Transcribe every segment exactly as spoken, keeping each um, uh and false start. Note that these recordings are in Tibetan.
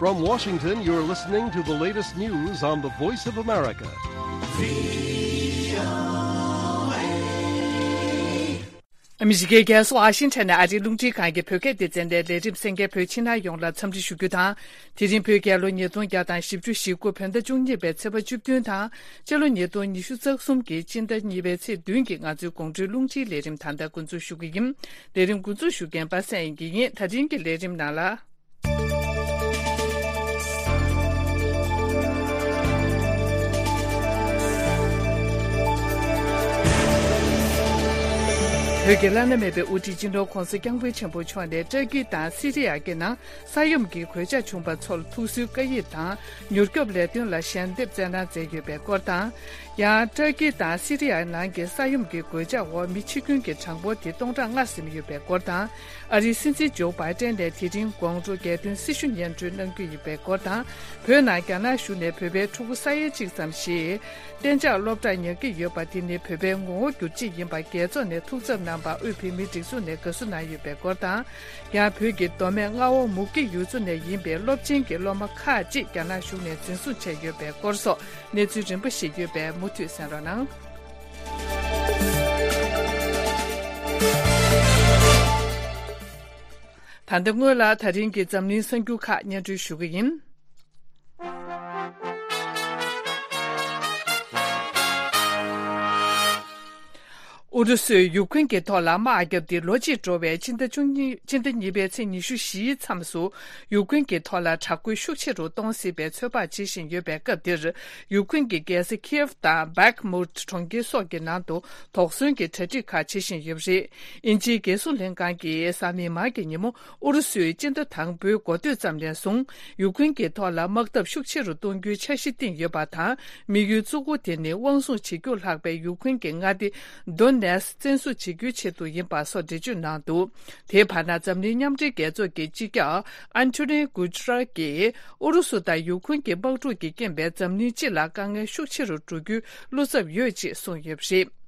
From Washington, you're listening to the latest news on the Voice of America. ཨ་མི་རི་ཀའི་རྒྱལ་ས་ཝ་ཤིང་ཊོན་ནས་ཨ་རིའི་རླུང་འཕྲིན་ཁང་གི་བོད་སྐད་སྡེ་ཚན་ནས་ལས་རིམ་གསན་མཁན་བོད་ཕྱི་ནང་ཡོངས་ལ་འཚམས་འདྲི་ཞུ་རྒྱུ་དང་། དེ་རིང་བོད་རྒྱལ་ལོ་ཉིས་སྟོང་བརྒྱ་དང་བཞི་བཅུ་ཞེ་དགུ་བོད་ཟླ་བཅུ་གཉིས་པའི་ཚེས་པ་བཅུ་བདུན་དང་། སྤྱི་ལོ་ཉིས་སྟོང་ཉི་ཤུ་རྩ་གསུམ་གྱི་སྤྱི་ཟླ་གཉིས་པའི་ཚེས་བདུན་གྱི་ང་ཚོའི་དགོང་དྲོའི་རླུང་འཕྲིན་ལས་རིམ་ད་ལྟ་འགོ་འཛུགས་ཞུ་གི་ཡིན། ལས་རིམ་འགོ་འཛུགས་ཞུ་མཁན་པ་སངས་དབྱངས་སྐྱིད་ཡིན། ད་རིང་གི་ལས་རིམ་ནང་ལ། བོད་ཀྱི་བླ་ན་མེད་པའི་དབུ་ཁྲིད་སྤྱི་ནོར་༸གོང་ས་༸སྐྱབས་མགོན་ཆེན་པོ་མཆོག་ནས་ཏྲ་ཀི་དང་སི་རི་ཡ་གི་ནང་ས་ཡོམ་གྱི་གོད་ཆག་བྱུང་བ་ཚོར་ཐུགས་གསོའི་བཀའ་ཡིག་དང་མྱུར་སྐྱོབ་ལས་དོན་ལ་ཞལ་འདེབས་སྩལ་གནང་མཛད་ཡོད་པའི་སྐོར་དང་། ཡང་ཏྲ་ཀི་དང་སི་རི་ཡ་ནང་གི་ས་ཡོམ་གྱི་གོད་ཆག་འོག་མི་འཆི་སྐྱོན་གྱི་གྲངས་འབོར་དེ་སྟོང་ཕྲག་ལྔ་ཟིན་ཡོད་པའི་སྐོར་དང་། ཨ་རིའི་སྲིད་འཛིན་ཇོ་བྷའི་ཏན་ནས་དེ་རིང་དགོང་དྲོ་རྒྱལ་དོན་སྲི་ཞུ་སྙན་སྒྲོན་གནང་རྒྱུ་ཡིན་པའི་སྐོར་དང་། བོད་ནང་རྒྱ་ནག་གཞུང་ནས་བོད་པའི་ཕྲུ་གུ་ས་ཡ་གཅིག་ཙམ་ཞིག་གཏན་འཇགས་སློབ་གྲྭར་ཉར་གྱི་ཡོད་པ་དེ་ནི་བོད་པའི་ངོ་བོ་བསྒྱུར་བྱེད་ཡིན་པ་རྒྱལ་ཚོགས་ནས་ཐུགས་འཚབ་གནང་བར་དབུས་བོད་མིའི་སྒྲིག་འཛུགས་ནས་དགའ་བསུ་གནང་ཡོད་པའི་སྐོར་དང་། ཡང་བོད་ཀྱི་མདོ་སྨད་རྔ་བ་མུ་གེ་ཡུལ་ཚོ་ནས་ཡིན་པའི་སློབ་ཆེན་གྱི་སློབ་མ་ཁག་ཅིག་རྒྱ་ནག་གཞུང་ནས་འཛིན་བཟུང་བྱས་ཡོད་པའི་སྐོར་སོགས་གནས་ཚུལ་རིམ་པ་ཞིག་ཡོད་པས་མུ་མཐུད་གསན་རོགས་གནང་། ད་ལྟ་སྔོན་ལ་ད་རིང་གི་འཛམ་གླིང་གསར་འགྱུར་ཁག་སྙན་སྒྲོན་ཞུ་གི་ཡིན། ཨུ་རུ་སུས་ཡུཀ་རེན་གྱི་ཐོག་ལ་དམག་བརྒྱབ་སྟེ་ལོ་གཅིག་འགྲོ་བའི་སྤྱི་ཟླ་བཅུ་གཉིས། སྤྱི་ཟླ་གཉིས་པའི་ཚེས་ཉི་ཤུ་བཞིའི་མཚམས་སུ་ཡུཀ་རེན་གྱི་ཐོག་ལ་དྲག་རྒོལ་ཤུགས་ཆེ་རུ་གཏོང་སྲིད་པའི་ཚོད་དཔག་བྱེད་བཞིན་ཡོད་པའི་སྐབས་འདིར། ཡུཀ་རེན་གྱི་རྒྱལ་ས་ཁིའེབ་དང་བྷག་མུད་གྲོང་ཁྱེར་སོགས་ཀྱི་ནང་དུ་དོགས་ཟོན་གྱི་གྲ་སྒྲིག་ཁག་བྱེད་བཞིན་ཡོད་པ་རེད། དབྱིན་ཇིའི་རྒྱལ་སྲུང་ལྷན་ཁང་གིས་གཟའ་མིག་དམར་གྱི་ཉིན་མོ། ཨུ་རུ་སུས་སྤྱི་ཟླ་དང་པོའི་འགོ་སྟོད་ཙམ་ནས་བཟུང་ཡུཀ་རེན་གྱི་ཐོག་ལ་དམག་འཐབ་ཤུགས་ཆེ་རུ་གཏོང་རྒྱུའི་འཆར་གཞི་བཏིང་ཡོད་པ་དང་། དམིགས་ཡུལ་གཙོ་བོ་དེ་ནི་དབང་བཟུང་བྱེད་རྒྱུ་ལྷག་པའི་ཡུཀ་རེན་གྱི་མངའ་སྡེ་དོ་ནེ་སི་བཙན་བཟུང་བྱེད་རྒྱུའི་ཆེད་དུ་ཡིན་པ་སོགས་འགྲེལ་བརྗོད་གནང་འདུག་དེའི་བར་ན་འཛམ་གླིང་མཉམ་འབྲེལ་རྒྱལ་ཚོགས་ཀྱི་སྤྱི་ཁྱབ་ཨན་ཐོ་ནི་གུ་ཏྲ་གིས་ཨུ་རུ་སུ་དང་ཡུཀ་རེན་གྱི་དམག་འཁྲུག་གི་རྐྱེན་པས་འཛམ་གླིང་སྤྱི་ལ་དཀའ་ངལ་ཤུགས་ཆེ་རུ་འགྲོ་རྒྱུའི་བློ་འཚབ་ཡོད་ཅེས་གསུངས་ཡོད་པ་རེད།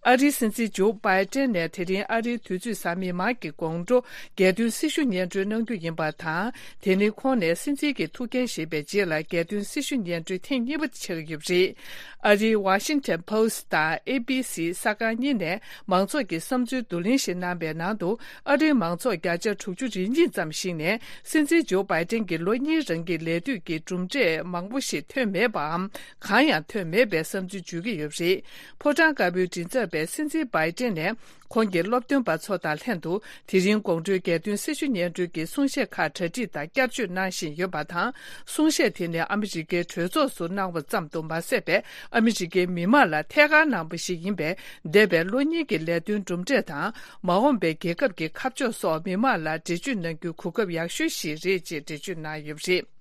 ཨ་རིའི་སྲིད་འཛིན་ཇོ་བྷའི་ཏན་ནས་དེ་རིང་ཨ་རིའི་དུས་ཚོད་གཟའ་མིག་དམར་གྱི་དགོང་དྲོ་རྒྱལ་དོན་སྲི་ཞུ་སྙན་སྒྲོན་གནང་རྒྱུ་ཡིན་པ་དང་། དེ་ནི་ཁོང་ནས་སྲིད་འཛིན་གྱི་ཐུགས་འགན་བཞེས་པའི་རྗེས་ལ་རྒྱལ་དོན་སྲི་ཞུ་སྙན་སྒྲོན་ཐེངས་གཉིས་པ་ཆགས་ཀྱི་ཡོད་པ་རེད། ཨ་རིའི་Washington Post་དང་ཨེ་བི་སི་གསར་ཁང་གཉིས་ནས་མང་ཚོགས་ཀྱི་བསམ་ཚུལ་བསྡུ་ལེན་ཞིག་གནང་པའི་ནང་དུ། ཨ་རིའི་མང་ཚོགས་བརྒྱ་ཆ་དྲུག་ཅུ་རེ་གཉིས་ཙམ་ཞིག་ནས་སྲིད་འཛིན་ཇོ་བྷའི་ཏན་གྱི་ལོ་གཉིས་རིང་གི་ལས་དུས་ཀྱི་གྲུབ་འབྲས་མང་པོ་ཞིག་ཐོན་མེད་པའམ། གང་ཡང་ཐོན་མེད་པའི་བསམ་ཚུལ་བརྗོད་ཀྱི་ཡོད་པ་རེད། ཕོ་བྲང་དཀར་པོའི་མགྲིན་ཚབ་པས་སྲིད་འཛིན་བྷའི་ཏན་ནས་ཁོང་གི་སློབ་སྟོན་པ་ཚོ་དང་ལྷན་དུ་དེ་རིང་དགོང་དྲོའི་རྒྱལ་དོན་སྲི་ཞུ་སྙན་སྒྲོན་གྱི་གསུང་བཤད་ཁག་གྲ་སྒྲིག་དང་བསྐྱར་བཅོས་གནང་བཞིན་ཡོད་པ་དང་། གསུང་བཤད་དེ་ནི་ཨ་མི་རི་ཀའི་གྲོས་ཚོགས་སུ་གནང་བ་ཙམ་དུ་མ་ཟད་པའི་ཨ་མི་རི་ཀའི་མི་དམངས་ལ་ཐད་ཀར་གནང་བ་ཞིག་ཡིན་པས། འདས་པའི་ལོ་གཉིས་ཀྱི་ལས་དོན་གྲུབ་འབྲས་དང་། མ་འོངས་པའི་རྒྱལ་ཁབ་ཀྱི་ཁ་ཕྱོགས་སོགས་མི་དམངས་ལ་འགྲེལ་བརྗོད་གནང་རྒྱུའི་གོ་སྐབས་ཡག་ཤོས་ཤིག་རེད་ཅེས་འགྲེལ་བརྗོད་གནང་ཡོད་པ་རེད།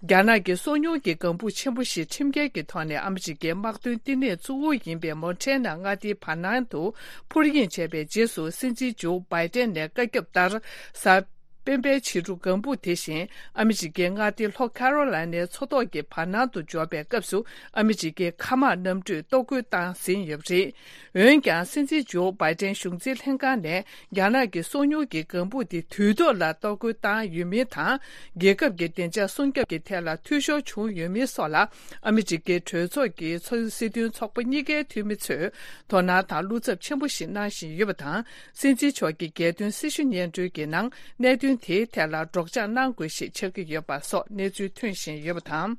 རྒྱ་ནག་གི་སོ་ཉུལ་གྱི་ལྒང་བུ་ཆེན་པོ་ཞིག་ཁྲིམས་འགལ་གྱི་ཐོག་ནས་ཨ་མི་རི་ཀའི་དམག་དོན་བསྟི་གནས་གཙོ་བོ་ཡིན་པའི་མོན་ཊེ་ན་མངའ་སྡེའི་བར་སྣང་དུ་འཕུར་གཡེང་བྱས་པའི་རྗེས་སུ། སྲིད་འཛིན་ཇོ་བྷའི་ཏན་ནས་བཀའ་ཁྱབ་ལྟར། གཟའ་སྤེན་པའི་ཕྱི་དྲོ་ལྒང་བུ་དེ་བཞིན་ཨ་མི་རི་ཀའི་མངའ་སྡེ་ལྷོ་ཁ་རོ་ལའི་ནའི་མཚོ་ཐོག་གི་བར་སྣང་དུ་འབྱོར་བའི་སྐབས་སུ། ཨ་མི་རི་ཀའི་མཁའ་དམག་གནམ་གྲུས་གཏོར་རྒོལ་བཏང་ཟིན་ཡོད་པ་རེད། འོན་ཀྱང་། སྲིད་འཛིན་ཇོ་བྷའི་ཏན་གཞུང་འཛིན་ལྷན་ཁང་ནས། རྒྱ་ནག་གི་སོ་ཉུལ་གྱི་ལྒང་བུ་དེ་དུས་ཐོག་ལ་གཏོར་རྒོལ་བཏང་ཡོད་མིན་དང་། རྒྱལ་ཁབ་ཀྱི་བདེ་འཇགས་སྲུང་སྐྱོབ་ཀྱི་ཐད་ལ་འཐུས་ཤོར་བྱུང་ཡོད་མིན་སོགས་ལ། ཨ་མི་རི་ཀའི་གྲོས་ཚོགས་ཀྱི་ཚོགས་སྲིད་དོན་ཚོགས་པ་གཉིས་ཀའི་འཐུས་མི་ཚོས་དོ་སྣང་དང་བློ་འཚབ་ཆེན་པོ་ཞིག་གནང་བཞིན་ཡོད་པ་དང་། སྲིད་འཛིན་མཆོག་གི་རྒྱལ་དོན་སྲི་ཞུ་སྙན་སྒྲོན་གྱི་ནང་གནད་དོན་དེའི་ཐད་ལ་སྒྲོག་སྦྱང་གནང་དགོས་ཞེས་ཆགས་ཀྱི་ཡོད་པ་སོགས་གནས་ཚུལ་ཐོན་བཞིན་ཡོད་པ་དང་།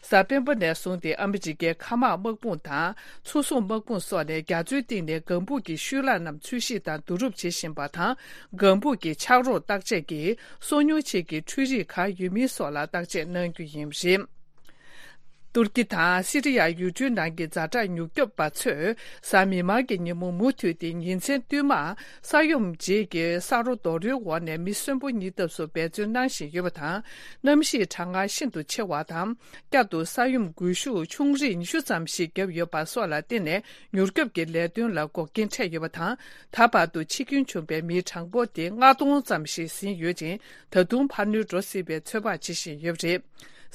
གཟའ་སྤེན་པ་ནས་བཟུང་སྟེ་ཨ་མི་རི་ཀའི་མཁའ་དམག་དམག་དཔུང་དང་། མཚོ་སྲུང་དམག་དཔུང་སོགས་ནས་རྒྱ་མཚོའི་གཏིང་ནས་ལྒང་བུ་གི་ཤུལ་ལྷག་རྣམས་འཚོལ་ཞིབ་དང་བསྡུ་རུབ་བྱེད་བཞིན་པ་དང་། ལྒང་བུ་གི་ཆག་རོ་བརྟག་དཔྱད་ཀྱིས་སོ་ཉུལ་ཆེད་ཀྱི་འཕྲུལ་རིགས་གང་ཡོད་མིན་སོགས་ལ་བརྟག་དཔྱད་གནང་རྒྱུ་ཡིན་པ་རེད། ཏུར་ཀི་དང་སི་རི་ཡ་ཡུལ་གྲུའི་ནང་གི་ཛ་དྲག་མྱུར་སྐྱོབ་པ་ཚོས་གཟའ་མིག་དམར་གྱི་ཉིན་མོ་མུ་མཐུད་དེ་ཉིན་མཚན་བསྟུད་མར་ས་ཡོམ་རྗེས་ཀྱི་ས་རོ་རྡོ་རོལ་འོག་ནས་མི་གསོན་པོ་རྙེད་ཐབས་སུ་འབད་བརྩོན་གནང་བཞིན་ཡོད་པ་དང་། གནམ་གཤིས་གྲང་ངར་ཤིན་ཏུ་ཆེ་བ་དང་། བསྐྱར་དུ་ས་ཡོམ་འགུལ་ཤུགས་ཆུང་རིགས་ཉི་ཤུ་ཙམ་ཞིག་བརྒྱབ་ཡོད་པ་སོགས་ལ་བརྟེན་ནས་མྱུར་སྐྱོབ་ཀྱི་ལས་དོན་ལ་འགོག་རྐྱེན་འཕྲད་ཡོད་པ་དང་། ད་བར་དུ་འཆི་སྐྱོན་བྱུང་པའི་མིའི་གྲངས་འབོར་དེ་ལྔ་སྟོང་ཙམ་ཞིག་ཟིན་ཡོད་ཅིང་། ད་དུང་འཕར་སྣོན་འགྲོ་སྲིད་པའི་ཚོད་དཔག་བྱེད་བཞིན་ཡོད་པ་རེད།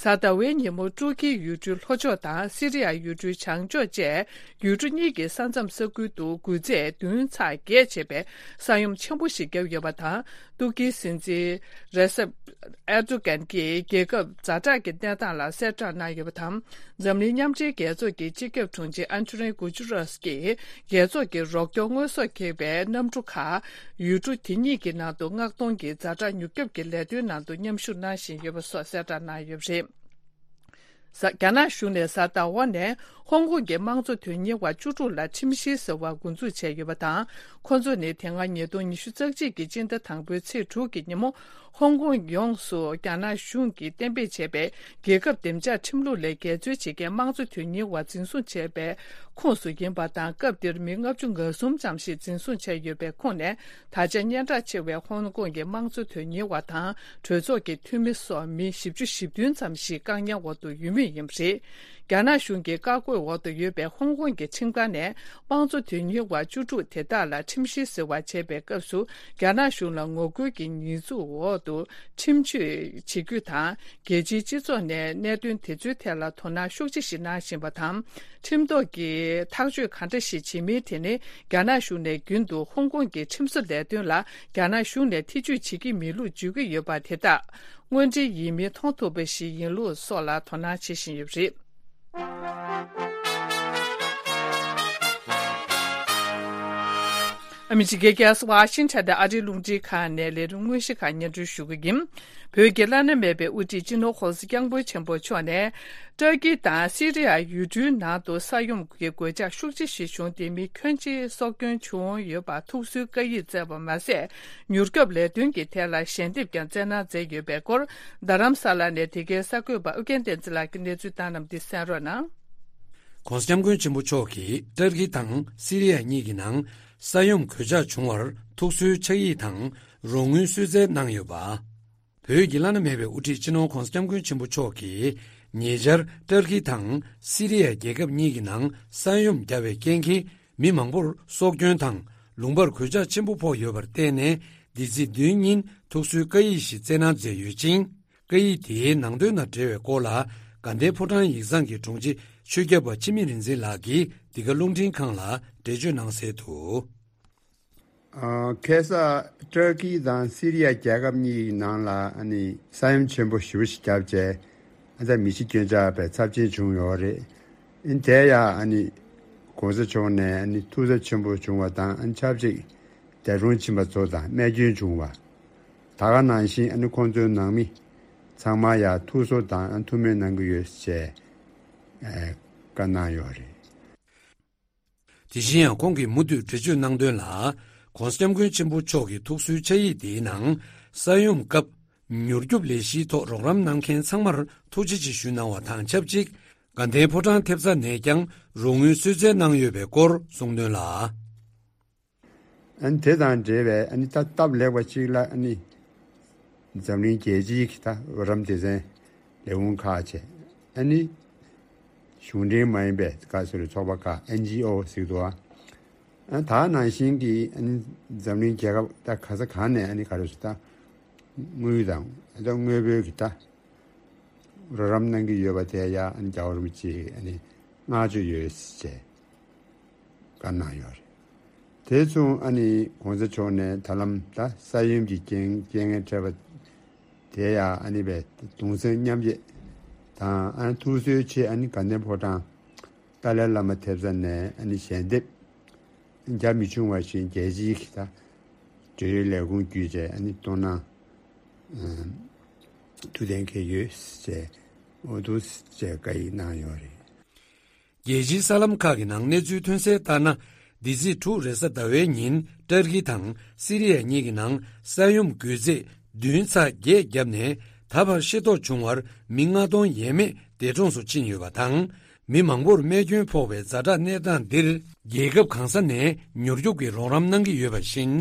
གཟའ་ཟླ་བའི་ཉིན་མོ་ཏུར་ཀིའི་ཡུལ་གྲུའི་ལྷོ་ཕྱོགས་དང་སི་རི་ཡ་ཡུལ་གྲུའི་བྱང་ཕྱོགས་བཅས་ཡུལ་གྲུ་གཉིས་ཀྱི་ས་མཚམས་ས་ཁུལ་དུ་འགུལ་ཚད་བདུན་ཚེག་བརྒྱད་བྱས་པའི་ས་ཡོམ་ཆེན་པོ་ཞིག་བརྒྱབ་ཡོད་པ་དང་། ཏུར་ཀིའི་སྲིད་འཛིན་རེ་སེབ་ཨེར་ཏུ་གན་གྱིས་རྒྱལ་ཁབ་ཛ་དྲག་གི་གནས་སྟངས་ལ་གསལ་བསྒྲགས་གནང་ཡོད་པ་དང་། འཛམ་གླིང་མཉམ་འབྲེལ་རྒྱལ་ཚོགས་ཀྱི་སྤྱི་ཁྱབ་དྲུང་ཆེ་ཨན་ཐོ་ནི་གུ་ཅུ་རཱས་ཀྱིས་རྒྱལ་ཚོགས་ཀྱི་རོགས་སྐྱོར་དངོས་ཟོག་འཁྱེར་བའི་གནམ་གྲུ་ཁག་ཡུལ་གྲུ་དེ་གཉིས་ཀྱི་ནང་དུ་མངགས་གཏོང་གིས་ཛ་དྲག་མྱུར་སྐྱོབ་ཀྱི་ལས་དོན་ནང་དུ་མཉམ་ཞུགས་གནང་བཞིན་ཡོད་པ་སོགས་གསལ་བསྒྲགས་གནང་ཡོད་པ་རེད། གཟའ་རྒྱ་ནག་གཞུང་ནས་གཟའ་ཟླ་བ་ནས་ཧོང་ཀོང་གི་དམངས་གཙོ་དོན་གཉེར་བ་བཅུ་དྲུག་ལ་ཁྲིམས་བཤེར་ཟེར་བ་འགོ་འཛུགས་བྱས་ཡོད་པ་དང་། ཁོ་ཚོ་ནི་དེ་སྔ་ཉིས་སྟོང་ཉི་ཤུ་རྩ་གཅིག་གི་སྤྱི་ཟླ་དང་པོའི་ཚེས་དྲུག་གི་ཉིན་མོ་ཧོང་ཀོང་ཡོངས་སུ་རྒྱ་ནག་གཞུང་གིས་གཏན་འབེབས་བྱས་པའི་རྒྱལ་ཁབ་བདེ་འཇགས་ཁྲིམས་ལུགས་ལས་འགལ་འཛོལ་བྱེད་མཁན་དམངས་གཙོ་དོན་གཉེར་བ་འཛིན་བཟུང་བྱས་པའི་ཁོངས་སུ་ཡིན་པ་དང་། སྐབས་དེར་མི་ལྔ་བཅུ་ང་གསུམ་ཙམ་ཞིག་འཛིན་བཟུང་བྱས་ཡོད་པའི་ཁོངས་ནས། ད་ཆ་སྙན་གྲགས་ཆེ་བའི་ཧོང་ཀོང་གི་དམངས་གཙོ་དོན་གཉེར་བ་དང་གྲོས་ཚོགས་ཀྱི་འཐུས་མི་སོགས་མི་བཞི་བཅུ་ཞེ་བདུན་ཙམ་ཞིག་བཀག་ཉར་འོག་ཏུ་ཡོད་མུས་ཡིན་པ་རེད། རྒྱ་ནག་གཞུང་གི་བཀའ་བཀོད་འོག་ཏུ་ཡོད་པའི་ཧོང་ཀོང་གི་ཁྲིམས་ཁང་ནས་དམངས་གཙོ་དོན་གཉེར་བ་བཅུ་དྲུག་དེ་དག་ལ་ཁྲིམས་བཤེར་ཟེར་བ་བྱས་པའི་སྐབས་སུ། རྒྱ་ནག་གཞུང་ལ་ངོ་རྒོལ་གྱི་ཉེས་འཛུགས་འོག་ཏུ་ཁྲིམས་གཅོད་བྱེད་རྒྱུ་དང་། རྒྱལ་སྤྱིའི་སྤྱི་ཚོགས་ནས་གནད་དོན་དེ་ཚོའི་ཐད་ལ་དོ་སྣང་ཤུགས་ཆེ་ཞིག་གནང་བཞིན་པ་དང་། ཁྲིམས་ཐོག་གི་ཐག་གཅོད་ག་འདྲ་ཞིག་བྱེད་མིན་དེ་ནི། རྒྱ་ནག་གཞུང་ནས་རྒྱུན་དུ་ཧོང་ཀོང་གི་ཁྲིམས་བཟོ་ལས་དོན་ལ་རྒྱ་ནག་གཞུང་ནས་ཐེ་ཇུས་བྱེད་ཀྱི་མེད་ལུགས་བརྗོད་ཀྱི་ཡོད་པ་དེ་དག་དངོས་འབྲེལ་ཡིན་མིན་མཐོང་ཐུབ་པ་ཞིག་ཡིན་ལུགས་སོགས་ལ་དོ་སྣང་བྱེད་བཞིན་ཡོད་པ་རེད། ཨ་མི་རི་ཀའི་རྒྱལ་ས་ཝ་ཤིང་ཊོན་དང་ཨ་རིའི་རླུང་འཕྲིན་ཁང་ནས་ལས་རིམ་དངོས་གཞི་ཁག་སྙན་སྒྲོན་ཞུ་གི་ཡིན། བོད་ཀྱི་བླ་ན་མེད་པའི་དབུ་ཁྲིད་སྤྱི་ནོར་༸གོང་ས་༸སྐྱབས་མགོན་ཆེན་པོ་མཆོག་ནས། ཏུར་ཀི་དང་སི་རི་ཡ་ཡུལ་གྲུའི་ནང་དུ་ས་ཡོམ་གྱི་གོད་ཆག་ཤུགས་ཆེ་ཞིག་བྱུང་སྟེ། མི་ཁྱོན་ཆེ་སྲོག་སྐྱོན་བྱུང་ཡོད་པར་ཐུགས་གསོའི་བཀའ་ཡིག་བསྩལ་བ་མ་ཟད། མྱུར་སྐྱོབ་ལས་དོན་གྱི་ཐད་ལ་ཞལ་འདེབས་ཀྱང་བསྩལ་གནང་མཛད་ཡོད་པའི་སྐོར། རྡ་རམ་ས་ལ་ནས་དེ་གའི་གསར་འགོད་པ་ཨུ་རྒྱན་བསྟན་འཛིན་ལགས་ཀྱིས་གནས་ཚུལ་བཏང་གནང་བ་འདི་གསན་རོགས་གནང་། ༸གོང་ས་༸སྐྱབས་མགོན་ཆེན་པོ་མཆོག་གིས་ཏུར་ཀི་དང་སི་རི་ཡ་གཉིས་ཀྱི་ནང་ས་ཡོམ་གོད་ཆག་བྱུང་བར་ཐུགས་གསོའི་ཕྱག་ཡིག་དང་རོགས་དངུལ་གསོལ་སྩལ་གནང་ཡོད་པ། བོད་ཀྱི་བླ་ན་མེད་པའི་དབུ་ཁྲིད་སྤྱི་ནོར་༸གོང་ས་༸སྐྱབས་མགོན་ཆེན་པོ་མཆོག་གིས་ཉེ་ཆར་ཏུར་ཀི་དང་སི་རི་ཡ་རྒྱལ་ཁབ་གཉིས་ཀྱི་ནང་ས་ཡོམ་བརྒྱབ་པའི་རྐྱེན་གྱིས་མི་མང་པོར་སྲོག་སྐྱོན་དང་ལུང་པར་གོད་ཆག་ཆེན་པོ་ཕོག་ཡོད་པར་བརྟེན་ནས། འདི་ཚེས་བདུན་ཉིན་ཐུགས་གསོའི་བཀའ་ཡིག་ཞིག་བསྩལ་གནང་མཛད་ཡོད་ཅིང་། བཀའ་ཡིག་དེའི་ནང་དོན་དང་འབྲེལ་བའི་སྐོར་ལ། དགའ་ལྡན་ཕོ་བྲང་ཡིག་ཚང་གི་དྲུང་ཆེ་ཆོས་སྐྱབས་པ་འཆི་མེད་རིག་འཛིན་ལགས་ཀྱིས་འདི་ག་རླུང་འཕྲིན་ཁང་ལ་འགྲེལ་བརྗོད་གནང་གསལ་དུ། ཨ། ཁ་སང་ཏུར་ཀི་དང་སི་རི་ཡ་རྒྱལ་ཁབ་གཉིས་ཀྱི་ནང་ལ་ཨ་ནི་ས་ཡོམ་ཆེན་པོ་ཞེ་པོ་ཞིག་བརྒྱབ་བྱས། ཨ་ཙ་མི་ཤི་སྐྱོན་ཆག་པའི་ཚབས་ཆེན་བྱུང་ཡོད་རེད། ཨིན་དེ་ཡང་ཨ་ནི་༸གོང་ས་མཆོག་ནས་ཨ་ནི་ཐུགས་འཚབ་ཆེན་པོ་བྱུང་བ་དང་། ཨ་ནི་ཆབས་ཅིག་འདས་གྲོངས་ཕྱིན་པ་ཚོ་དང་རྨས་སྐྱོན་བྱུང་བ། ད་ག་ནང་བཞིན་ཨ་ནི་ཁོང་ཚོའི་ནང་མི་ཚང་མ་ཡང་ཐུགས་གསོ་དང་ཨ་ཐུགས་སྨོན་གནང་གི་ཡོད་ཅེས་ཨ་བཀའ་གནང་ཡོད་རེད། དེ་བཞིན་ཡང་ཁོང་གིས་མུ་མཐུད་འགྲེལ་བརྗོད་གནང་དོན་ལ། ༸གོང་ས་༸སྐྱབས་མགོན་ཆེན་པོ་མཆོག་གི་ཐུགས་གསོའི་ཕྱག་ཡིག་དེའི་ནང་། ས་ཡོམ་སྐབས་མྱུར་སྐྱོབ་ལས་གཞིའི་ཐོག་རོགས་རམ་གནང་མཁན་ཚང་མར་ཐུགས་རྗེ་ཆེ་ཞུ་གནང་བ་དང་ཆབས་ཅིག་དགའ་ལྡན་ཕོ་བྲང་ཐེབས་རྩ་ནས་ཀྱང་རོགས་དངུལ་གསོལ་སྩལ་གནང་ཡོད་པའི་སྐོར་གསུངས་དོན་ལ། ཨ་ནི་དེ་དང་འབྲེལ་བའི་ཨ་ནི་ད་སྟབས་ལེགས་པ་གཅིག་ལ། ཨ་ནི་འཛམ་གླིང་རྒྱལ་སྤྱིའི་གི་ད་རོགས་རམ་སྡེ་ཚན་ལས་ཁུངས་ཁག་བྱས། ཨ་ནི་གཞུང་འབྲེལ་མ་ཡིན་པའི་ག་ཟེར་ཚོགས་པ་ཁག་ཨེན་ཇི་ཨོ་ཟེར་གྱི་འདུག་ཨ། ཨ་ད་ནང་བཞིན་གྱི་ཨ་ནི་འཛམ་གླིང་རྒྱལ་ཁབ་ད་ག་ས་ག་ནས་ཨ་ནི་ག་རེ་ཟེར་ད་དངུལ་དང་ད་དངོས་པོའི་གི་ད་རོགས་རམ་གནང་གི་ཡོད་པ་དེ་ཡང་ཨ་ནི་རྒྱལ་བ་རིན་པོ་ཆེ་ཨ་ནི་བསྔགས་བརྗོད་ཡོད་ཅེས་བཀའ་གནང་ཡོད་རེད། དེ་མཚུངས་ཨ་ནི་༸གོང་ས་མཆོག་ནས་ད་ལམ་ད་ས་ཡོམ་གྱི་རྐྱེན་རྐྱེན་ངན་འཕྲད་པ་དེ་ཡང་ཨ་ནི་བས་གདུང་སེམས་མཉམ་སྐྱེད་དང་། ཨ་ནི་ཐུགས་གསོའི་ཆེད་ཨ་ནི་དགའ་ལྡན་ཕོ་བྲང་ཏཱ་ལའི་བླ་མ་ཐེབས་རྩ་ནས་ཨ་ནི་ཞལ་འདེབས་རྒྱ་མི་ཆུང་བ་བཞིན་རྒྱལ་སྤྱིའི་གི་ད་འབྲེལ་ཡོད་ལས་ཁུངས་བརྒྱུད་བྱས་ཨ་ནི་གཏོང་གནང་ཐུགས་གཏན་འཁེལ་ཡོད་ཅེས་འོ་འདུག་ཅེས་བཀའ་ཡིག་གནང་ཡོད་རེད། རྒྱལ་སྤྱིའི་གསར་ལམ་ཁག་གི་ནང་གནས་ཚུལ་ཐོན་གསལ་ལྟར་ན། འདི་ཚེས་དྲུག་རེས་གཟའ་ཟླ་བའི་ཉིན་ཏུར་ཀི་དང་སི་རི་ཡ་གཉིས་ཀྱི་ནང་ས་ཡོམ་འགོས་ཚད་བདུན་ཚེག་བརྒྱད་བརྒྱབ་ནས། ད་བར་ཤི་རྟོག་བྱུང་བར་མི་ལྔ་སྟོང་ཡས་མས་འདས་གྲོངས་སུ་ཕྱིན་ཡོད་པ་དང་། མི་མང་པོར་རྨས་སྐྱོན་ཕོག་པའི་ཛ་དྲག་གནས་སྟངས་འདིར། རྒྱལ་ཁབ་གང་ས་ནས་མྱུར་སྐྱོབ་ཀྱི་རོགས་རམ་གནང་གི་ཡོད་པ་བཞིན།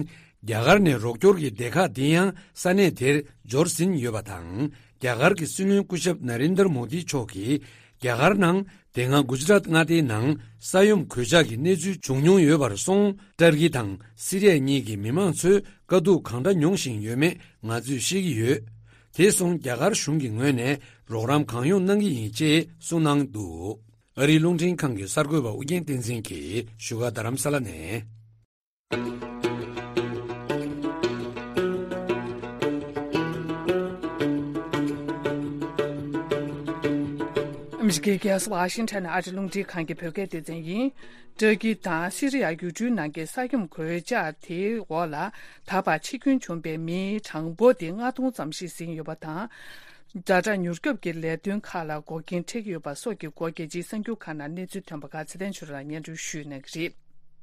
རྒྱ་གར་ནས་རོགས་སྐྱོར་གྱི་སྡེ་ཁག་འདི་ཡང་ས་གནས་དེར་འབྱོར་ཟིན་ཡོད་པ་དང་། རྒྱ་གར་གྱི་སྲིད་བློན་སྐུ་ཞབས་ན་རེན་དར་མོ་དི་མཆོག་གིས། རྒྱ་གར་ནང་དེ་སྔ་གུ་ཇི་རཱཏ་མངའ་སྡེའི་ནང་ས་ཡོམ་གོད་ཆག་གི་གནས་ཚུལ་བྱུང་མྱོང་ཡོད་པར་སོང་། ཏུར་ཀི་དང་སི་རི་ཡ་གཉིས་ཀྱི་མི་མང་ཚོས་དཀའ་སྡུག་གང་འདྲ་མྱོང་བཞིན་ཡོད་མེད་ང་ཚོས་ཤེས་ཀྱི་ཡོད། དེ་སོང་རྒྱ་གར་གཞུང་གི་ངོས་ནས་རོགས་རམ་གང་ཡོང་གནང་གི་ཡིན་ཅེས་གསུངས་གནང་འདུག། ཨ་རིའི་རླུང་འཕྲིན་ཁང་གི་གསར་འགོད་པ་ཨུ་རྒྱན་བསྟན་འཛིན་གྱིས་བཞུགས་སྒར་རྡ་རམ་ས་ལ་ནས། ཨ་མི་རི་ཀའི་རྒྱལ་ས་ཝ་ཤིང་ཊོན་ནས་ཨ་རིའི་རླུང་འཕྲིན་ཁང་གི་བོད་སྐད་སྡེ་ཚན་ཡིན། ཏུར་ཀི་དང་སི་རི་ཡ་ཡུལ་གྲུའི་ནང་གི་ས་ཡོམ་གོད་ཆག་དེའི་འོག་ལ་ད་བར་འཆི་སྐྱོན་བྱུང་པའི་མིའི་གྲངས་འབོར་དེ་ལྔ་སྟོང་ཙམ་ཞིག་ཟིན་ཡོད་པ་དང་། ཛ་དྲག་མྱུར་སྐྱོབ་ཀྱི་ལས་དོན་ཁག་ལ་འགོག་རྐྱེན་འཕྲད་ཀྱི་ཡོད་པ་སོགས་ཀྱི་སྐོར་རྒྱལ་སྤྱིའི་གསར་འགྱུར་ཁག་ནང་གནས་ཚུལ་ཐོན་པ་ཁག་ཚེ་བརྟན་ཆོས་གྲགས་ལགས་སྙན་སྒྲོན་ཞུས་གནང་གི་རེད།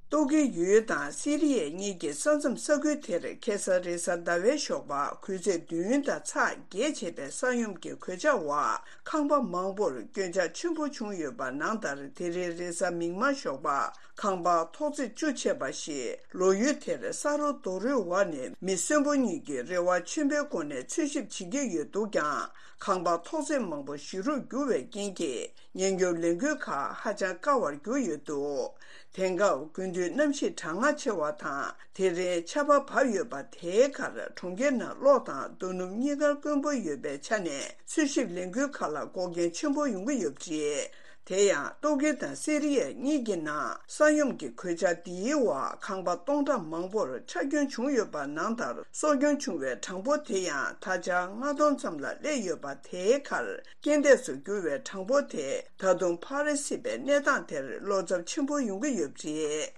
ཏུར་ཀི་ཡུལ་དང་སི་རི་ཡ་གཉིས་ཀྱི་ས་མཚམས་ས་ཁུལ་དེར་ཁ་སང་རེས་གཟའ་ཟླ་བའི་ཞོགས་པ་གུང་ཚིགས་བདུན་དང་ཚེག་བརྒྱད་བྱས་པའི་ས་ཡོམ་གྱི་གོད་ཆག་འོག་ཁང་པ་མང་པོར་སྐྱོན་ཆག་ཆེན་པོ་བྱུང་ཡོད་པ་ནང་ལྟར། དེ་རིང་རེས་གཟའ་མིག་དམར་ཞོགས་པ་ཁང་པ་ཐོག་བརྩེགས་བཅུ་ཕྱེད་པ་ཞིག་ལོ་ཡུལ་དེར་ས་རོ་རྡོ་རོའི་འོག་ནས་མི་གསོན་པོ་གཉིས་ཀྱིས་རེ་བ་ཆེན་པོའི་སྒོ་ནས་འཚོལ་ཞིབ་བྱེད་ཀྱི་ཡོད་འདུག་ཀྱང་། ཁང་པ་ཐོག་བརྩེགས་མང་པོ་ཞིག་རུབ་གྱུར་བའི་རྐྱེན་གྱིས། ཉེན་སྐྱོབ་ལས་འགུལ་ཁག་ཧ་ཅང་དཀའ་བར་གྱུར་ཡོད་འདུག། དེང་སྐབས་དགུན་དུས་གནམ་གཤིས་གྲང་ངར་ཆེ་བ་དང་། དེ་རིང་ཆར་པ་བབས་ཡོད་པ་དེའི་ཁར་གྲོང་ཁྱེར་ནང་གློག་དང་རྡོ་སྣུམ་གཉིས་ཀ་དཀོན་པོ་ཡོད་པའི་ཆ་ནས། འཚོལ་ཞིབ་ལས་འགུལ་ཁག་ལ་འགོག་རྐྱེན་ཆེན་པོ་ཡོང་གི་ཡོད་པ་རེད། དེ་ཡང་ཏུར་ཀི་དང་སི་རི་ཡ་གཉིས་ཀྱི་ནང་ས་ཡོམ་གྱི་གོད་ཆག་འདིའི་འོག་ཁང་པ་སྟོང་ཕྲག་མང་པོར་ཆག་སྐྱོན་བྱུང་ཡོད་པ་ནང་ལྟར། སྲོག་སྐྱོན་བྱུང་བའི་གྲངས་འབོར་དེ་ཡང་ད་ཆ་ལྔ་སྟོང་ཙམ་ལ་སླེབས་ཡོད་པ་དེའི་ཁར། རྐྱེན་འདས་སུ་གྱུར་བའི་གྲངས་འབོར་དེ་ད་དུང་འཕར་སྲིད་པའི་གནས་སྟངས་དེར་བློ་འཚབ་ཆེན་པོ་ཡོང་གི་ཡོད་པ་རེད།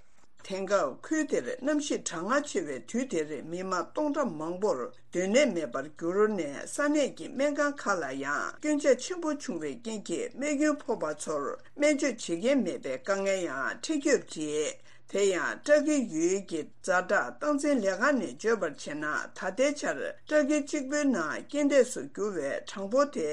དེང་སྐབས་ཁུལ་དེར་གནམ་གཤིས་གྲང་ངར་ཆེ་བའི་དུས་དེར་མི་མང་སྟོང་ཕྲག་མང་པོར་སྡོད་གནས་མེད་པར་གྱུར་ནས། ས་གནས་ཀྱི་སྨན་ཁང་ཁག་ལ་ཡང་སྐྱོན་ཆག་ཆེན་པོ་བྱུང་བའི་རྐྱེན་གྱིས། རྨས་སྐྱོན་ཕོག་པ་ཚོར་སྨན་བཅོས་བྱེད་མཁན་མེད་པའི་དཀའ་ངལ་ཡང་འཕྲད་ཀྱི་ཡོད་པ་རེད། དེ་ཡང་ཏུར་ཀི་ཡུལ་གྱི་ཛ་དྲག་སྟངས་འཛིན་ལས་ཁང་ནས་བརྗོད་པར་བྱས་ན། ད་ལྟའི་ཆར་ཏུར་ཀི་གཅིག་པུའི་ནང་རྐྱེན་འདས་སུ་གྱུར་བའི་གྲངས་འབོར་དེ་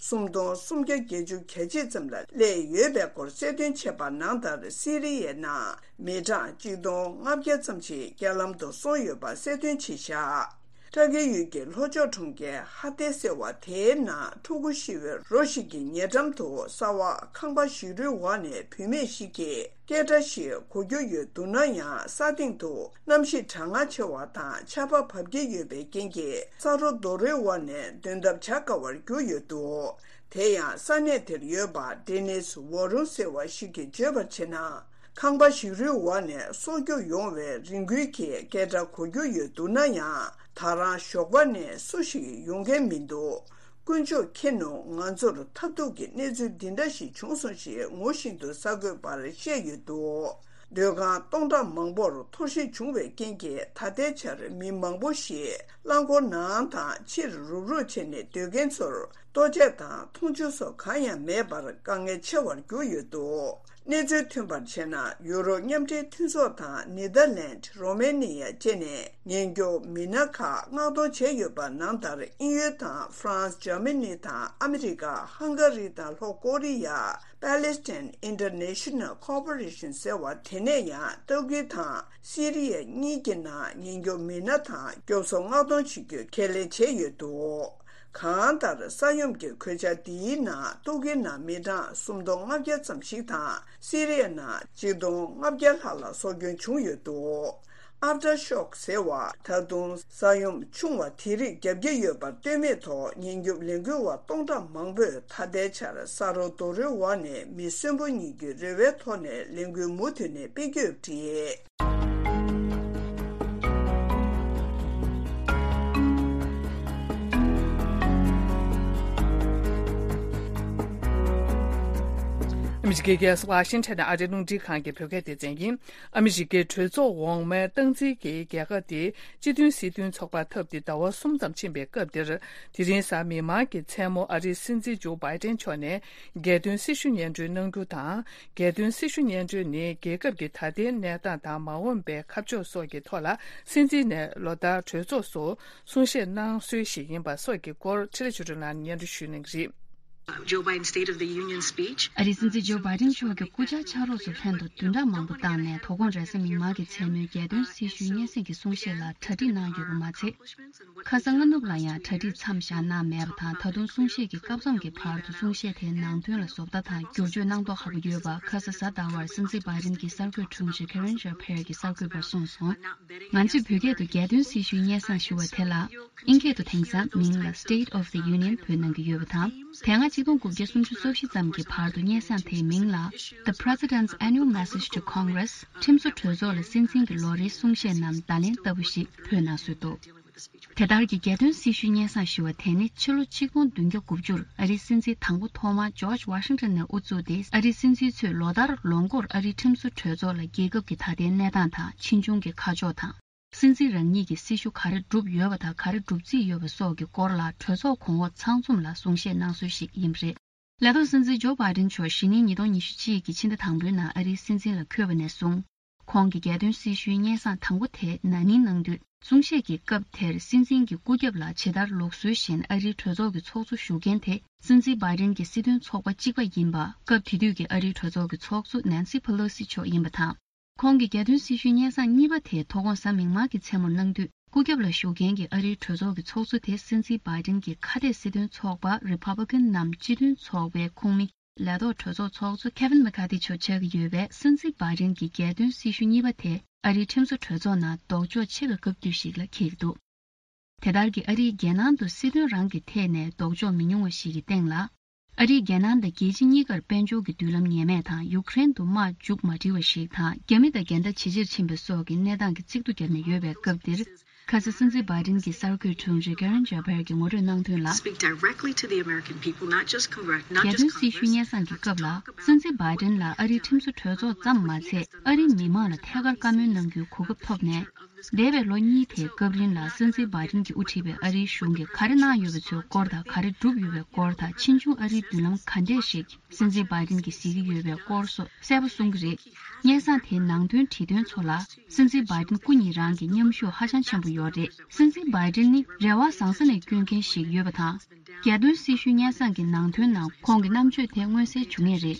སུམ་སྟོང་སུམ་བརྒྱ་བརྒྱད་ཅུ་གྱ་གཅིག་ཙམ་ལ་སླེབས་ཡོད་པའི་སྐོར་གསལ་སྟོན་བྱས་པ་ནང་ལྟར། སི་རི་ཡའི་ནང་མི་གྲངས་གཅིག་སྟོང་ལྔ་བརྒྱ་ཙམ་ཞིག་རྐྱེན་ལམ་དུ་སོང་ཡོད་པ་གསལ་སྟོན་བྱས་བཞག། ཏུར་ཀི་ཡུལ་གྱི་ལྷོ་ཕྱོགས་གྲོང་ཁྱེར་ཧ་ཏེ་ཟེར་བ་དེའི་ནང་ཕྲུ་གུ་ཤི་བའི་རོ་ཞིག་གི་ཉེ་འགྲམ་དུ་ས་འོག་ཁང་པ་ཞིག་རུའི་འོག་ནས་བུད་མེད་ཞིག་གིས་སྐད་སྒྲ་ཞིག་གོ་རྒྱུ་ཡོད་འདུག་ན་ཡང་། ས་སྟེང་དུ་གནམ་གཤིས་གྲང་ངར་ཆེ་བ་དང་ཆར་པ་བབས་ཀྱི་ཡོད་པའི་རྐྱེན་གྱིས། ས་རོ་རྡོ་རོའི་འོག་ནས་འདོན་ཐབས་བྱ་དཀའ་བར་གྱུར་ཡོད་འདུག། དེ་ཡང་ས་གནས་དེར་ཡོད་པ་ཌེ་ནིས་ཝོ་རུང་ཟེར་བ་ཞིག་གིས་བརྗོད་པར་བྱས་ན། ཁང་པ་ཞིག་རུའི་འོག་ནས་སྲོག་སྐྱོབ་ཡོང་བའི་རེ་སྐུལ་གྱི་སྐད་སྒྲ་གོ་རྒྱུ་ཡོད་འདུག་ན་ཡང་། ད་རང་ཞོགས་པ་ནས་སུ་ཞིག་ཡོང་མཁན་མི་འདུག། དཀོན་མཆོག་མཁྱེན་ནོ། ང་ཚོར་ཐབས་སྡུག་གི་གནས་ཚུལ་འདི་འདྲ་ཞིག་བྱུང་སོང་ཞེས་ངུ་བཞིན་དུ་གསར་འགོད་པར་བཤད་ཡོད་འདུག། སྡོད་ཁང་སྟོང་ཕྲག་མང་པོར་འཐོར་ཞིག་བྱུང་བའི་རྐྱེན་གྱིས། ད་ལྟའི་ཆར་མི་མང་པོ་ཞིག་རླངས་འཁོར་ནང་དང་ཕྱིར་རུབ་རུབ་བྱས་ནས་སྡོད་མཁན་ཚོར་ལྟོ་ཆས་དང་འཐུང་ཆུ་སོགས་གང་ཡང་མེད་པར་དཀའ་ངལ་ཆེ་བར་གྱུར་ཡོད་འདུག། གནས་ཚུལ་ཐོན་པར་བྱས་ན། ཡུ་རོབ་མཉམ་འབྲེལ་མཐུན་ཚོགས་དང་ནེ་དར་ལེནྜ། རོ་མེ་ནི་ཡ་བཅས་ནས་ཉེན་སྐྱོབ་མི་སྣ་ཁག་མངགས་གཏོང་བྱས་ཡོད་པ་ནང་ལྟར། དབྱིན་ཡུལ་དང་ཧྥ་རན་སི། འཇར་མ་ནི་དང་ཨ་མི་རི་ཀ། ཧང་ག་རི་དང་ལྷོ་ཀོ་རི་ཡ། པ་ལེ་སི་ཐན་ཨིན་ཊར་ནེ་ཤ་ནལ་ཀོར་པོ་རེ་ཤན་ཟེར་བ་དེ་ནས་ཡང་ཏུར་ཀི་དང་སི་རི་ཡ་གཉིས་ཀྱི་ནང་ཉེན་སྐྱོབ་མི་སྣ་དང་སྐྱོབ་གསོ་མངགས་གཏོང་བྱེད་རྒྱུ་ཁས་ལེན་བྱས་ཡོད་འདུག། གང་ལྟར། ས་ཡོམ་གྱི་གོད་ཆག་འདིའི་ནང་ཏུར་ཀིའི་ནང་མི་གྲངས་སུམ་སྟོང་ལྔ་བརྒྱ་ཙམ་ཞིག་དང་། སི་རི་ཡའི་ནང་གཅིག་སྟོང་ལྔ་བརྒྱ་ལྷག་ལ་སྲོག་སྐྱོན་བྱུང་ཡོད་འདུག། ཨབ་ཊར་ཤོག་ཟེར་བ། ད་དུང་ས་ཡོམ་ཆུང་བ་དེ་རིགས་བརྒྱབ་ཀྱི་ཡོད་པར་ལྟོས་མེད་ཐོག་ཉེན་སྐྱོབ་ལས་འགུལ་བ་སྟོང་ཕྲག་མང་པོས་ད་ལྟའི་ཆར་ས་རོ་རྡོ་རོའི་འོག་ནས་མི་གསོན་པོ་གཉིས་ཀྱི་རེ་བའི་ཐོག་ནས་ལས་འགུལ་མུ་མཐུད་ནས་སྤེལ་གྱི་ཡོད་པ་རེད། ཨ་མི་རི་ཀའི་རྒྱལ་ས་ཝ་ཤིང་ཊོན་ནས་ཨ་རིའི་རླུང་འཕྲིན་ཁང་གི་བོད་སྐད་སྡེ་ཚན་ཡིན། ཨ་མི་རི་ཀའི་གྲོས་ཚོགས་འོག་མའི་སྟངས་འཛིན་གྱིས་རྒྱལ་ཁབ་དེའི་སྤྱི་མཐུན་སྲིད་དོན་ཚོགས་པ་འཐབ་སྟེ་ཟླ་བ་གསུམ་ཙམ་ཕྱིན་པའི་སྐབས་འདིར། དེ་རིང་གཟའ་མིག་དམར་གྱི་མཚན་མོ་ཨ་རིའི་སྲིད་འཛིན་ཇོ་བྷའི་ཏན་མཆོག་ནས་རྒྱལ་དོན་སྲི་ཞུ་སྙན་སྒྲོན་གནང་རྒྱུ་དང་། རྒྱལ་དོན་སྲི་ཞུ་སྙན་སྒྲོན་ནི་རྒྱལ་ཁབ་ཀྱི་ད་ལྟའི་གནས་སྟངས་དང་མ་འོངས་པའི་ཁ་ཕྱོགས་སོགས་ཀྱི་ཐོག་ལ་སྲིད་འཛིན་ནས་ལོ་ལྟར་གྲོས་ཚོགས་སུ་གསུང་བཤད་གནང་སྲོལ་ཞིག་ཡིན་པ་སོགས་ཀྱི་སྐོར་འཕྲིན་ལས་ཆོས་སྒྲོན་ལགས་ནས་སྙན་སྒྲོན་ཞུ་གནང་གི་རེད། Joe Biden's State of the Union speech. ཨ་རིའི་སྲིད་འཛིན་ཇོ་བྷའི་ཌེན་མཆོག་གིས་སྐུ་བཅར་ཕྱག་རོགས་ཚོ་ལྷན་དུ་བདུན་ཕྲག་མང་པོ་བཏང་ནས་དོ་དགོང་རེས་གཟའ་མིག་དམར་གྱི་མཚན་མོའི་རྒྱལ་དོན་སྲི་ཞུའི་སྙན་སེང་གི་གསུང་བཤད་ལ་གྲ་སྒྲིག་གནང་ཡོད་པ་མ་ཚད། ཁ་ས་སྔ་ནུབ་ལ་ཡང་གྲ་སྒྲིག་མཚམས་བཞག་གནང་མེད་པ་དང་། ད་དུང་གསུང་བཤད་ཀྱི་སྐབས་མཚམས་ཀྱི་བར་དུ་གསུང་བཤད་དེའི་ནང་དོན་ལ་བཟོ་ལྟ་དང་བསྒྱུར་བཅོས་གནང་མདོག་ཁ་པོ་ཡོད་པ། ཁ་ས་གཟའ་ཟླ་བར་སྲིད་འཛིན་བྷའི་ཌེན་གྱི་གསར་འགོད་དྲུང་ཆེ་ཁེ་རེན་ཇཱ་ཕེར་གྱིས་གསར་འགོད་པར་གསུངས་སོང་། ང་ཚོས་བོད་སྐད་དུ་རྒྱལ་དོན་སྲི་ཞུའི་སྙན་སེང་ཞུ་བ་དེ་ལ། ཨིན་སྐད་དུ་དེང་སང་མིང་ལ་State of the Union བོས་གནང་གི་ཡོད་པ་དང་། དེ་སྔ་ཆིག་སྟོང་དགུ་བརྒྱ་སུམ་ཅུ་སོ་བཞི་ཙམ་གྱི་བར་དུ་སྙན་སེང་དེའི་མིང་ལ། The President's Annual Message to Congress ཁྲིམས་བཟོ་གྲོས་ཚོགས་ལ་སྲིད་འཛིན་གྱི་ལོ་རེའི་གསུང་བཤད་རྣམས་བརྡ་ལན་ལྟ་བུ་ཞིག་བོས་གནང་སྲོལ་འདུག་དེ་ལྟར་གྱི་རྒྱལ་དོན་སྲི་ཞུའི་སྙན་སེང་ཞུ་བ་དེ་ནི་ཕྱི་ལོ་ཆིག་སྟོང་བདུན་བརྒྱ་དགུ་བཅུར་ཨ་རིའི་སྲིད་འཛིན་དང་པོ་ཐོག་མ་ཇོརྗ་ཝ་ཤིང་ཊོན་ནས་དབུ་བཙུགས་ཏེ། ཨ་རིའི་སྲིད་འཛིན་ཚོས་ལོ་ལྟར་ལོ་འགོར་ཨ་རིའི་ཁྲིམས་བཟོ་གྲོས་ཚོགས་ལ་རྒྱལ་ཁབ་ཀྱི་ད་ལྟའི་གནས་སྟངས་དང་། ཕྱིས་འབྱུང་གི་ཁ་ཕྱོགས་དང་། སྲིད་འཛིན་རང་ཉིད་ཀྱི་སྲི་ཞུ་ག་རེ་བསྒྲུབས་ཡོད་པ་དང་། ག་རེ་སྒྲུབ་རྩིས་ཡོད་པ་སོགས་ཀྱི་སྐོར་ལ་གྲོས་ཚོགས་གོང་འོག་ཚང་འཛོམས་ལ་གསུང་བཤད་གནང་སྲོལ་ཞིག་ཡིན་པ་རེད། ལས་ཐོག་སྲིད་འཛིན་ཇོ་བྷའི་ཌེན་མཆོག་གཞེས་ནིང་ཉིས་སྟོང་ཉི་ཤུ་གཅིག་གི་ཕྱི་ཟླ་དང་པོའི་ནང་ཨ་རིའི་སྲིད་འཛིན་ལ་འཁོད་པ་ནས་བཟུང་། ཁོང་གི་རྒྱལ་དོན་སྲི་ཞུའི་སྙན་སེང་དང་པོ་དེ་ན་ནིང་གནང་དུས། གསུང་བཤད་ཀྱི་སྐབས་དེར་སྲིད་འཛིན་གྱི་སྐུ་རྒྱབ་ལ་ཇི་ལྟར་ལུགས་སྲོལ་བཞིན་ཨ་རིའི་གྲོས་ཚོགས་ཀྱི་ཚོགས་གཙོ་བཞུགས་མཁན་དེ། སྲིད་འཛིན་བྷའི་ཌེན་གྱི་སྲིད་དོན་ཚོགས་པ་གཅིག་པ་ཡིན་པ། སྐབས་དེ་དུས་ཀྱི་ཨ་རིའི་གྲོས་ཚོགས་ཀྱི་ཚོགས་གཙོ་ནན་སི་ཕེ་ལོ་སི་མཆོག་ཡིན་པ་དང་། ཁོང་གི་རྒྱལ་དོན་སྲི་ཞུའི་སྙན་སེང་གཉིས་པ་དེ་དོ་དགོང་གཟའ་མིག་དམར་གྱི་མཚན་མོར་གནང་དུས། སྐུ་རྒྱབ་ལ་བཞུགས་མཁན་གྱི་ཨ་རིའི་གྲོས་ཚོགས་ཀྱི་ཚོགས་གཙོ་དེ་སྲིད་འཛིན་བྷའི་ཌེན་གྱི་ཁ་གཏད་སྲིད་དོན་ཚོགས་པ་རི་པབ་ལི་ཀན་ནམ་སྤྱི་མཐུན་ཚོགས་པའི་ཁོངས་མི་ལས་ཐོག་གྲོས་ཚོགས་ཚོགས་གཙོ་ཁེ་ཝིན་མེ་ཁ་ཐི་མཆོག་ཆགས་ཀྱི་ཡོད་པས། སྲིད་འཛིན་བྷའི་ཌེན་གྱི་རྒྱལ་དོན་སྲི་ཞུ་གཉིས་པ་དེ་ཨ་རིའི་ཁྲིམས་བཟོ་གྲོས་ཚོགས་ནང་ལྡོག་ཕྱོགས་ཆེ་བའི་སྐབས་དུས་ཤིག་ལ་འཁེལ་གྱི་འདུག་དེ་ལྟར་གྱི་ཨ་རིའི་རྒྱལ་ནང་དུ་སྲིད་དོན་རང་གི་ཐད་ནས་ལྡོག་ཕྱོགས་མི་ཉུང་བ་ཞིག་གི་སྟེང་ལ། ཨ་རིའི་རྒྱལ་ནང་དང་རྒྱལ་སྤྱི་གཉིས་ཀར་དཔལ་འབྱོར་གྱི་མདུན་ལམ་ངེས་མེད་དང་། ཡུཀ་རེན་དུ་དམག་མཇུག་མ་སྒྲིལ་བ་ཞིག་དང་། རྒྱ་མི་དང་འགལ་ཟླ་ཇེ་ཆེར་ཕྱིན་པ་སོགས་ཀྱི་གནས་སྟངས་ཀྱི་གཙིགས་སྡུད་བརྒྱབ་ནས་ཡོད་པའི་སྐབས་འདིར། ཁ་སང་སྲིད་འཛིན་བྷའི་ཌེན་གྱི་གསར་འགོད་དྲུང་ཆེ་ཁེ་རེན་ཇཱ་ཕེར་གྱིས་ངོ་སྤྲོད་གནང་དོན་ལ། Speak directly to the American people, not just congre- not རྒྱལ་just དོན་སྲི་ཞུའི་Congress. སྙན་སེང་གི་སྐབས་ལ། སྲིད་འཛིན་བྷའི་ཌེན་ལ་ཨ་རིའི་ཁྲིམས་བཟོ་གྲོས་ཚོགས་ཙམ་མ་ཚད། ཨ་རིའི་མི་མང་ལ་ཐད་ཀར་བཀའ་མོལ་གནང་རྒྱུའི་གོ་སྐབས་ཐོབ་ནས། འདས་པའི་ལོ་གཉིས་དེའི་སྐབས་རིང་ལ་སྲིད་འཛིན་བྷའི་ཌེན་གྱིས་དབུ་ཁྲིད་པའི་ཨ་རིའི་གཞུང་གིས་ག་རེ་གནང་ཡོད་པའི་ཚོའི་སྐོར་དང་། ག་རེ་བསྒྲུབས་ཡོད་པའི་སྐོར་དང་། ཕྱིས་འབྱུང་ཨ་རིའི་མདུན་ལམ་ག་འདྲས་ཤིག་སྲིད་འཛིན་བྷའི་ཌེན་གྱིས་གཟིགས་ཀྱི་ཡོད་པའི་སྐོར་སོགས་གསལ་པོ་གསུང་གི་རེད། སྙན་སེང་དེའི་ནང་དོན་བྲིས་དོན་ཚོ་ལ། སྲིད་འཛིན་བྷའི་ཌེན་སྐུ་ཉིད་རང་གི་མཉམ་ཞུགས་ཧ་ཅང་ཆེན་པོ་ཡོད་རེད། སྲིད་འཛིན་བྷའི་ཌེན་ནི་རེ་བ་བཟང་ས་ནས་བསྐྱོན་མཁན་ཞིག་ཡོད་པ་དང་། རྒྱལ་དོན་སྲི་ཞུའི་སྙན་སེང་གི་ནང་དོན་ནང་ཁོང་གི་རྣམ་དཔྱོད་དེ་མངོན་གསལ་བྱུང་ངེས་རེད།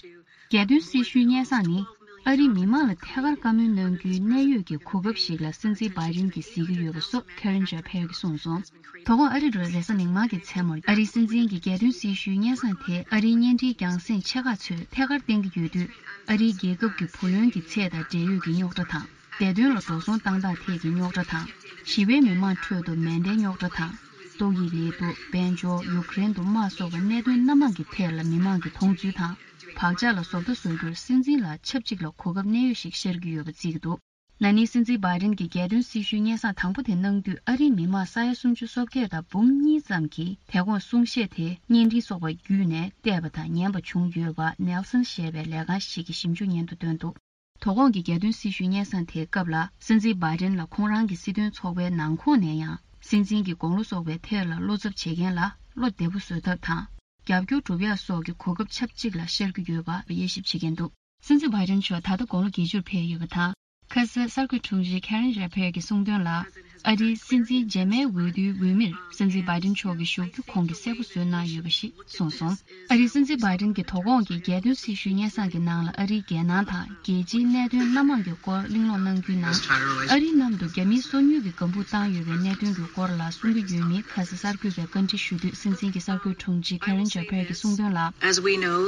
རྒྱལ་དོན་སྲི་ཞུའི་སྙན་སེང་ནི། ཨ་རིའི་མི་མང་ལ་ཐད་ཀར་བཀའ་མོལ་གནང་རྒྱུའི་གནད་ཡོད་ཀྱི་གོ་སྐབས་ཤིག་ལ་སྲིད་འཛིན་བྷའི་ཌེན་གྱིས་གཟིགས་ཀྱི་ཡོད་པ་སོགས་ཁེ་རེན་ཇཱ་ཕེར་གྱིས་གསུངས་སོང་། དོ་དགོང་ཨ་རི་དྲོ་རེས་གཟའ་མིག་དམར་གྱི་མཚན་མོར་ཨ་རིའི་སྲིད་འཛིན་གྱི་རྒྱལ་དོན་སྲི་ཞུའི་སྙན་སེང་དེ་ཨ་རིའི་བརྙན་འཕྲིན་རྒྱང་སྲིང་ཆེ་ཁག་ཚོས་ཐད་ཀར་བསྟན་གྱི་ཡོད་དུས། ཨ་རིའི་རྒྱལ་ཁབ་ཀྱི་བུ་ལོན་གྱི་ཚད་དང་འབྲེལ་ཡོད་ཀྱི་རྙོག་དྲ་དང་། བདེ་དོན་ལ་འགྲོ་སོང་བཏང་སྟངས་ཐད་ཀྱི་རྙོག་དྲ་དང་། ཞི་བའི་མི་མང་ཁྲོད་དུ་མེ་མདའི་རྙོག་དྲ་དང་། ཏོག་དབྱིབས་ནད་དུག་དཔལ་འབྱོར། ཡུཀ་རེན་དུ་དམག་སོགས་པའི་གནད་དོན་སྣ་མང་གི་ཐད་ལ་མི་མང་གི་མཐོང་ཚུལ་དང་། བག་ཆགས་ལ་བཟོ་ལྟ་བཟོ་རྒྱུར་སྲིད་འཛིན་ལ་ཆབས་ཅིག་ལ་གོ་སྐབས་གནད་ཡོད་ཞིག་ཤར་གྱི་ཡོད་པ་བརྩི་གི་འདུག་ན་ནིང་སྲིད་འཛིན་བྷའི་ཌེན་གྱི་རྒྱལ་དོན་སྲི་ཞུའི་སྙན་སེང་དང་པོ་དེ་གནང་དུས། ཨ་རིའི་མི་མང་ས་ཡ་སུམ་ཅུ་སོ་བརྒྱད་དང་འབུམ་གཉིས་ཙམ་གྱིས་དེ་དགོང་གསུང་བཤད་དེ་བརྙན་འཕྲིན་སོགས་པ་བརྒྱུད་ནས་བལྟས་པ་དང་ཉན་པ་བྱུང་ཡོད་པ། ནེལ་སན་ཞེས་པའི་ལས་ཁང་ཞིག་གིས་ཞིབ་འཇུག་སྙན་ཐོ་བཏོན་འདུག་དོ་དགོང་གི་རྒྱལ་དོན་སྲི་ཞུའི་སྙན་སེང་དེའི་སྐབས་ལ། སྲིད་འཛིན་བྷའི་ཌེན་ལ་ཁོང་རང་གི་སྲིད་དོན་ཚོགས་པའི་ནང་ཁོངས་ནས་ཡང་། སྲིད་འཛིན་གྱི་དགུང་ལོ་སོགས་པའི་ཐད་ལ་བློ་འཚབ་བྱེད་མཁན་ལ་བློ་བདེ་པོ་བཟོ་ཐབས་དང་། རྒྱབ་སྐྱོར་སྒྲུབ་ཡག་སོགས་ཀྱི་གོ་སྐབས་ཆབས་ཅིག་ལ་ཤར་གྱི་ཡོད་པ་དབྱེ་ཞིབ་བྱེད་མཁན་འདུག་སྲིད་འཛིན་བྷའི་ཌེན་མཆོག་ད་ལྟ་དགུང་ལོ་བརྒྱད་ཅུར་ཕེབས་ཡོད་པ་དང་། ཁ་སང་གསར་འགོད་དྲུང་ཆེ་ཁེ་རེན་ཇཱ་ཕེར་གྱིས་གསུངས་དོན་ལ། ཨ་རིའི་སྲིད་འཛིན་རྗེས་མའི་འོས་བསྡུའི་འོས་མིར་སྲིད་འཛིན་བྷའི་ཌེན་མཆོག་གི་ཞུགས་རྒྱུ་ཁོང་གིས་གསལ་པོ་བཟོས་གནང་ཡོད་པ་ཞིག་གསུངས་སོང་། ཨ་རིའི་སྲིད་འཛིན་བྷའི་ཌེན་གྱི་དོ་དགོང་གི་རྒྱལ་དོན་སྲི་ཞུའི་སྙན་སེང་གི་ནང་ལ། ཨ་རིའི་རྒྱལ་ནང་དང་རྒྱལ་སྤྱིའི་གནད་དོན་སྣ་མང་གི་སྐོར་གླེང་སློང་གནང་རྒྱུའི་ནང་། ཨ་རིའི་ནང་དུ་རྒྱ་མིའི་སོ་ཉུལ་གྱི་ལྒང་བུ་བཏང་ཡོད་པའི་གནད་དོན་གྱི་སྐོར་ལ་གསུང་གི་ཡོད་མིན། ཁ་སང་གསར་འགོད་པས་བཀའ་འདྲི་ཞུ་དུས། སྲིད་འཛིན་གྱི་གསར་འགོད་དྲུང་ཆེ་ཁེ་རེན་ཇཱ་ཕེར་གྱིས་གསུངས་དོན་ལ། As we know,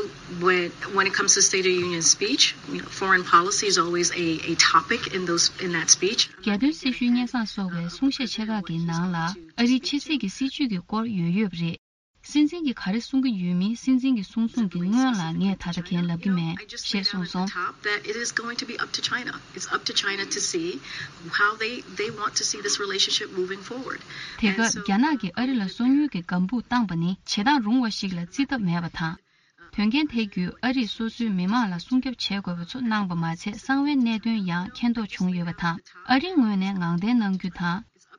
when, when it comes to State of Union speech, you know, foreign policy is always a, a topic in those, in that speech. རྒྱལ་དོན་སྲི་ཞུའི་སྙན་སེང་སོགས་པའི་གསུང་བཤད་ཆེ་ཁག་གི་ནང་ལ་ཨ་རིའི་ཕྱི་སྲིད་ཀྱི་སྲིད་ཇུས་ཀྱི་སྐོར་ཡོད་ཡོད་པ་རེད། སྲིད་འཛིན་གྱིས་ག་རེ་གསུང་གི་ཡོད་མིན། སྲིད་འཛིན་གྱིས་གསུང་གསུང་གི་སྔོན་ལ་ངས་ད་ལྟ་གང་ལབ་ཀྱི་མེད་ཞེས་གསུངས་སོང་། Top that it is going to be up to China. It's up to China to see how they, they want to see this relationship moving forward. དེ་སྐབས་རྒྱ་ནག་གིས་ཨ་རི་ལ་སོ་ཉུལ་གྱི་ལྒང་བུ་བཏང་པ་ནི་བྱེད་སྟངས་རུང་བ་ཞིག་ལ་བརྩི་ཐབས་མེད་པ་དང་། དོན་རྐྱེན་དེ་བརྒྱུད་ཨ་རིས་སོ་སོའི་མི་མང་ལ་སྲུང་སྐྱོབ་བྱེད་དགོས་པ་ཚོ་གནང་པ་མ་ཚད། གསང་བའི་གནད་དོན་ཡང་མཁྱེན་རྟོགས་བྱུང་ཡོད་པ་དང་། ཨ་རིའི་ངོས་ནས་ངང་བརྟན་གནང་རྒྱུ་དང་།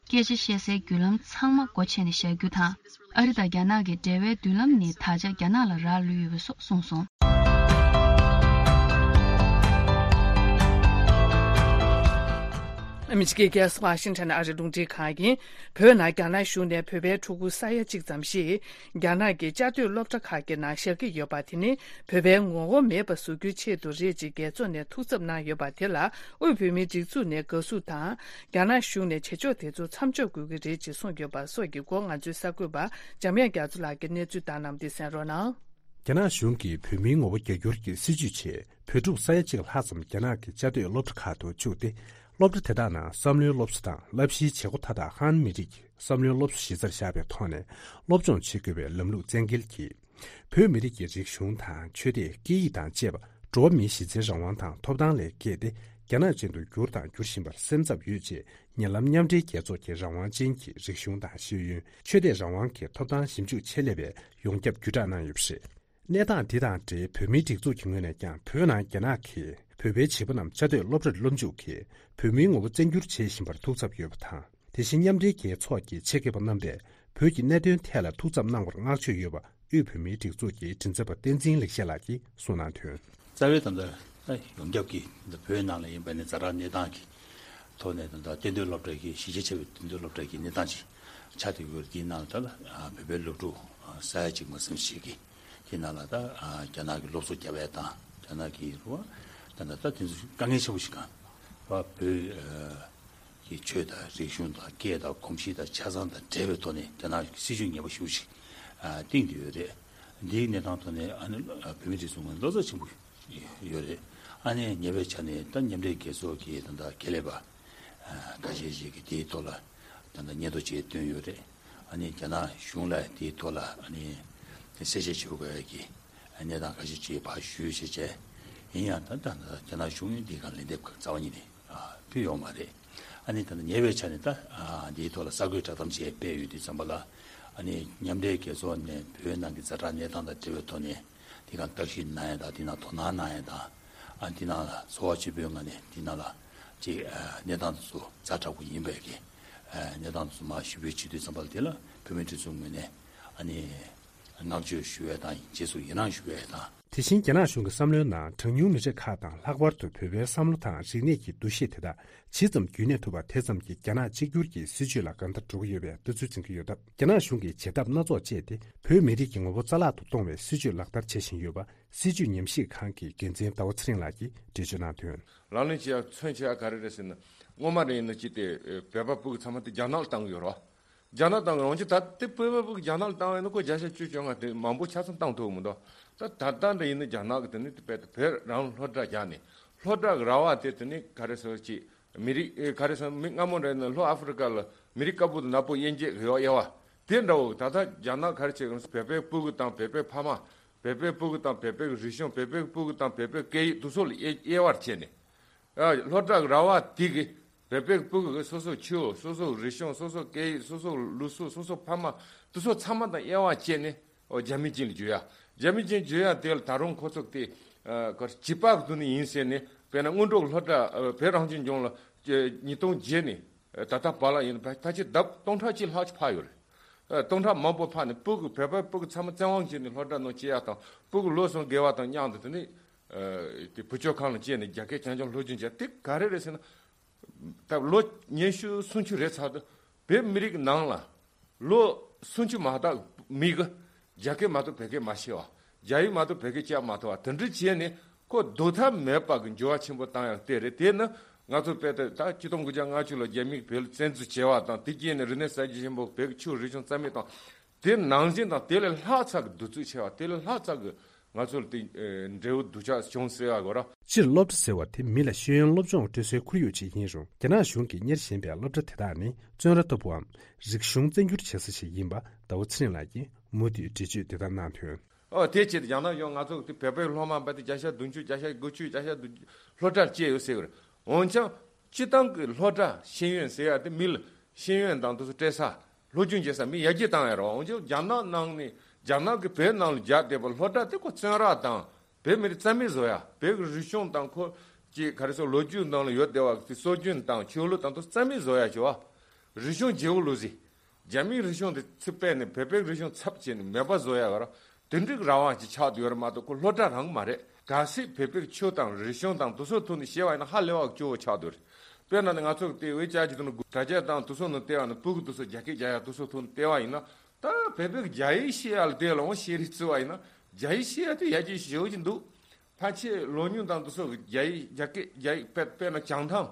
སྐད་ཆ་བཤད་སའི་བརྒྱུད་ལམ་ཚང་མ་སྒོ་ཕྱེ་ནས་བཞག་རྒྱུ་དང་། ཨ་རི་དང་རྒྱ་ནག་གི་འབྲེལ་བའི་མདུན་ལམ་ནི་ད་ཆ་རྒྱ་ནག་ལ་རག་ལུས་ཡོད་པ་སོགས་གསུངས་སོང་། ཨ་མི་རི་ཀའི་རྒྱལ་ས་ཝ་ཤིང་ཊོན་ཨ་རིའི་རླུང་འཕྲིན་ཁང་ཡིན། བོད་ནང་རྒྱ་ནག་གཞུང་ནས་བོད་པའི་ཕྲུ་གུ་ས་ཡ་གཅིག་ཙམ་ཞིག་རྒྱ་ནག་གི་བཅའ་སྡོད་སློབ་གྲྭ་ཁག་གི་ནང་བཞག་གི་ཡོད་པ་དེ་ནི་བོད་པའི་ངོ་བོ་མེད་པ་བཟོ་རྒྱུའི་ཆེད་དུ་རེད་ཅེས་རྒྱལ་ཚོགས་ནས་ཐུགས་འཚབ་གནང་ཡོད་པ་དེ་ལ་དབུས་བོད་མིའི་སྒྲིག་འཛུགས་ནས་དགའ་བསུ་དང་། རྒྱ་ནག་གཞུང་ནས་བྱེད་ཕྱོགས་དེ་ཚོ་མཚམས་འཇོག་དགོས་ཀྱི་རེད་ཅེས་གསུངས་ཡོད་པ་སོགས་ཀྱི་སྐོར་ང་ཚོའི་གསར་འགོད་པ་འཇམ་དབྱངས་རྒྱ་མཚོ་ལགས་ཀྱིས་གནས་ཚུལ་བཏང་གནང་བ་འདི་གསན་རོགས་གནང་། རྒྱ་ནག་གཞུང་གིས་བོད་མིའི་ངོ་བོ་རྒྱ་སྒྱུར་གྱི་སྲིད་བྱུས་ཆེད་བོད་ཕྲུག་ས་ཡ་གཅིག་ལྷག་ཙམ་རྒྱ་ནག་གི་བཅའ་སྡོད་སློབ་གྲྭ་ཁག་ཏུ་བཅུག་སྟེ། སློབ་གྲྭ་དེ་དག་ནང་བསམ་བློའི་སློབ་གསོ་དང་བསླབ་གཞིའི་བྱེད་སྒོ་མཐའ་དག་ཧན་མི་རིགས་ཀྱི་བསམ་བློའི་སློབ་གསོ་གཞི་རྩར་བཞག་པའི་ཐོག་ནས་སློབ་སྦྱོང་བྱེད་དགོས་པའི་ལམ་ལུགས་བཙན་འགེལ་གྱིས། བོད་མི་རིགས་ཀྱི་རིག་གཞུང་དང་ཆོས་དད། སྐད་ཡིག་དང་བཅས་པ་འགྲོ་བ་མིའི་གཞི་རྩའི་རང་དབང་དང་ཐོབ་ཐང་ལས་བརྒལ་ཏེ། རྒྱ་ནག་ཅན་དུ་བསྒྱུར་དང་འགྱུར་བཞིན་པར་སེམས་འཚབ་ཡོད་ཅེས། ཉེ་ལམ་མཉམ་འབྲེལ་རྒྱལ་ཚོགས་ཀྱི་རང་དབང་ཅན་གྱི་རིག་གཞུང་དང་ཤེས་ཡོན། ཆོས་དད་རང་དབང་གི་ཐོབ་ཐང་ཞིབ་འཇུག་ཆེད་ལས་པས་ཡོངས་ཁྱབ་བརྒྱུད་བསྒྲགས་གནང་ཡོད་པ་རེད། གནས་སྟངས་འདི་དང་འབྲེལ་བོད་མིའི་སྒྲིག་འཛུགས་ཀྱི་ངོས་ནས་ཀྱང་བོད་ནང་རྒྱ་ནག་གིས་བོད་པའི་བྱིས་པ་རྣམས་བཅའ་སྡོད་སློབ་གྲྭར་སློབ་འཇུག་གིས་བོད་མིའི་ངོ་བོ་བཙན་འགྱུར་བྱེད་བཞིན་པར་ཐུགས་འཚབ་ཡོད་པ་དང་། དེ་བཞིན་མཉམ་འབྲེལ་རྒྱལ་ཚོགས་ཀྱི་ཆེད་མཁས་པ་རྣམ་པས་བོད་ཀྱི་གནད་དོན་ཐད་ལ་ཐུགས་འཚབ་གནང་བར་བསྔགས་བརྗོད་ཡོད་པ་དབུས་བོད་མིའི་སྒྲིག་འཛུགས་ཀྱི་མགྲིན་ཚབ་པ་བསྟན་འཛིན་ལེགས་བཤད་ལགས་ཀྱིས་གསུངས་གནང་དོན། རྩ་བའི་ད་ལྟ་ཡོངས་ཁྱབ་ཀྱི་ད་བོད་ནང་ལ་ཡིན་པ་ནི་ཛ་དྲག་གནས་སྟངས་ཀྱི་ཐོག་ནས་ད་ལྟ་གཏན་སྡོད་སློབ་གྲྭ་གི་གཞི་རྒྱ་ཆེ་བའི་གཏན་སྡོད་སློབ་གྲྭ་གི་གནས་སྟངས་ཅིག་ཆགས་བསྡད་ཡོད་དེའི་ནང་ལ་ད་ལ་བོད་པའི་སློབ་ཕྲུག་ས་ཡ་གཅིག་མ་ཟིན་ཞིག་གི་དེའི་ནང་ལ་ད་རྒྱ་ནག་གི་སློབ་གསོ་རྒྱབ་ཡས་དང་རྒྱ་ནག་གི་རུ་བ་ད་ལྟ་ད་དེ་ཚོ་དཀའ་ངལ་ཆེན་པོ་ཞིག་གང་བ་བོད་ཀྱི་ཆོས་དང་རིག་གཞུང་དང་སྐད་དང་གོམས་གཤིས་དང་ཆ་ཚང་དང་འབྲེལ་བའི་ཐོག་ནས་རྒྱ་ནག་གི་སྲིད་བྱུས་ངན་པ་ཞེ་པོ་ཞིག་བཏིང་བསྡད་ཡོད་རེད། འདིའི་གནས་སྟངས་ཐོག་ནས་ཨ་ནི་བོད་མི་སྒྲིག་འཛུགས་ངོས་ནས་བློ་འཚབ་ཆེན་པོ་ཡོད་རེད། ཨ་ནི་ཉེ་བའི་ཆར་ནས་ད་མཉམ་འབྲེལ་རྒྱལ་ཚོགས་ཀྱི་ད་ལྟ་ཁེ་ལས་པ་ཁ་ཤས་ཤིག་གིས་དེའི་ཐོག་ལ་ད་ལྟ་སྙན་ཐོ་ཅིག་བཏོན་ཡོད་རེད། ཨ་ནི་རྒྱ་ནག་གཞུང་ལ་དེའི་ཐོག་ལ་ཨ་ནི་གསལ་བཤད་བྱེད་དགོས་ཀྱི་གནས་སྟངས་ཁ་ཤས་ཅིག་ཕར་ཞུས་བྱས་བྱས། ཡིན་ཡང་ད་ལྟ་རྒྱ་ནག་གཞུང་ཡིན་དེའི་སྒང་ལན་འདེབས་རྩ་བ་ཉིད་ནས་ཕུལ་ཡོད་མ་རེད། ཨ་ནི་ད་ལྟ་ཉེ་བའི་ཆར་ནས་ད་འདིའི་ཐོག་ལ་གསར་འགོད་བསྒྲགས་གཏམ་ཅིག་སྤེལ་ཡོད་དུས་ཙམ་པ་ལ། ཨ་ནི་མཉམ་འབྲེལ་རྒྱལ་ཚོགས་ནས་བོད་ནང་གི་ཛ་དྲག་གནས་སྟངས་དང་འབྲེལ་བའི་ཐོག་ནས་དེའི་སྒང་བརྟག་ཞིབ་གནང་ཡ་དང་དེའི་ནང་དོ་སྣང་གནང་ཡ་དང་། ཨ་དེའི་ནང་ལ་ཚོར་བ་ཆེན་པོའི་ངང་ནས་དེའི་ནང་ལ་ཅིག་གནས་སྟངས་དེ་ཚོ་ཛ་དྲག་པོ་ཡིན་པའི་གི་གནས་སྟངས་དེ་ཚོ་མར་ཞུ་འབོད་བྱེད་དུས་ཙམ་པ་ལ་དེ་ལ་བོད་མིའི་སྒྲིག་འཛུགས་ངོས་ནས་ཨ་ནི། བསྔགས་བརྗོད་ཞུ་བའི་དང་རྗེས་སུ་ཡི་རང་ཞུ་བའི་དང་། དེ་བཞིན་རྒྱ་ནག་གཞུང་གི་བསམ་བློའི་ནང་གྲངས་ཉུང་མི་རིགས་ཁག་དང་ལྷག་པར་དུ་བོད་པའི་བསམ་བློ་དང་རིག་གནས་ཀྱི་འདུ་ཤེས་དེ་དག་ཇི་ཙམ་རྒྱུན་གནས་ཐུབ་པ་དེ་ཙམ་གྱིས་རྒྱ་ནག་གཅིག་གྱུར་གྱི་སྲིད་བྱུས་ལ་གང་ལྟར་འགྲོ་གི་ཡོད་པའི་ལྟ་ཚུལ་འཛིན་གྱི་ཡོད་སྟབས། རྒྱ་ནག་གཞུང་གིས་བྱེད་ཐབས་སྣ་ཚོགས་སྤྱད་དེ་བོད་མི་རིགས་ཀྱི་ངོ་བོ་རྩ་བརླག་ཏུ་གཏོང་བའི་སྲིད་བྱུས་ལག་བསྟར་བྱེད་བཞིན་ཡོད་པ་སྲིད་བྱུས་ཉམས་ཞིབ་ཁང་གི་འགན་འཛིན་ཟླ་བ་ཚེ་རིང་ལགས་ཀྱིས་འགྲེལ་བརྗོད་གནང་དོན། ལག་ལེན་བྱེད་ཡག་མཚོན་བྱེད་ཡག་ག་རེ་རེད་ཟེར་ན། སྔོན་མ་རེད་ཡིན་ན་ཅི་སྟེ་བོད་པ་ཕྲུ་གུ་ཚང་མ་དེ་རྒྱ་ནག་ལ་བཏང་གི་ཡོད་རེད་བ། རྒྱ་ནག་དང་འོན་ཀྱང་ད་ལྟའི་བོད་པ་ཕྲུ་གུ་རྒྱ་ནག་ལ་བཏང་བ་ཡིན་ན་ཁོ་བརྒྱ་ཆ་བཅུ་བཅོ་ལྔ་དེ་མང་པོ་ཆ་ཚང་བཏང་ཐུབ་མི་འདུག་ད་ད་ལྟ་འདྲ་ཡིན་ན་རྒྱ་ནག་གི་དེ་ནི་དཔེ་དེ་བོད་རང་སློབ་གྲྭ་རྒྱག་ནས་སློབ་གྲྭ་གི་ར་བ་དེ་དེ་ནི་ག་རེ་ཟེར་ཅིག་མི་རིགས་ཨེ་ག་རེ་ཟེར་མི་སྔ་མོ་འདྲ་ཡིན་ན་ལྷོ་ཨ་ཧྥེ་རི་ཀ་ལ་མི་རིགས་དཀར་པོ་དང་ནག་པོ་དབྱེ་འབྱེད་ཡོད་དབྱེ་བ་དེ་འདྲ་བོ་ད་ལྟ་རྒྱ་ནག་ག་རེ་བྱེད་གི་རེད། བོད་པའི་ཕྲུ་གུ་དང་བོད་པའི་ཕ་མ། བོད་པའི་ཕྲུ་གུ་དང་བོད་པའི་རིག་གཞུང་བོད་པའི་ཕྲུ་གུ་དང་བོད་པའི་སྐད་ཡིག་དེ་ཚོ་ལ་དབྱེ་དབྱེ་བར་བྱས་ནས། ཨ་སློབ་གྲྭ་གི་ར་བ་དེ་གི་བོད་པའི་ཕྲུ་གུ་གི་སོ་སོའི་ཆོས་སོ་སོའི་རིག་གཞུང་སོ་སོའི་སྐད་ཡིག་སོ་སོའི་ལུགས་སྲོལ་སོ་སོའི་ཕ་མ་དེ་ཚོ་ཚང་མ་དང་དབྱེ་བ་བྱས་ནས་ཨོ་རྒྱ་མི་ཅན་ལ་བསྒྱུར་ཡ། རྒྱ་མི་ཅན་བསྒྱུར་ཡ་དེ་ལ་ད་རུང་ཁོ་ཚོ་དེ་ཨ་གར་བྱིས་པ་གི་དུས་ནས་ཡིན་ཟེར་ནས་དཔེར་ན་སྔོན་འགྲོ་གི་སློབ་གྲྭ་ཨ་བོད་རང་སྐྱོང་ལྗོངས་ལ་ཉིས་སྟོང་བརྒྱད་ནས་ད་ལྟ་བར་ལ་ཡིན་ན་ད་ཆ་ལྡབ་སྟོང་ཕྲག་གཅིག་ལྷག་ཅིག་འཕར་ཡོད་རེད། ཨ་སྟོང་ཕྲག་མང་པོ་འཕར་ནས་ཕྲུ་གུ་བོད་པའི་ཕྲུ་གུ་ཚང་མ་བཙན་དབང་བྱས་ནས་སློབ་གྲྭ་ནང་སྐྱེལ་ཡ་དང་ཕྲུ་གུ་ལོ་གསུམ་བརྒལ་བ་དང་མཉམ་དུ་དེ་ནས་ཨ་དེ་བུ་བཅོལ་ཁང་ལ་སྐྱེལ་ནས་རྒྱ་སྐད་རྐྱང་རྐྱང་སློབ་སྦྱོང་བྱས་དེ་ག་རེ་རེད་ཟེར་ན། ད་ལོ་ཉི་ཤུ་སུམ་ཅུ་རེད་ཚར་དུས་བོད་མི་རིགས་ནང་ལ་ལོ་སུམ་ཅུ་མ་དག་མི་གི་རྒྱ་སྐད་མ་གཏོགས་བོད་སྐད་མ་ཤེས་པ། རྒྱ་ཡིག་མ་གཏོགས་བོད་སྐད་བཅའ་མ་ཐུབ་པ་དེ་འདྲ་བྱས་ནས་ཁོ་སྡུག་ཐབས་མེད་པ་གི་འགྱུར་བ་ཆེན་པོ་བཏང་ཡག་དེ་རེད། དེ་ནི་ང་ཚོ་དཔེ་དེ་ད་ཆིག་སྟོང་དགུ་བརྒྱ་ལྔ་བཅུ་ལོ་རྒྱ་མིས་བོད་ལ་བཙན་འཛུལ་བྱས་པ་དང་དེ་རྗེས་ནས་རིག་གནས་གསར་བརྗེ་ཆེན་པོ་བོད་ཀྱི་ཆོས་རིག་གཞུང་རྩ་མེད་བཏང་། དེ་ནང་བཞིན་དང་དེ་ལས་ལྷག་ཙམ་གི་གདུག་རྩུབ་ཆེ་བ་དེ་ལས་ལྷག་ཙམ་གི་ང་ཚོ་ལ་དེ་ཨེ་འབྲས་བུ་སྡུག་ཅག་བྱུང་ཟེར་བ་གོ་ར། སྤྱིར་སློབ་གྲྭ་ཟེར་བ་དེ་མི་ལ་ཤེས་ཡོན་སློབ་སྦྱོང་སྤྲོད་སའི་ཁོར་ཡུག་ཅིག་ཡིན་རུང་རྒྱ་ནག་གཞུང་གིས་གཉེར་བཞིན་པའི་སློབ་གྲྭ་དེ་དག་ནི་བཙོན་ར་ལྟ་བུའམ་རིག་གཞུང་བཙན་སྒྱུར་བྱེད་ས་ཞིག་ཡིན་པ་ཟླ་བ་ཚེ་རིང་ལགས་ཀྱིས་མུ་མཐུད་འགྲེལ་བརྗོད་འདི་ལྟར་གནང་དོན། ཨོ་དེ་ཆེད་དུ་ཡང་ན་ཡང་ང་ཚོ་དེ་བོད་པའི་སློབ་མ་པ་དེ་བརྒྱ་ཆ་བདུན་ཅུ་བརྒྱ་ཆ་དགུ་བཅུ་བརྒྱ་ཆ་བདུན་ཅུ་སློབ་གྲྭར་བསྐྱལ་ཡོད་ཟེར་གི་རེད། འོན་ཀྱང་། སྤྱི་བཏང་གི་སློབ་གྲྭ་ཤེས་ཡོན་ཟེར་ཡ་དེ་མི་ལ་ཤེས་ཡོན་དང་དེ་ཚོ་སྤྲད་ས་སློབ་སྦྱོང་བྱེད་ས་མི་ཡར་རྒྱས་བཏང་ཡ་རེད། འོན་ཀྱང་རྒྱ་ནག་ནང་ནས་རྒྱ་ནག་གི་བོད་ནང་ལ་རྒྱག་བསྡད་པ་སློབ་གྲྭ་དེ་ཁོ་བཙོན་ར་དང་བོད་མི་རིགས་རྩ་མེད་བཟོ་ཡ། བོད་ཀྱི་རིག་གཞུང་དང་ཁོ་ཀྱི་ག་རེ་ཟེར་ལོ་རྒྱུས་ནང་ལ་ཡོད་བསྡད་པ་དེ་སྲོལ་རྒྱུན་དང་ཆོས་ལུགས་དང་དེ་ཚོ་རྩ་མེད་བཟོ་ཡ་བྱེད་པ། རིག་གཞུང་བརྗེ་པོ་ལུགས་ཟེར། རྒྱ་མིའི་རིག་གཞུང་དེ་ཚུར་སྤེལ་ནས་བོད་པའི་རིག་གཞུང་ཚབ་བྱས་ནས་མེད་པ་བཟོ་ཡ་ག་ར་དེ་འདྲའི་རང་དབང་ཅིག་ཆགས་བསྡད་ཡོད་རེད་མ་གཏོགས་ཁོ་སློབ་གྲྭ་རང་མ་རེད། གལ་སྲིད་བོད་པའི་ཆོས་དང་རིག་གཞུང་དང་དེ་ཚོའི་ཐོག་ནས་བཤད་པ་ཡིན་ན་ཧ་ལས་པ་སྐྱོ་བོ་ཆགས་བསྡད་ཡོད་རེད། དཔེར་ན་ནི་ང་ཚོ་དེ་བའི་ཅག་ཅིག་ཏུ་ནི་དྲ་རྒྱ་དང་དུ་སོ་ནི་ལྟེ་བ་ནི་ཕྲུ་གུ་དུ་སོ་རྒྱ་སྐད་རྒྱག་ཡ་དུ་སོ་ཐོན་ལྟེ་བ་ཡིན་ན། ད་བོད་པའི་རྒྱ་ཡིག་ཤེས་ཡ་ལ་དེ་ལ་འོང་ཤེས་རིག་བརྩི་བ་ཡིན་ན། རྒྱ་ཡིག་ཤེས་ཡ་དེ་ཡ་གྱི་ཞེ་བོ་ཅིག་འདུག་ཕལ་ཆེར་ལོ་ཉུང་དང་དུ་སོ་གི་རྒྱ་ཡིག་རྒྱ་སྐད་རྒྱ་ཡིག་དཔེ་དཔེར་ན་བྱང་ཐང་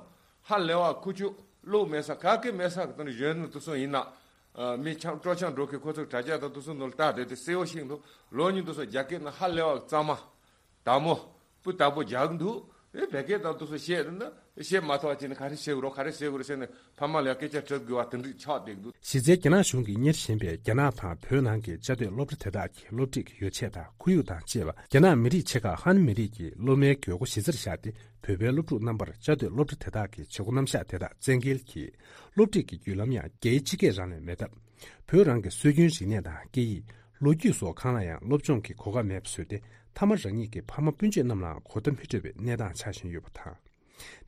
ཧ་ལས་བ་ཁུ་ཆུ་བློ་མེད་ས་ག་གེ་མེད་ས་གི་དོན་གཞོན་ནུ་དུ་སོ་ཡིན་ན། མི་ཆང་སྤྲོ་ཆང་འགྲོ་གི་ཁོ་ཚོ་དྲ་རྒྱ་དང་དུ་སོ་ནོར་ལྟ་དེ་དེ་གསལ་བོ་ཞིག་འདུག་ལོ་ཉུང་དུ་སོ་རྒྱ་སྐད་ན་ཧ་ལས་བ་གཙང་མ། དྭགས་མོ། སྤུ་དག་པོ་རྒྱག་འདུག་ཨེ་བོད་སྐད་དང་དུ་སོ་བཤད་ན་བཤད་མ་ཐུབ་པ་ཅིག་ནི་ག་རེ་བཤད་དགོས་རོགས་ག་རེ་བཤད་དགོས་རེད་ཟེར་ནས་ཕ་མ་ལ་སྐད་ཆ་དྲི་དགོས་པ་དེ་འདྲ་ཆགས་བསྡད་འདུག་གཞི་རྩའི་རྒྱ་ནག་གཞུང་གིས་གཉེར་བཞིན་པའི་རྒྱ་ནག་དང་བོད་ནང་གི་བཅའ་སྡོད་སློབ་གྲྭ་དེ་དག་གི་སློབ་ཁྲིད་ཀྱི་ཡོ་བྱད་དང་ཁོར་ཡུག་དང་བཅས་པ་རྒྱ་ནག་མི་རིགས་ཆེ་ཁག་ཧན་མི་རིགས་ཀྱི་སློབ་མའི་དགོས་མཁོ་གཞི་རྩར་བཞག་སྟེ་བོད་པའི་སློབ་ཕྲུག་རྣམ་པར་བཅའ་སྡོད་སློབ་གྲྭ་དེ་དག་གི་བྱེད་སྒོ་རྣམ་གཞག་དེ་དག་བཙན་འགེལ་གྱིས་སློབ་ཁྲིད་ཀྱི་བརྒྱུད་ལམ་ཡང་རྒྱའི་སྤྱི་སྐད་རང་ལས་མེད་སྟབས། བོད་རང་གི་སྲོལ་རྒྱུན་རིག་གནས་དང་སྐད་ཡིག་ལོ་རྒྱུས་སོགས་གང་ལ་ཡང་སློབ་སྦྱོང་གི་གོ་སྐབས་མེད་པ་བཟོས་ཏེ། མཐའ་མ་རང་ཉིད་ཀྱི་ཕ་མ་སྤུན་མཆེད་རྣམས་ལའང་གོ་བརྡ་མི་སྤྲོད་པའི་གནས་སྟངས་ཆགས་བཞིན་ཡོད་པ་དང་།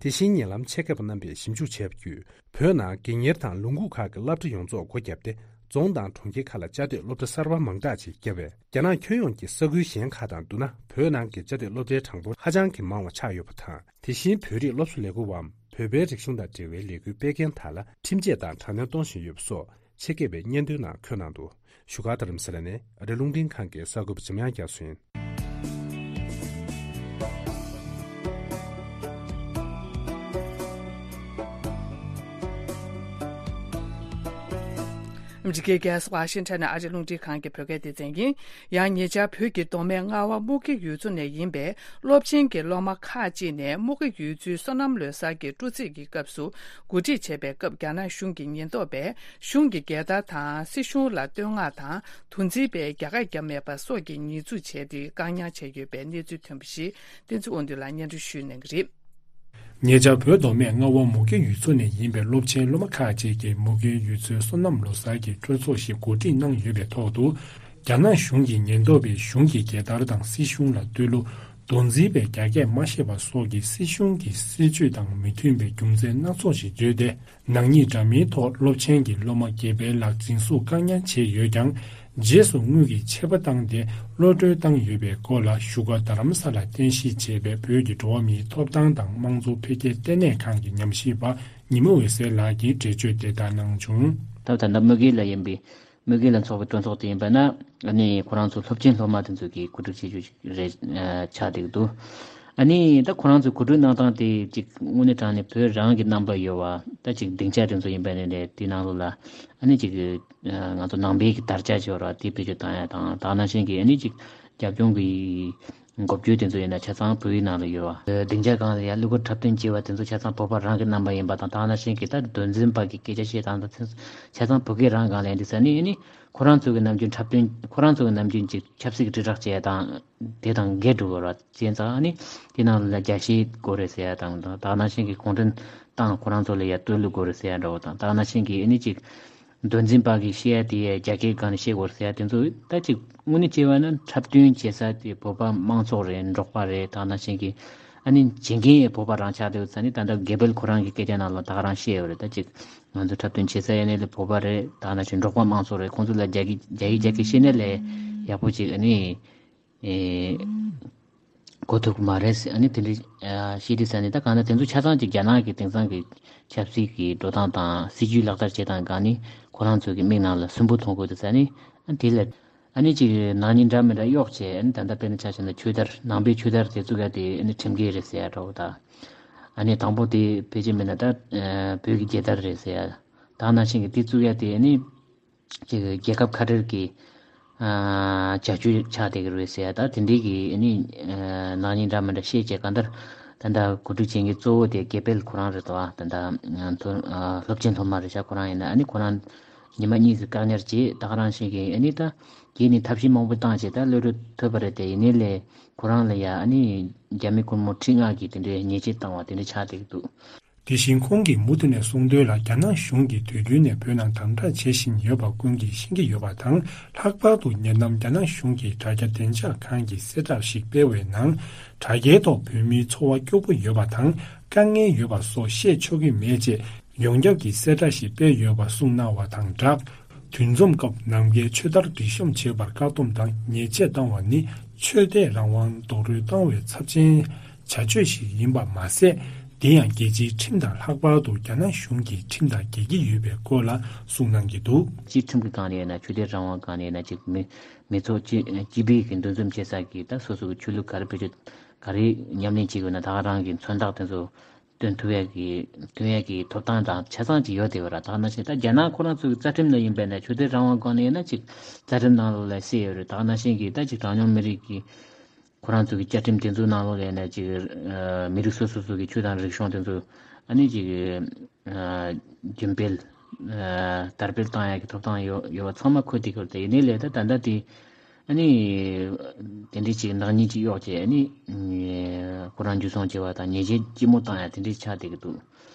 དེ་བཞིན་ཉེ་ལམ་ཆེད་མཁས་པ་རྣམ་པས་ཞིབ་འཇུག་བྱས་པ་བརྒྱུད། བོད་ནང་དགོན་གཉེར་དང་ལུང་ཁུག་ཁག་གི་སློབ་གྲྭ་ཡོངས་རྫོགས་སྒོ་བརྒྱབ་སྟེ། རྫོང་དང་གྲོང་ཁྱེར་ཁག་ལ་བཅའ་སྡོད་སློབ་གྲྭ་གསར་པ་མང་དྲགས་ཅིག་བརྒྱབ་པས། རྒྱ་ནག་ཁྱོན་ཡོངས་ཀྱི་ས་ཁུལ་གཞན་ཁག་དང་བསྡུར་ན། བོད་ནང་གི་བཅའ་སྡོད་སློབ་གྲྭའི་གྲངས་འབོར་ཧ་ཅང་གི་མང་བ་ཆགས་ཡོད་པ་དང་། དེ་བཞིན་བོད་རིགས་སློབ་གསོ་ལས་འགུལ་བའམ་བོད་པའི་རིག་གཞུང་དང་འབྲེལ་བའི་ལས་འགུལ་སྤེལ་མཁན་དག་ལ་ཁྲིམས་ཆད་དང་དྲག་གནོན་གཏོང་བཞིན་ཡོད་པ་སོགས་ཆེད་མཁས་པའི་སྙན་ཐོའི་ནང་འཁོད་གནང་འདུག་བཞུགས་སྒར་རྡ་རམ་ས་ལ་ནས་ཨ་རི་རླུང་འཕྲིན་ཁང་གི་གསར་འགོད་པ་འཇམ་དབྱངས་རྒྱ་མཚོ་ཡིན། ཨ་མི་རི་ཀའི་རྒྱལ་ས་ཝ་ཤིང་ཊོན་ནས་ཨ་རི་རླུང་འཕྲིན་ཁང་གི་བོད་སྐད་སྡེ་ཚན་ཡིན། ཡང་ཉེ་ཆར་བོད་ཀྱི་མདོ་སྨད་རྔ་བ་སྨུག་སྐྱ་ཡུལ་ཚོ་ནས་ཡིན་པའི་སློབ་ཆེན་གྱི་སློབ་མ་ཁག་ཅིག་ནས་སྨུག་སྐྱ་ཡུལ་ཚོའི་སོ་ནམ་ལོ་གསར་གྱི་སྤྲོ་ཚིགས་ཀྱི་སྐབས་སུ་གོ་སྒྲིག་བྱས་པའི་སྐབས། རྒྱ་ནག་གཞུང་གི་ཉེན་རྟོག་པས་གཞུང་གི་རྒྱལ་དར་དང་སྲིད་གཞུང་ལ་བསྟོད་བསྔགས་དང་དུ་འཛིན་པའི་རྒྱ་གར་བརྒྱབ་མེད་པ་སོགས་ཀྱི་ཉེས་འཛུགས་བྱས་ཏེ་བཀག་ཉར་བྱས་ཡོད་པའི་གནས་ཚུལ་ཐོན་པ་ཞིག་བསྟན་འཛིན་དབང་འདུས་ལགས་སྙན་སྒྲོན་ཞུ་གནང་གི་རེད། ཉེ་ཆར་བོད་མདོ་སྨད་རྔ་བ་སྨུག་སྐྱ་ཡུལ་ཚོ་ནས་ཡིན་པའི་སློབ་ཆེན་སློབ་མ་ཁག་ཅིག་གིས་སྨུག་སྐྱ་ཡུལ་ཚོའི་སོ་ནམ་ལོ་གསར་གྱི་སྤྲོ་ཚོགས་ཤིག་གོ་སྒྲིག་གནང་ཡོད་པའི་ཐོག་ཏུ། རྒྱ་ནག་གཞུང་གི་ཉེན་རྟོག་པས་གཞུང་གི་རྒྱལ་དར་དང་སྲིད་གཞུང་ལ་བསྟོད་གླུ། མདོ་འཛིན་པའི་རྒྱ་སྐད་མ་ཤེས་པ་སོགས་ཀྱི་སྲིད་གཞུང་གི་སྲིད་བྱུས་དང་མི་མཐུན་པའི་རྒྱུ་མཚན་སྣ་ཚོགས་ཤིག་བརྗོད་དེ། ནག་ཉེས་འདྲ་མིན་ཐོག་སློབ་ཆེན་གྱི་སློབ་མ་བརྒྱད་པའི་ལྷག་འཛིན་བཟུང་བཀག་ཉར་བྱས་ཡོད་ཀྱང་། རྗེས་སུ་དངུལ་གྱི་ཆད་པ་བཏང་སྟེ་གློད་གྲོལ་བཏང་ཡོད་པའི་སྐོར་ལ་བཞུགས་སྒར་རྡ་རམ་ས་ལར་རྟེན་གཞི་བྱས་པའི་བོད་ཀྱི་འགྲོ་བ་མིའི་ཐོབ་ཐང་དང་དམངས་གཙོ་འཕེལ་རྒྱས་ལྟེ་གནས་ཁང་གི་ཉམས་ཞིབ་པ་ཉི་མ་འོད་ཟེར་ལགས་ཀྱིས་འགྲེལ་བརྗོད་དེ་ལྟར་གནང་བྱུང་། ད་ད་ལྟ་སྨུག་སྐྱ་ལ་ཡིན་པའི་སྨུག་སྐྱ་ལ་འཚོགས་པའི་སྤྲོ་ཚོགས་དེ་ཡིན་པ་ན། ཨ་ནི་ཁོ་རང་ཚོ་སློབ་ཆེན་སློབ་མ་དེ་ཚོ་གིས་གོ་སྒྲིག་བྱེད་རྒྱུ་རེད་ཆགས་བསྡད་ཀྱི་འདུག་ཨ་ནི་ད་ཁོ་རང་ཚོའི་གོ་སྒྲིག་གནང་སྟངས་དེ་ཅིག་དངོས་གནས་དྲང་གནས་བོད་རང་གི་རྣམ་པ་ཡོད་པ། ད་ཅིག་སྡིངས་ཆ་དེ་ཚོ་ཡིན་པ་ནས་ནས་དེ་ནང་ལོགས་ལ་ཨ་ནི་ཅིག་ང་ཚོ་ནང་པའི་གི་དར་ཆ་ཅིག་ཡོད་རེད་པ། དེ་བེད་སྤྱོད་བཏང་ཡ་དང་། དེ་ནང་བཞིན་གྱི་ཨ་ནི་ཅིག་རྒྱབ་ལྗོངས་ཀྱི་འགོ་བརྗོད་དེ་ཚོ་ཡིན་ན་ཆ་ཚང་བོད་ཡིག་ནང་ལ་ཡོད་པ། སྡིངས་ཆ་སྒང་ལ་ཡ་གླུ་གར་འཁྲབ་སྟོན་བྱེད་པ་དེ་ཚོ་ཆ་ཚང་བོད་པ་རང་གི་རྣམ་པ་ཡིན་པ་དང་། དེ་ནང་བཞིན་གྱི་ད་མདོ་འཛིན་པ་གི་སྐད་ཆ་བཤད་སྟངས་དང་ཆ་ཚང་བོད་སྐད་རང་སྒང་ལ་ཡིན་དུས་ཙ་ནི་ཨ་ནི་ཁོ་རང་ཚོ་གི་ནམ་རྒྱུན་འཁྲབ་སྟོན། ཁོ་རང་ཚོ་གི་ནམ་རྒྱུན་ཅིག་ཆབ་སྲིད་ཀྱི་དྲིལ་བསྒྲགས་བྱས་དང་དེ་དང་འགལ་འགྲོ་གི་རེད་པ། བྱས་ཙང་ཨ་ནི་དེ་ནང་ལ་རྒྱ་བཤད་དགོས་རེད་ཟེར་ཡ་དང་། དེ་ནང་བཞིན་གྱི་གུང་ཁྲན་ཏང་ཁོ་རང་ཚོ་ལ་ཡ་བསྟོད་གླུ་དགོས་རེད་ཟེར་ཡ་འདྲ་བོ་དང་། དེ་ནང་བཞིན་གྱི་ཨ་ནི་ཅིག་མདོ་འཛིན་པ་གིས་བཤད་ཡ་དེ་ཡ་རྒྱ་སྐད་སྒང་ནས་བཤད་དགོས་རེད་ཟེར་ཡ་དེ་ཚོ་ད་ཅིག་དངོས་གནས་བྱས་པ་ན་འཁྲབ་སྟོན་བྱེད་ས་དེ་བོད་པ་དམངས་ཚོགས་རེད། འབྲོག་པ་རེད། དེ་ནང་བཞིན་གྱི་ཨ་ནི་བྱེད་མཁན་ཡང་བོད་པ་རང་ཆགས་བསྡད་ཡོད་ཙང་ནི། ད་ལྟ་དགེ་འཕེལ་ཁོ་རང་གི་སྐད་ཆ་ནང་ལ་ད་ག་རང་བཤད་ཡོད་རེད། ད་ཅིག་ང་ཚོ་འཁྲབ་སྟོན་བྱེད་ས་ཡིན་ནའི་ལས་བོད་པ་རེད། དེ་ནང་བཞིན་འབྲོག་པ་དམངས་ཚོགས་རེད། ཁོང་ཚོ་ལ་རྒྱ་སྐད་རྒྱ་ཡིག་རྒྱ་སྐད་ཤེས་ནའི་ལས་ཡག་པོ་ཅིག་ཨ་ནི་ཨེ་གོ་ཐུབ་ཀྱི་མ་རེད་ཟེར། ཨ་ནི་དེ་འདྲའི་ཨ་བཤད་དུས་ཙ་ནི། ད་གང་ལྟར་དེ་ཚོ་ཆ་ཚང་ཅིག་རྒྱ་ནག་གི་དེང་སང་གི་ཆབ་སྲིད་ཀྱི་འགྲོ་སྟངས་དང་སྲིད་ཇུས་ལག་བསྟར་བྱེད་སྟངས་སྒང་ནས་ཁོ་རང་ཚོ་གི་མིག་ནང་ལ་སུན་པོ་མཐོང་དགོས་དུས་ཙ་ནི། ཨ་དེ་ལ་ཨ་ནི་ཅིག་ནག་ཉེས་འདྲ་མི་འདྲ་གཡོག་བྱས། ཨ་ནི་ད་ལྟ་དཔེར་ན་ཆ་བཞག་ན་ཆོས་དར། ནང་པའི་ཆོས་དར་དེ་བཙུགས་ཡ་དེ་ཨ་ནི་ཁྲིམས་འགལ་རེད་ཟེར་ཡ་འདྲ་བོ་དང་། ཨ་ནི་དང་པོ་དེ་ཕལ་ཆེར་མིན་ན་ད་ཨ་བོད་ཀྱི་རྒྱལ་དར་རེད་ཟེར་ཡ། དེ་ནང་བཞིན་གྱི་དེ་བཙུགས་ཡ་དེ་ཨ་ནི་ཅིག་རྒྱལ་ཁབ་ཁ་བྲལ་གྱི་ཨ་བྱ་སྤྱོད་ཆགས་བསྡད་ཀྱི་རེད་ཟེར་ཡ། ད་དེ་འདྲའི་གི་ཨ་ནི་ཨ་ནག་ཉེས་འདྲ་མི་འདྲ་བཤད་བྱས། གང་ལྟར་ད་ལྟ་གོ་སྒྲིག་བྱེད་མཁན་གཙོ་བོ་དེ་དགེ་འཕེལ་ཁོ་རང་རེད་དོ། ད་ལྟ་ང་ཚོ་ཨ་སློབ་ཆེན་སློབ་མ་རེད་ཤག་ཁོ་རང་ཡིན་ན། ཨ་ནི་ཁོ་རང་ཉི་མ་གཉིས་ཀྱི་བཀག་ཉར་བྱས། ད་ག་རང་བཞིན་གྱི་ཨ་ནི་ད་རྗེས་ནས་ཐབས་ཤེས་མང་པོ་བཏང་བྱས་ད་གློད་གྲོལ་ཐོབ་པ་རེད་དེ། ཡིན་ནའི་ལས་ཁོ་རང་ལ་ཡ་ཨ་ནི་རྒྱ་མི་སྒོར་མོ་ཁྲི་ལྔ་གི་དེ་འདྲའི་ཉེས་ཆད་བཏང་བ་དེ་འདྲ་ཆགས་བསྡད་ཀྱི་འདུག་དེ་བཞིན་ཁོང་གིས་མུ་མཐུད་ནས་གསུངས་དོན་ལ། རྒྱ་ནག་གཞུང་གིས་དུས་རྒྱུན་ནས་བོད་ནང་དམ་དྲག་བྱེད་བཞིན་ཡོད་པ་ཀུན་གྱིས་ཤེས་ཀྱི་ཡོད་པ་དང་། ལྷག་པར་དུ་ཉེ་ལམ་རྒྱ་ནག་གཞུང་གིས་དྲ་རྒྱ་བདེ་འཇགས་ཁང་གིས་གསལ་བསྒྲགས་ཤིག་སྤེལ་བའི་ནང་། དྲ་རྒྱའི་ཐོག་བོད་མིའི་འཚོ་བ་སྐྱོ་པོ་ཡོད་པ་དང་། དཀའ་ངལ་ཡོད་པ་སོགས་བཤད་ཆོག་གི་མེད་ཅེས་ཡོངས་ཁྱབ་ཀྱི་གསལ་བསྒྲགས་ཤིག་སྤེལ་ཡོད་པ་གསུངས་གནང་བ་དང་སྦྲགས། འདུ་འཛོམས་སྐབས་ནམ་མཁའི་ཆོས་དར་སྒྲིག་གཤོམ་བྱེད་པར་བཀག་སྡོམ་དང་ཉེས་ཆད་བཏང་བ་ནི་ཆོས་དད་རང་དབང་རྡོག་རོལ་བཏང་བའི་ཚབས་ཆེན་བྱ་སྤྱོད་ཞིག་ཡིན་པ་མ་ཟད། དེ་ཡང་རྒྱལ་སྤྱིའི་ཁྲིམས་དང་ལྷག་པར་དུ་རྒྱ་ནག་གཞུང་གི་ཁྲིམས་དང་འགལ་གྱི་ཡོད་པའི་སྐོར་ལ་གསུངས་གནང་གི་འདུག་སྤྱིའི་ཁྲིམས་ཀྱི་སྒང་ནས་ཡིན་ན། ཆོས་དད་རང་དབང་སྒང་ནས་ཡིན་ན། ཅིག་མི་མི་ཚོགས་སྤྱི་སྤྱི་པའི་གི་འདུ་འཛོམས་བྱེད་ས་གི་ད་སོ་སོ་གི་ཆོས་ལུགས་ག་རེ་བེད་སྤྱོད་ག་རེ་ཉམས་ལེན་བྱེད་དགོས་ན། ད་ག་རང་གི་མཚོན་རྟགས་དེ་ཚོ་སྟོན་ཐུབ་ཡ་གི་སྟོན་ཡ་གི་ཐོབ་ཐང་དང་ཆ་ཚང་ཅིག་ཡོད་དེ་བ་ར། ད་ག་ནང་བཞིན་ད་རྒྱ་ནག་ཁོ་རང་ཚོ་གི་རྩ་ཁྲིམས་ནང་ཡིན་པས་ན། ཆོས་དད་རང་དབང་སྒང་ནས་ཡིན་ན་ཅིག་རྩ་ཁྲིམས་ནང་ལོགས་ལ་གསལ་ཡོད་རེད། ད་ག་ནང་བཞིན་གི་ད་ཅིག་གྲངས་ཉུང་མི་རིགས་ཀྱི་ཁོ་རང་ཚོ་གི་བཅའ་ཁྲིམས་དེ་ཚོའི་ནང་ལོགས་ལ་ཡིན་ན་ཅིག་ཨ་མི་རིགས་སོ་སོ་སོ་གི་ཆོས་དང་རིག་གཞུང་དེ་ཚོ་ཨ་ནི་ཅིག་ཨ་རྒྱུན་སྤེལ་ཨ་དར་སྤེལ་བཏང་ཡ་གི་ཐོབ་ཐང་ཡོད་ཡོད་པ་ཚང་མ་འཁོད་དེ་གི་རེད། དེ་ཡིན་ནའི་ལས་ད་ད་ལྟ་དེ་ཨ་ནི་དེ་འདྲའི་ཅིག་ནག་ཉེས་ཅིག་གཡོག་བྱས། ཨ་ནི་ཁོ་རང་འཇུ་བཟུང་བྱས་པ་དང་ཉེས་ཆད་ལྕི་མོ་བཏང་ཡ་དེ་འདྲའི་ཆགས་བསྡད་ཀྱི་འདུག་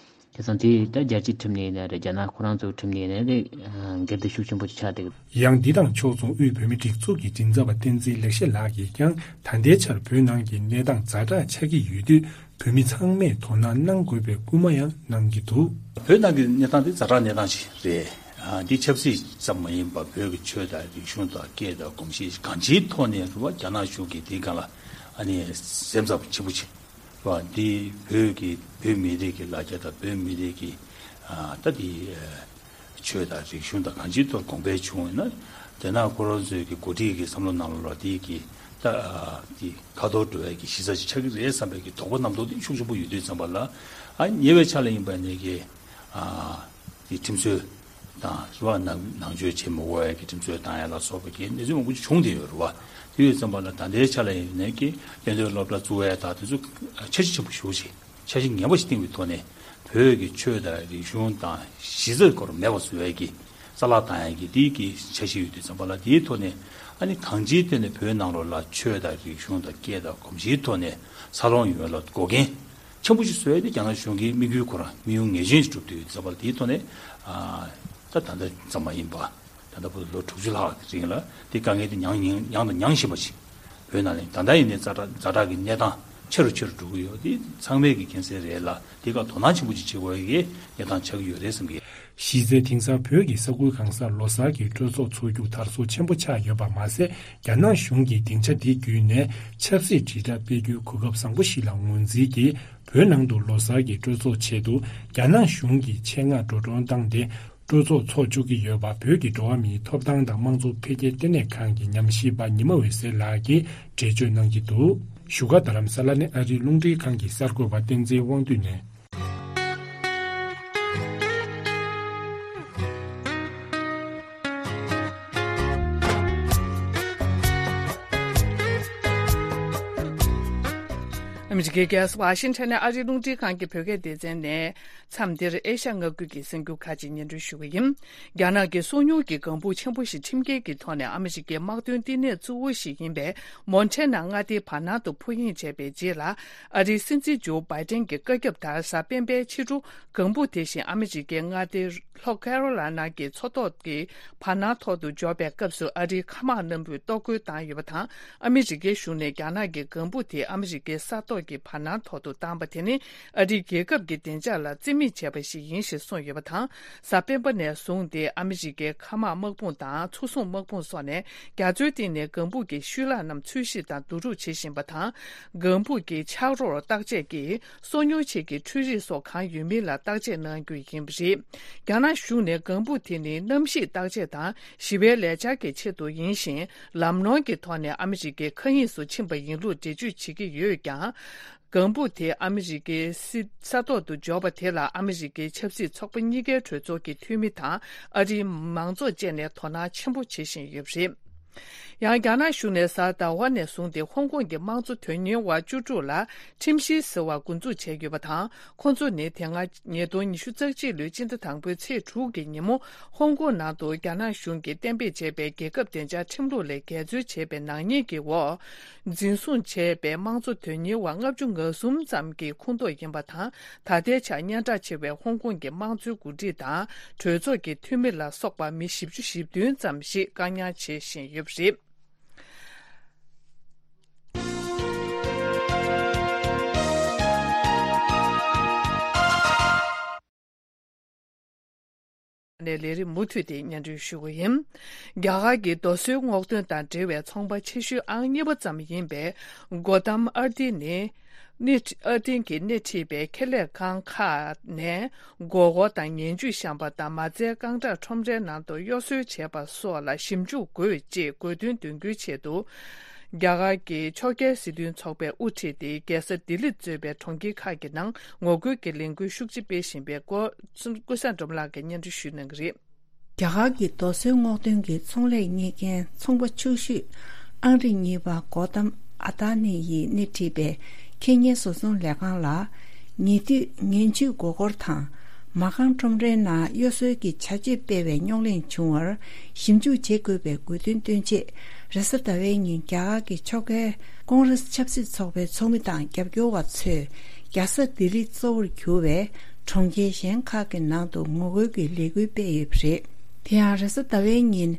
དེ་ཙང་དེ་ད་རྒྱལ་སྤྱིའི་ཁྲིམས་ནས་ཡིན་ན་རེད། རྒྱ་ནག་ཁོ་རང་ཚོའི་ཁྲིམས་ནས་ཡིན་ན་རེད། འགལ་ཟླ་ཤུགས་ཆེན་པོ་ཆགས་བསྡད་ཀྱི་འདུག་ཡང་འདི་དང་ཕྱོགས་མཚུངས་དབུས་བོད་མིའི་སྒྲིག་འཛུགས་ཀྱི་མགྲིན་ཚབ་པ་བསྟན་འཛིན་ལེགས་བཤད་ལགས་ཀྱིས་ཀྱང་། ད་ལྟའི་ཆར་བོད་ནང་གི་གནས་སྟངས་ཛ་དྲག་ཆགས་ཀྱི་ཡོད་དུས། བོད་མི་ཚང་མས་དོ་སྣང་གནང་དགོས་པའི་སྐུལ་མ་ཡང་གནང་གི་འདུག་བོད་ནང་གི་གནས་སྟངས་དེ་ཛ་དྲག་གནས་སྟངས་ཤིག་རེད། ཨ། འདི་ཆབ་སྲིད་ཙམ་མ་ཡིན་པར་བོད་ཀྱི་ཆོས་དང་རིག་གཞུང་དང་སྐད་དང་གོམས་གཤིས་གང་ཅིའི་ཐོག་ནས་རེད་བ། རྒྱ་ནག་གཞུང་གིས་འདིའི་སྒང་ལ་ཨ་ནི་སེམས་འཚབ་ཆེན་པོ་བྱེད། བ། འདི་བོད་ཀྱི་བོད་མི་རིགས་ཀྱི་ལ་རྒྱ་དང་བོད་མི་རིགས་ཀྱི་ཨ་ད་འདི་ཨ་ཆོས་དང་རིག་གཞུང་དང་གང་ཅིའི་ཐོག་གོང་འཕེལ་བྱུང་ཡོད་ན། དེ་ན་ཁོ་རང་ཚོའི་གི་འགོ་ཁྲིད་ཀྱི་བསམ་བློ་ནང་ལ་འདི་གི་ད་ཨ་འདི་ཁ་ཐོར་འགྲོ་ཡ་གི་གཞི་རྩ་ཅིག་ཆགས་ཀྱི་རེད་བསམ་པའི་གི་དོགས་པ་རྣམ་རྟོག་འདི་ཤུགས་ཆེན་པོ་ཡོད་དུས་ཙམ་པ་ལ། ཨ་ཉེ་བའི་ཆར་ལ་ཡིན་པ་ནས་གི་ཨ་འདི་ཁྲིམས་རྩོད་དང་རེད་བ། ནང་ནང་ཆོས་བྱེད་མི་དགོས་ཡ་གི་ཁྲིམས་རྩོད་བཏང་ཡ་ལ་སོགས་པའི་གི་གནས་ཚུལ་མང་པོ་ཅིག་བྱུང་བསྡད་ཡོད་རེད་བ། དེ་ཡོད་ཙམ་པ་ལ་ད་ལྟའི་ཆ་ལ་ཡིན་ནས་ཀྱི་གཏན་སྡོད་སློབ་གྲྭ་བཙུགས་ཡ་དང་དེ་ཚོ་འཆར་གཞི་ཆེན་པོ་ཞེ་པོ་ཅིག་འཆར་གཞི་ངན་པ་ཞིག་བཏིང་བའི་ཐོག་ནས། བོད་ཀྱི་ཆོས་དང་རིག་གཞུང་དང་གཞི་རྩ་སྐོར་མེད་པ་བཟོ་ཡ་གི་རྩ་བརླག་བཏང་ཡ་གི་དེའི་གི་འཆར་གཞི་ཡོད་དུས་ཙམ་པ་ལ། དེའི་ཐོག་ནས་ཨ་ནི་གང་ཅིའི་ཐོག་ནས་བོད་ནང་ལོགས་ལ་ཆོས་དང་རིག་གཞུང་དང་སྐད་དང་གོམས་གཤིས་ཐོག་ནས་འཚར་ལོངས་ཡོང་ཡ་ལ་འགོག་རྐྱེན་ཆེན་པོ་ཞིག་བཟོ་ཡ་དེ་རྒྱ་ནག་གཞུང་གི་དམིགས་ཡུལ་ཁོ་རང་དམིགས་ཡུལ་ངེས་ཅན་ཞིག་གྲུབ་བསྡད་ཡོད་དུས་ཙམ་པ་ལ། དེའི་ཐོག་ནས་ཨ་ད་ད་ལྟ་ཙམ་མ་ཡིན་པ། ད་ལྟ་བར་དུ་ལོ་དྲུག་ཅུ་ལྷག་གི་རིང་ལ་དེ་དཀའ་ངལ་དེ་མྱངས་མྱངས་མྱངས་དང་མྱངས་བཞིན་པ་ཞིག་བོད་ནང་ལ་ད་ལྟ་ཡིན་ནའི་ཛ་དྲག་ཛ་དྲག་གི་གནས་སྟངས་ཆེ་རུ་ཆེ་རུ་འགྲོ་གི་ཡོད། དེ་ཚང་མས་ཀྱི་མཁྱེན་གསལ་རེད་ལ། དེ་ག་དོ་སྣང་ཆེན་པོ་ཅིག་བྱེད་དགོས་ཀྱི་གནས་སྟངས་ཆགས་ཀྱི་ཡོད་རེད་བསམ་གི། གཞི་རྩའི་དེང་སང་བོད་ཀྱི་ས་ཁུལ་གང་སར་ལོ་གསར་གྱི་སྤྲོ་ཚོགས་འཚོགས་རྒྱུ་དར་སོ་ཆེན་པོ་ཆགས་ཡོད་པ་མ་ཟད། རྒྱ་ནག་གཞུང་གིས་སྡིངས་ཆ་འདི་བརྒྱུད་ནས་ཆབ་སྲིད་དྲིལ་བསྒྲགས་སྤེལ་རྒྱུའི་གོ་སྐབས་བཟང་པོ་ཞིག་ལ་ངོས་འཛིན་གྱིས། བོད་ནང་དུ་ལོ་གསར་གྱི་སྤྲོ་ཚོགས་ཆེད་དུ་རྒྱ་ནག་གཞུང་གིས་ཆེད་མངགས་འགྲོ་གྲོན་བཏང་སྟེ། སྤྲོ་ཚོགས་འཚོགས་བཅུག་གི་ཡོད་པ། བོད་ཀྱི་འགྲོ་བ་མིའི་ཐོབ་ཐང་དང་དམངས་གཙོ་འཕེལ་རྒྱས་ལྟེ་གནས་ཁང་གི་ཉམས་ཞིབ་པ་ཉི་མ་འོད་ཟེར་ལགས་ཀྱིས་འགྲེལ་བརྗོད་གནང་གི་འདུག་བཞུགས་སྒར་རྡ་རམ་ས་ལ་ནས་ཨ་རིའི་རླུང་འཕྲིན་ཁང་གི་གསར་འགོད་པ་བསྟན་འཛིན་དབང་འདུས་ནས། ཨ་མི་རི་ཀའི་རྒྱལ་ས་ཝ་ཤིང་ཊོན་ནས་ཨ་རིའི་རླུང་འཕྲིན་ཁང་གི་བོད་སྐད་སྡེ་ཚན་ནས། མཚམས་འདིར་ཨེ་ཤ་མངའ་ཁུལ་གྱི་གསར་འགྱུར་ཁག་ཅིག་སྙན་སྒྲོན་ཞུ་གི་ཡིན། རྒྱ་ནག་གི་སོ་ཉུལ་གྱི་ལྒང་བུ་ཆེན་པོ་ཞིག་ཁྲིམས་འགལ་གྱི་ཐོག་ནས་ཨ་མི་རི་ཀའི་དམག་དོན་བསྟི་གནས་གཙོ་བོ་ཞིག་ཡིན་པའི་མོན་ཊེ་ན་མངའ་སྡེའི་བར་སྣང་དུ་འཕུར་དབྱིངས་བྱས་པའི་རྗེས་ལ། ཨ་རིའི་སྲིད་འཛིན་ཇོ་བྷའི་ཏན་གྱི་བཀའ་ཁྱབ་ལྟར། གཟའ་སྤེན་པའི་ཕྱི་དྲོ་ལྒང་བུ་དེ་བཞིན་ཨ་མི་རི་ཀའི་མངའ་སྡེ་ལྷོ་ཁེ་རོ་ལ་ན་གྱི་མཚོ་ཐོག་གི་བར་སྣང་ཐོག་ཏུ་འབྱོར་བའི་སྐབས་སུ། ཨ་རིའི་མཁའ་དམག་རྣམས་པོས་གཏོར་རྒོལ་བཏང་ཡོད་པ་དང་། ཨ་མི་རི་ཀའི་གཞུང་ནས་རྒྱ་ནག་གི་ལྒང་བུ་དེ་ཨ་མི་རི་ཀའི་ས་ཐོག་གི་བར་སྣང་ཐོག་ཏུ་བཏང་པ་དེ་ནི། ཨ་རིའི་རྒྱལ་ཁབ་ཀྱི་བདེ་འཇགས་ལ་བརྩི་མེད་བྱས་པ་ཞིག་ཡིན་ཞེས་གསུངས་ཡོད་པ་དང་། གཟའ་སྤེན་པ་ནས་བཟུང་སྟེ་ཨ་མི་རི་ཀའི་མཁའ་དམག་དམག་དཔུང་དང་མཚོ་སྲུང་དམག་དཔུང་སོགས་ནས་རྒྱ་མཚོའི་སྟེང་ནས་ལྒང་བུ་གི་ཤུལ་ལྷག་རྣམས་འཚོལ་ཞིབ་དང་བསྡུ་རུབ་བྱེད་བཞིན་པ་དང་། ལྒང་བུ་གི་ཆག་རོར་བརྟག་དཔྱད་ཀྱིས་སོ་ཉུལ་བྱེད་ཀྱི་འཕྲུལ་རིག་སོགས་གང་ཡོད་མིན་ལ་བརྟག་དཔྱད་གནང་རྒྱུ་ཡིན་པ་རེད། རྒྱ་ནག་གཞུང་ནས་ལྒང་བུ་དེ་ནི་གནམ་གཤིས་བརྟག་དཔྱད་དང་ཞི་བའི་ལས་འཆར་གྱི་ཆེད་དུ་ཡིན་ཞིང་། ལམ་ནོར་གྱི་ཐོག་ནས་ཨ་མི་རི་ཀའི་མཁའ་དབྱིངས་སུ་ཕྱིན་པ་ཡིན་ལུགས་འགྲེལ་བརྗོད་བྱེད་ཀྱི་ཡོད་ཀྱང་། ལྒང་བུ་དེ་ཨ་མི་རི་ཀའི་སྲིད་ས་ཐོག་ཏུ་འབྱོར་བ་དེ་ལ་ཨ་མི་རི་ཀའི་ཆབ་སྲིད་ཚོགས་པ་གཉིས་ཀའི་གྲོས་ཚོགས་ཀྱི་འཐུས་མི་དང་ཨ་རིའི་མང་ཚོགས་བཅས་ནས་དོ་སྣང་ཆེན་པོ་བྱེད་བཞིན་ཡོད་པ་རེད། ཡང་རྒྱ་ནག་གཞུང་ནས་གཟའ་ཟླ་བ་ནས་བཟུང་སྟེ་ཧོང་ཀོང་གི་དམངས་གཙོ་དོན་གཉེར་བ་བཅུ་དྲུག་ལ་ཁྲིམས་གཞི་ཟེར་བ་འགོ་འཛུགས་བྱས་ཡོད་པ་དང་། ཁོང་ཚོ་ནི་དེ་སྔ་ཉིས་སྟོང་ཉི་ཤུ་རྩ་གཅིག་ལོའི་སྤྱི་ཟླ་དང་པོའི་ཚེས་དྲུག་གི་ཉིན་མོ། ཧོང་ཀོང་ནང་དུ་རྒྱ་ནག་གཞུང་གིས་གཏན་འབེབས་བྱས་པའི་རྒྱལ་ཁབ་བདེ་འཇགས་ཁྲིམས་ལུགས་ལས་འགལ་འཛོལ་བྱས་པའི་ནག་ཉེས་ཀྱི་འོག་འཛིན་བཟུང་བྱས་པའི་དམངས་གཙོ་དོན་གཉེར་བ་ལྔ་བཅུ་ང་གསུམ་ཙམ་གྱི་ཁོངས་གཏོགས་ཡིན་པ་དང་། ད་ལྟའི་ཆར་སྙན་གྲགས་ཆེ་བའི་ཧོང་ཀོང་གི་དམངས་གཙོའི་འགོ་ཁྲིད་དང་གྲོས་ཚོགས་ཀྱི་འཐུས་མི་ལ་སོགས་པ་མི་བཞི་བཅུ་ཞེ་བདུན་ཙམ་ཞིག་བཀག་ཉར་བྱེད་བཞིན་ཡོད་པ་རེད། ནས་ལས་རིམ་མུ་མཐུད་དེ་སྙན་སྒྲོན་ཞུ་གི་ཡིན། རྒྱ་གར་གྱི་རྡོ་སོལ་སྔོག་འདོན་དང་འབྲེལ་བའི་ཚོང་པ་ཆེ་ཤོས་ཨང་གཉིས་པ་ཙམ་ཡིན་པའི་གོ་ཏམ་ཨར་ཏི་ནི། སྣེ་ཁྲི་ཨ་ཏིན་གྱིས་སྣེ་ཁྲིད་པའི་ཁེ་ལས་ཁང་ཁག་ནས་སྒོར་སྒོར་དང་ངན་ཇུས་བཤམས་པ་དང་མ་རྩའི་རྐང་བྲག་ཁྲོམ་རའི་ནང་དུ་གཡོ་ཟོལ་བྱས་པ་སོགས་ལ་ཞིབ་འཇུག་དགོས་ཅེས་དགོས་འདུན་འདོན་རྒྱུའི་ཆེད་དུ། རྒྱ་གར་གྱི་ཕྱོགས་འགལ་སྲིད་དོན་ཚོགས་པས་དབུ་ཁྲིད་དེ་རྒྱལ་ས་ལྡི་ལི་གཙོས་པའི་གྲོང་ཁྱེར་ཁག་གི་ནང་ངོ་རྒོལ་གྱི་ལས་འགུལ་ཤུགས་ཆེ་སྤེལ་བཞིན་པའི་སྐོར་ཀུན་བཟང་སྒྲོལ་མ་ལགས་ཀྱིས་སྙན་སྒྲོན་ཞུ་གནང་གི་རེད། རྒྱ་གར་གྱི་རྡོ་སོལ་སྔོག་འདོན་གྱི་ཚོང་ལས་གཉེར་མཁན་ཚོང་པ་ཕྱུག་ཤོས་ཨང་རིམ་གཉིས་པ་གོ་ཏམ་ཨ་ཏཱ་ནི་ཡིས་སྣེ་ཁྲིད་པའི་ཁེ་ཉེན་བཟོ་ཚོང་ལས་ཁང་ལ་ཉེ་དུས་ངན་ཇུས་མགོ་སྐོར་དང་མ་རྐང་ཁྲོམ་རའི་ནང་གཡོ་ཟོལ་གྱི་བྱ་སྤྱོད་སྤེལ་བའི་རྙོག་གླེང་བྱུང་བར་ཞིབ་འཇུག་བྱེད་དགོས་པའི་དགོས་འདུན་བཏོན་ཆེད། རེས་གཟའ་ཟླ་བའི་ཉིན་རྒྱ་གར་གྱི་ཕྱོགས་འགལ་ཀོང་རེས་ཆབ་སྲིད་ཚོགས་པའི་ཚོགས་མི་དང་རྒྱབ་སྐྱོར་བ་ཚོས་རྒྱལ་ས་ལྡི་ལི་གཙོ་བོར་གྱུར་བའི་གྲོང་ཁྱེར་གཞན་ཁག་གི་ནང་དུ་ངོ་རྒོལ་གྱི་ལས་འགུལ་སྤེལ་ཡོད་པ་རེད། དེ་ཡང་རེས་གཟའ་ཟླ་བའི་ཉིན་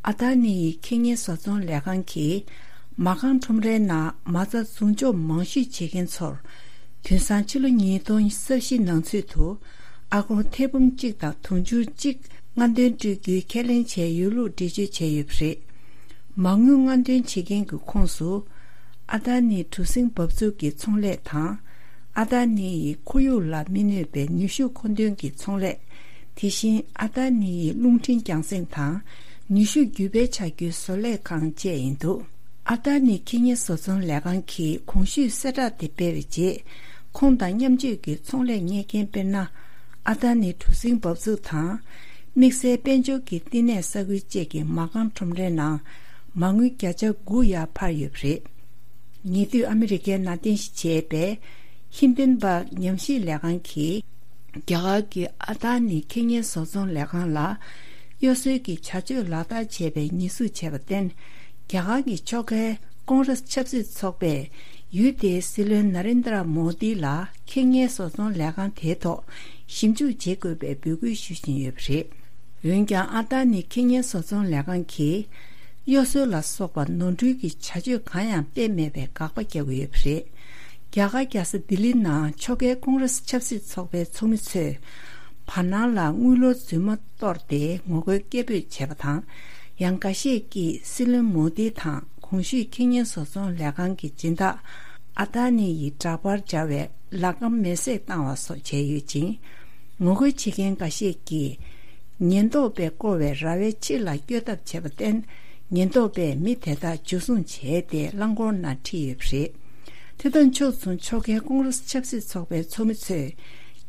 ཨ་ཏཱ་ནི་ཡི་ཁེ་ཉེན་བཟོ་ཚོང་ལས་ཁང་གིས་མ་རྐང་ཁྲོམ་རའི་ནང་མ་རྩ་འཛུགས་འཇོག་མང་ཤོས་བྱེད་མཁན་ཚོར་དུས་སང་ཕྱི་ལོ་ཉིས་སྟོང་ཉེར་བཞི་ནང་ཚུད་དུ་ཨ་སྒོར་ཐེར་འབུམ་གཅིག་དང་དུང་ཕྱུར་གཅིག་སྔ་འདོན་སྤྲོད་རྒྱུའི་ཁས་ལེན་བྱས་ཡོད་ལུགས་འགྲེལ་བརྗོད་བྱས་ཡོད་པ་རེད། མ་དངུལ་སྔ་འདོན་བྱེད་མཁན་གྱི་ཁོངས་སུ་ཨ་ཏཱ་ནི་གྲུ་གཟིངས་འབབ་ཚུགས་ཀྱི་ཚོང་ལས་དང་། ཨ་ཏཱ་ནི་ཡི་ཁོར་ཡུག་ལ་མི་གནོད་པའི་ནུས་ཤུགས་མཁོ་འདོན་གྱི་ཚོང་ལས། དེ་བཞིན་ཨ་ཏཱ་ནི་ཡི་རླུང་འཕྲིན་རྒྱང་སྲིང་དང་ནུས་ཤུགས་རྒྱུད་སྤེལ་བྱ་རྒྱུའི་བཟོ་ལས་ཁང་བཅས་ཡིན་འདུག་ཨ་ཏཱ་ནི་ཁེ་ཉེན་བཟོ་ཚོང་ལས་ཁང་གིས་གོང་ཞུས་གསལ་བསྒྲགས་དེ་སྤེལ་བའི་རྗེས། ཁོང་དང་མཉམ་སྤྱོད་ཀྱི་ཚོང་ལས་གཉེར་མཁན་དཔེར་ན། ཨ་ཏཱ་ནི་གྲུ་གཟིངས་འབབ་ཚུགས་དང་། དམིགས་བསལ་དཔལ་འབྱོར་གྱི་བསྟི་གནས་ས་ཁུལ་བཅས་ཀྱི་མ་རྐང་ཁྲོམ་རའི་ནང་མ་དངུལ་བརྒྱ་ཆ་དགུ་ཡར་འཕར་ཡོད་པ་རེད། ཉེ་དུས་ཨ་མི་རི་ཀའི་ནང་རྟེན་གཞི་བྱས་པའི་ཧིན་ཏན་བྷག་ཉམས་ཞིབ་ལས་ཁང་གིས། རྒྱ་གར་གྱི་ཨ་ཏཱ་ནི་ཁེ་ཉེན་བཟོ་ཚོང་ལས་ཁང་ལ་གཡོ་ཟོལ་གྱི་བྱ་སྤྱོད་ལག་བསྟར་བྱས་པའི་ཉེས་འཛུགས་བྱས་པར་བརྟེན། རྒྱ་གར་གྱི་ཕྱོགས་འགལ་ཀོང་རེས་ཆབ་སྲིད་ཚོགས་པས་ཡུལ་དེའི་སྲིད་བློན་ན་རེན་དྲ་མོ་དི་ལ་ཁེ་ཉེན་བཟོ་ཚོང་ལས་ཁང་དེའི་ཐོག་ཞིབ་འཇུག་བྱེད་དགོས་པའི་འབོད་སྐུལ་ཞུ་བཞིན་ཡོད་པ་རེད། འོན་ཀྱང་ཨ་ཏཱ་ནི་ཁེ་ཉེན་བཟོ་ཚོང་ལས་ཁང་གིས་གཡོ་ཟོལ་ལ་སོགས་པ་ནོར་འཁྲུལ་གྱི་བྱ་སྤྱོད་གང་ཡང་སྤེལ་མེད་པའི་དགག་པ་རྒྱག་གི་ཡོད་པ་རེད། རྒྱ་གར་རྒྱལ་ས་ལྡི་ལི་ནང་ཕྱོགས་འགལ་ཀོང་རེས་ཆབ་སྲིད་ཚོགས་པའི་ཚོགས་མི་ཚོས་བར་སྣང་ལ་དངུལ་ལོར་རྫུན་མ་གཏོར་ཏེ་ངོ་རྒོལ་སྐད་འབོད་བྱས་པ་དང་། ཡང་འགའ་ཤས་ཀྱིས་སྲིད་བློན་མོ་དི་དང་གོང་ཞུས་ཁེ་ཉེན་བཟོ་ཚོང་ལས་ཁང་གི་སྦྱིན་བདག་ཨ་ཏཱ་ནི་ཡི་འདྲ་པར་སྦྱར་བའི་ལག་སྒམ་མེ་བསྲེགས་བཏང་བ་སོགས་བྱས་ཡོད་ཅིང་། ངོ་རྒོལ་བྱེད་མཁན་འགའ་ཤས་ཀྱིས་ཉེན་རྟོག་པས་བསྐོར་བའི་ར་བའི་ཕྱི་ལ་བསྐྱོད་ཐབས་བྱས་པར་བརྟེན། ཉེན་རྟོག་པས་མི་དེ་དག་འཇུ་བཟུང་བྱས་ཏེ་རླངས་འཁོར་ནང་ཁྲིད་ཡོད་པ་རེད། དེ་དང་ཕྱོགས་མཚུངས་ཕྱོགས་འགལ་ཀོང་རེས་ཆབ་སྲིད་ཚོགས་པའི་ཚོགས་མི་ཚོས་